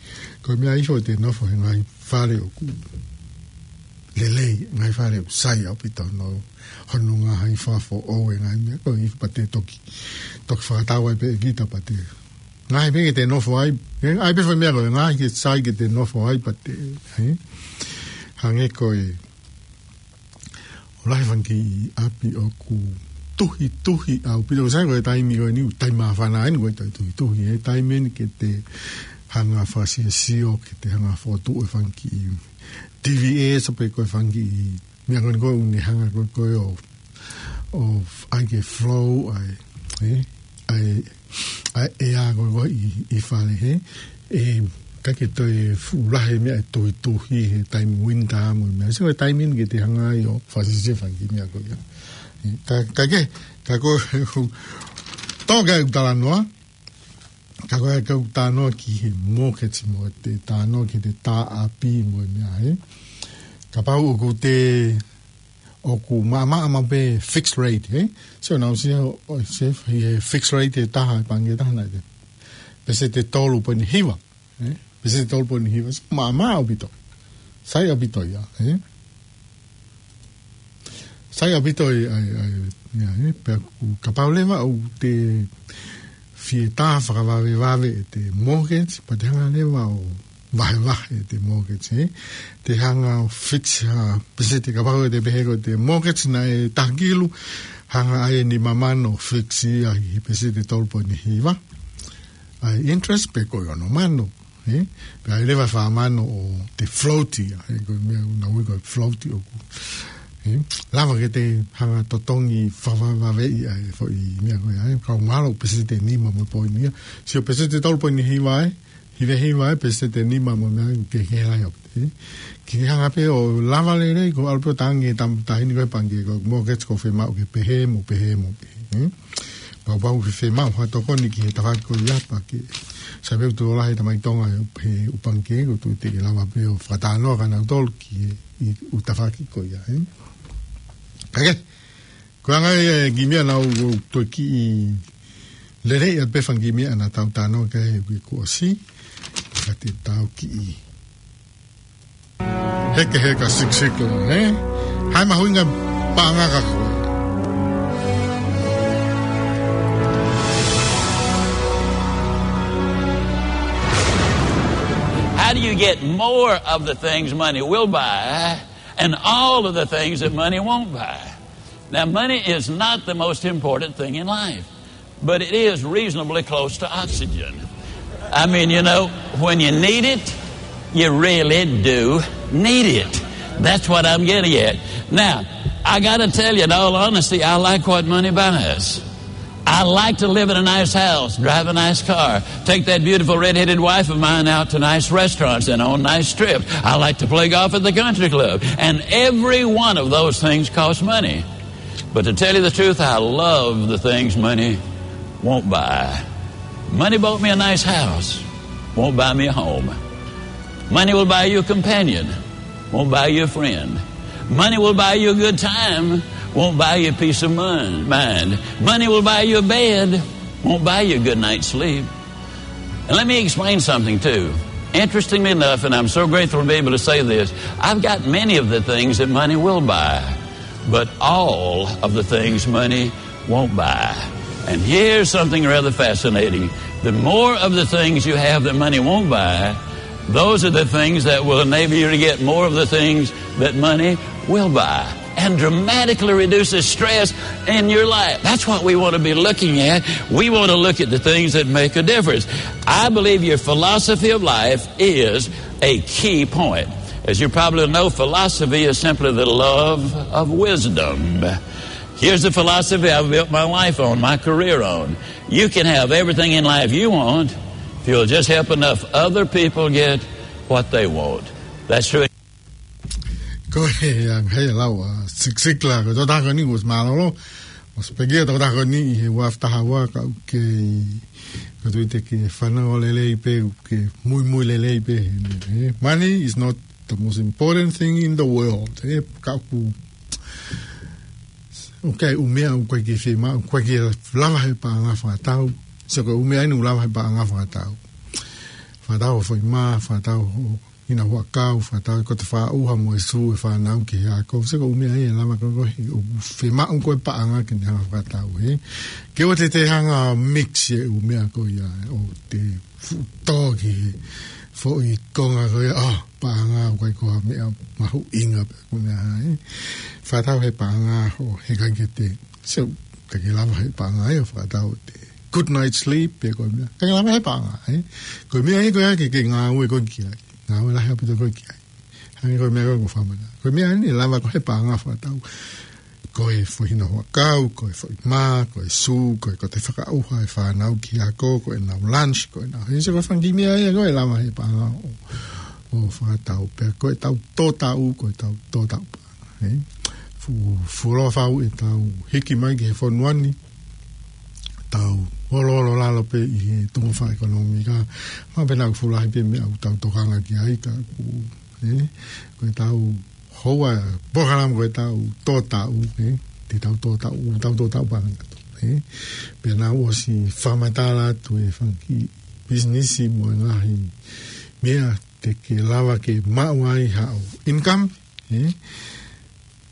Ko e meʻa ia ʻoku te nofo he ngaahi fale ʻoku lelei, ngaahi fale ʻoku sai ʻaupito hono, hono ngaahi fakafoʻou e ngaahi meʻa ko ē pea te toki, toki fakatau ai pē ʻe kita pea te ngaahi pē ke te nofo ai, ē, ʻai pē fai meʻa ko ē, ngaahi ke sai ke te nofo ai pea te, ē? Hangē ko e, ʻoku lahi e fanga kiʻi ʻapi ʻoku tuhituhi ʻaupito, sai ko e taimi ko eni, taimi māfana eni ko e taimi tuhituhi, ē, taimi eni ke te hanga ʻo fakasiosio, ke te hanga ʻo fokotuʻu e fanga kiʻi T V S pe ko e fanga kiʻi meʻa ko eni ko ē ʻoku ne hanga ko ē ʻo, ʻo ʻai ke flow ʻa e, ē? ʻA e, ʻa e ʻea ko ē ʻi, ʻi fale, ē? ʻIkai ke toe fuʻu lahi e meʻa ʻe tuhituhi he taimi winter mo e meʻa. So, taimi eni ke te hanga ai ʻo fakasiosio e fanga kiʻi meʻa ko ia. Ē, ka, ka ke, ka ko, tō ke u talanoa, ka ko e, ka u talanoa ki he mortgage mo e talanoa ki he tā ʻapi mo e meʻa, ē? Kapau ʻoku te, ʻoku maʻamaʻa maʻu pē fixed rate, ē? So, naʻa ku sio, ʻo, sio he fixed rate ʻe taha, pangikē ʻe taha naʻe te, peseti ʻe tolu poini hiva, ē? Peseti ʻe tolu poini hiva, so, maʻamaʻa ʻaupito. Sai ʻaupito ia, ē? Sai ʻaupito ia, ʻai, ʻai, ia, ē? Pea ʻoku, kapau leva ʻoku te fie tā fakavavevave ʻete mortgage, pea te hanga leva ʻo vahevahe ʻete mortgage, ē? Te hanga ʻo fix ha peseti, kapau te pehē ko ʻete mortgage naʻe taha kilu, hanga ʻai e nima mano ʻo fix ia ʻi he peseti ʻe tolu poini hiva. ʻAi interest pe ko e ono mano, ē? Pea ʻai leva e fā mano ʻo te float ia, ē? Ko e meʻa naʻa ku ui ko e float ʻoku, ē? Lava ke te hanga ʻo totongi fakavavevave ʻa e foʻi meʻa ko ia, ē? Kau ngalo peseti ʻe nima mo e poini ia. Sio peseti ʻe tolu poini hiva, ē? Hiva hiva, ē, peseti ʻe nima mo e meʻa ke, ke lahi ʻaupito, ē? Ke ke hanga pē ʻo lava lelei, ko e ʻalu pē ʻo tangi e tama taʻahine ko ē he pangikē ko e mortgage ʻoku fiemaʻu ke pehē mo pehē mo pehē, ē? Kapau ʻoku fiemaʻu ha tokoni ki he tafaʻaki ko ia pea ke, sai pē ʻoku tuʻo lahi e tamaiki Tonga he ʻū pangikē, ʻoku ou tui te ke lava pē ʻo fakatalanoa kia nautolu ki he, ʻi he ʻū tafaʻaki ko ia, ē? Ka ke, ko e anga ia e kiʻi meʻa naʻa ku toe kiʻi lelei atu pē fanga kiʻi meʻa naʻa tau talanoa ki ai he uike kuo ʻosi. Ka te tau kiʻi hekeheka sikisiki, ē? Hai mahuʻinga paʻanga ka ko e. How do you get more of the things money will buy and all of the things that money won't buy? Now, money is not the most important thing in life, but it is reasonably close to oxygen. I mean, you know, when you need it, you really do need it. That's what I'm getting at. Now, I gotta tell you, in all honesty, I like what money buys. I like to live in a nice house, drive a nice car, take that beautiful red-headed wife of mine out to nice restaurants and on nice trips. I like to play golf at the country club. And every one of those things costs money. But to tell you the truth, I love the things money won't buy. Money bought me a nice house, won't buy me a home. Money will buy you a companion, won't buy you a friend. Money will buy you a good time, won't buy you peace of mon-, mind. Money will buy you a bed, won't buy you a good night's sleep. And let me explain something, too. Interestingly enough, and I'm so grateful to be able to say this, I've got many of the things that money will buy, but all of the things money won't buy. And here's something rather fascinating. The more of the things you have that money won't buy, those are the things that will enable you to get more of the things that money will buy. and dramatically reduces stress in your life. That's what we want to be looking at. We want to look at the things that make a difference. I believe your philosophy of life is a key point. As you probably know, philosophy is simply the love of wisdom. Here's the philosophy I've built my life on, my career on. You can have everything in life you want if you'll just help enough other people get what they want. That's true. Ko e anga ia e lau ʻa Zig Ziglar, ko e tokotaha ko eni ʻoku mālōlō. ʻOsi pekia tokotaha ko eni ʻi he ua afe taha ua, ka ʻoku ke, ka tui te ke fanongo lelei pē, ʻoku ke muimui lelei pē. He, he, money is not the most important thing in the world. He, ka ʻoku, ʻoku ʻi ai e ʻū meʻa ʻoku ʻikai ke fiemaʻu, ʻoku ʻikai ke lava he paʻanga fakatau. Sio ko e ʻū meʻa eni ʻoku lava he paʻanga fakatau. Fakatau hoʻo foʻi mā, fakatau hoʻo hinaʻaro huʻakau, fakatau ko e fakaʻauha mo e sū e fānau ki he ako. Sio ko e ʻū meʻa ia ʻe lava ko ē ʻoku fiemaʻu ko e paʻanga ke ne hanga fakatau, he. Ke ʻoua te te hanga mix e ʻū meʻa ko ia ʻo te fuʻu tō ki he foʻi konga ko ia, ʻa, paʻanga ʻoku ʻikai ko ha meʻa mahuʻinga pē ko e meʻa, he. Fakatau he paʻanga ʻo heʻikai ke te, so, ʻikai ke lava he paʻanga ia ʻo fakatau e good night sleep pe ko e meʻa. ʻIkai ke lava he paʻanga, he. Ko e meʻa ia ko ia ke ke ngāue koe ki ai. Ngāue lahi ʻaupito koe ki ai. Hangē ko e meʻa ko ē ʻoku ou fakamana. Ko e meʻa eni ʻe lava ko ē he paʻanga fakatau. Ko e foʻi hinaʻaro huʻakau, ko e foʻi mā, ko e sū, ko e, ko e fakaʻauha e fānau ki he ako, ko ʻenau lunch, ko ʻenau, he, sio ko e fanga kiʻi meʻa ia ko ē ʻe lava he paʻanga ʻo, ʻo fakatau. Pea ko ʻetau tō taʻu, ko ʻetau tō taʻu paʻanga, he. Fu-, fuoloa fau ʻetau hiki mai ki he fonua ni, tau oloolo lalo pē ʻi he tuʻunga fakaʻekonōmika. Mahalo pē naʻa ʻoku fuʻu lahi pē meʻa ʻoku tau tokanga ki ai ka ʻoku, he, ko ʻetau houa, polokalama ko ʻetau tō taʻu, he, te tau tō taʻu, tau tō taʻu paʻanga atu, he. Pea naʻa ku ʻosi fakamatala atu e fanga kiʻi pisinisi mo e ngaahi meʻa te ke lava ke maʻu ai haʻo income, he.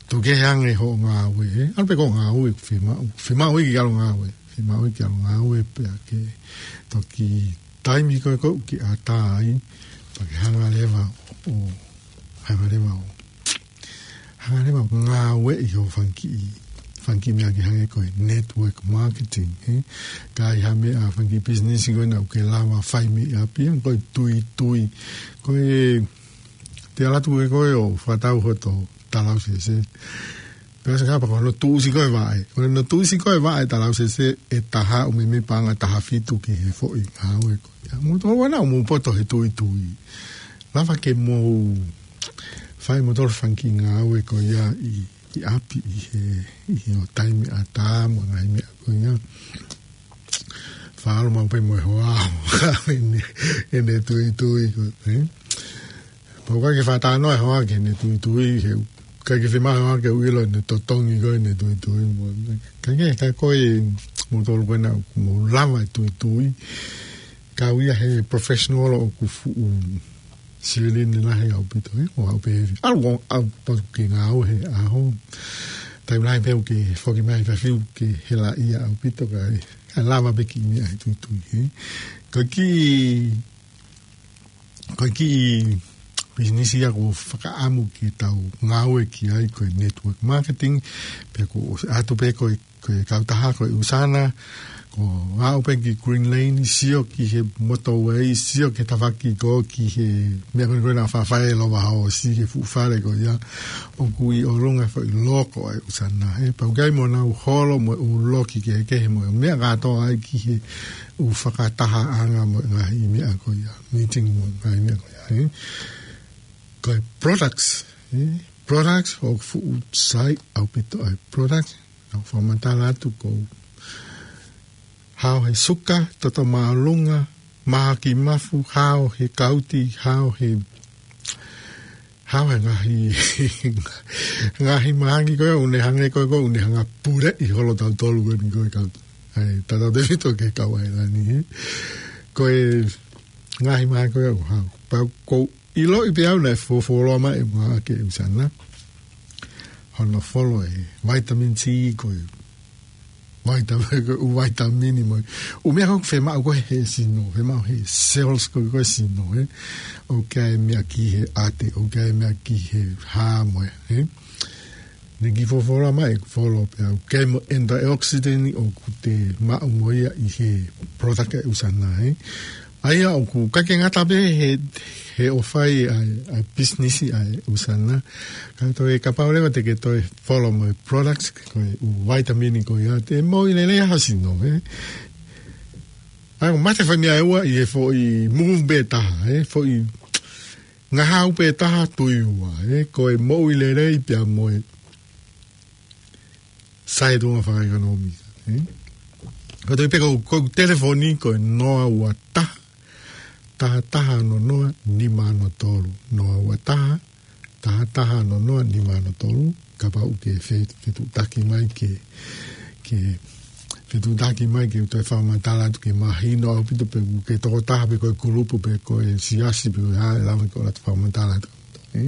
Tuku kehe ange hoʻo ngāue, he. ʻAlu pē ki hoʻo ngāue, fiemaʻu, fiemaʻu ia ke ʻalu ngāue, fiemaʻu ia ke ʻalu ngāue pea ke toki taimi ko ē ʻoku ke ʻatā ai, pea ke hanga leva ʻo, hanga leva ʻo, hanga leva ʻo ngāueʻi hoʻo fanga kiʻi, fanga kiʻi meʻa ke hangē ko e network marketing, he. Ka ʻi ai ha meʻa, fanga kiʻi pisinisi ko ē naʻa ʻoku ke lava fai mei ʻapi, ko e tuitui, ko e te ʻalu atu ko ē ʻo fakatau hoto talausese. Pea sio ange pea ko hono tuʻusi ko ē vaʻe. Ko hono tuʻusi ko ē vaʻe talausese ʻe taha ʻo meimei paʻanga taha fitu ki he foʻi ngāue ko ia. Mou tokanga naʻa mou poto he tuitui. Lava ke mou fai moutolu fanga kiʻi ngāue ko ia ʻi, ʻi ʻapi ʻi he, ʻi he ʻo taimi ʻatā mo e ngaahi meʻa ko ia. Faʻa ʻalu maʻu pē mo e hoa ʻene, ʻene tuitui ko ē, he. Pea ʻoku ʻikai ke fakatalanoa e hoa ki heʻene tuitui, he ʻikai ke fiemaʻu e hoa ke ʻilo ʻene totongi ko ē ʻene tuitui mo. Ka ke, ka ko e moutolu ko ē naʻa mou lava e tuitui. Kau ia he professional ʻoku fuʻu silini lahi ʻaupito, he. ʻO haʻu pē he, ʻalu ʻo, ʻalu pē ke ngāue he ʻaho. Taimi lahi pē ʻoku ke foki mai he efiafi ʻoku ke helaʻia ʻaupito ka, he, ka lava pē kiʻi meʻa he tuitui, he. Ko e kiʻi, ko e kiʻi pisinisi ia ʻoku ou fakaʻamu ke tau ngāue ki ai ko e network marketing, pea ʻoku ou ʻoatu pē ko e, ko e kautaha ko e ʻUsana, ko e aʻu pē ki Green Lane, sio ki he motorway, sio ki he tafaʻaki ko ē ki he meʻa ko ē naʻe faʻa fai ʻe Lova Hoosi he fuʻu fale ko ia, ʻoku ʻi ʻolunga e foʻi loko ʻa e ʻUsana, he. Pea ʻoku ʻi ai mo ʻenau holo mo e ʻū loki kehekehe mo e meʻa kātoa ai ki he ʻū fakatahaʻanga mo e ngaahi meʻa ko ia, meeting mo e ngaahi meʻa ko ia, he. Ko e products, he. Products ʻoku fuʻu sai ʻaupito ʻa e products. Naʻa ku fakamatala atu ko e hao he suka, toto māʻolunga, mahaki mafu, hao he kauti, hao he, hao he ngaahi, ngaahi mahaki ko ē ʻoku ne hangē ko ē ʻoku ne hanga puleʻi holo tautolu ko eni ko e kau, ʻa e tautautefito ki he kau ʻailani, he. Ko e ngaahi mahaki ko ē ʻoku hao. Pea ʻoku ou ʻiloʻi pē au naʻe fuofuoloa mai e maʻa ke ʻUsana. Hono folo e vitamin C ko e vitamin, ko e ʻū vitamin mo e ʻū meʻa ko ē ʻoku fiemaʻu ko ē he sino, fiemaʻu he cells ko ē ko e sino, he. ʻOku ʻi ai e meʻa ki he ʻate, ʻoku ʻi ai e meʻa ki he hā mo e, he. Ne kiʻi folofola mai, folo pē au, kemo antioxidant ʻoku te maʻu mo ia ʻi he product ʻa e ʻUsana, ē. ʻA ia ʻoku ʻikai ke ngata pē he, he ʻoku fai ʻa e, ʻa e business ʻa e ʻUsana. Ka toe kapau leva te ke toe folo mo e products, ko e ʻū vitamin ko ia, te moʻui lelei ha sino, ē. ʻA ia, ʻoku mate fai meʻa ʻe ua ʻi he foʻi move pē taha, ē, foʻi ngahau pē taha tui ua, ē, ko e moʻui lelei pea mo e sai tuʻunga fakaʻekonōmika, ē. Ko e toe pē ko, ko e telefoni ko e noa ua taha, taha taha ono noa, nima ono tolu, noa ua taha, taha taha ono noa, nima ono tolu, kapau ʻoku ke fe-, fetuʻutaki mai ke, ke fetuʻutaki mai ke toe fakamatala atu ke mahino ʻaupito pe ʻoku ke tokotaha pe ko e kulupu pe ko e siasi pe ko e hā ʻe lava ke ʻoatu fakamatala atu. Ē?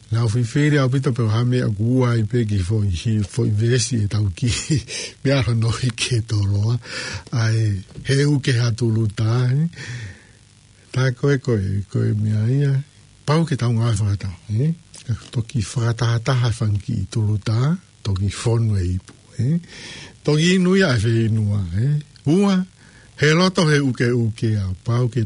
Naʻa ku fifili ʻaupito pe ko e hā e meʻa ʻoku ʻai pē ki he foʻi hi-, foʻi veesi ʻetau kiʻi meʻa hono ʻi he toloa. ʻA e he ʻuke ha tuluta, ē? Tā ko e, ko e, ko e meʻa ia, pau ke tau ngāue fakataha, ē? Toki fakatahataha e fanga kiʻi tuluta, toki fonu e ipu, ē? Toki inu ia ʻa e feʻinua, ē? Ua, he loto he ʻukeʻuke ʻa, pau ke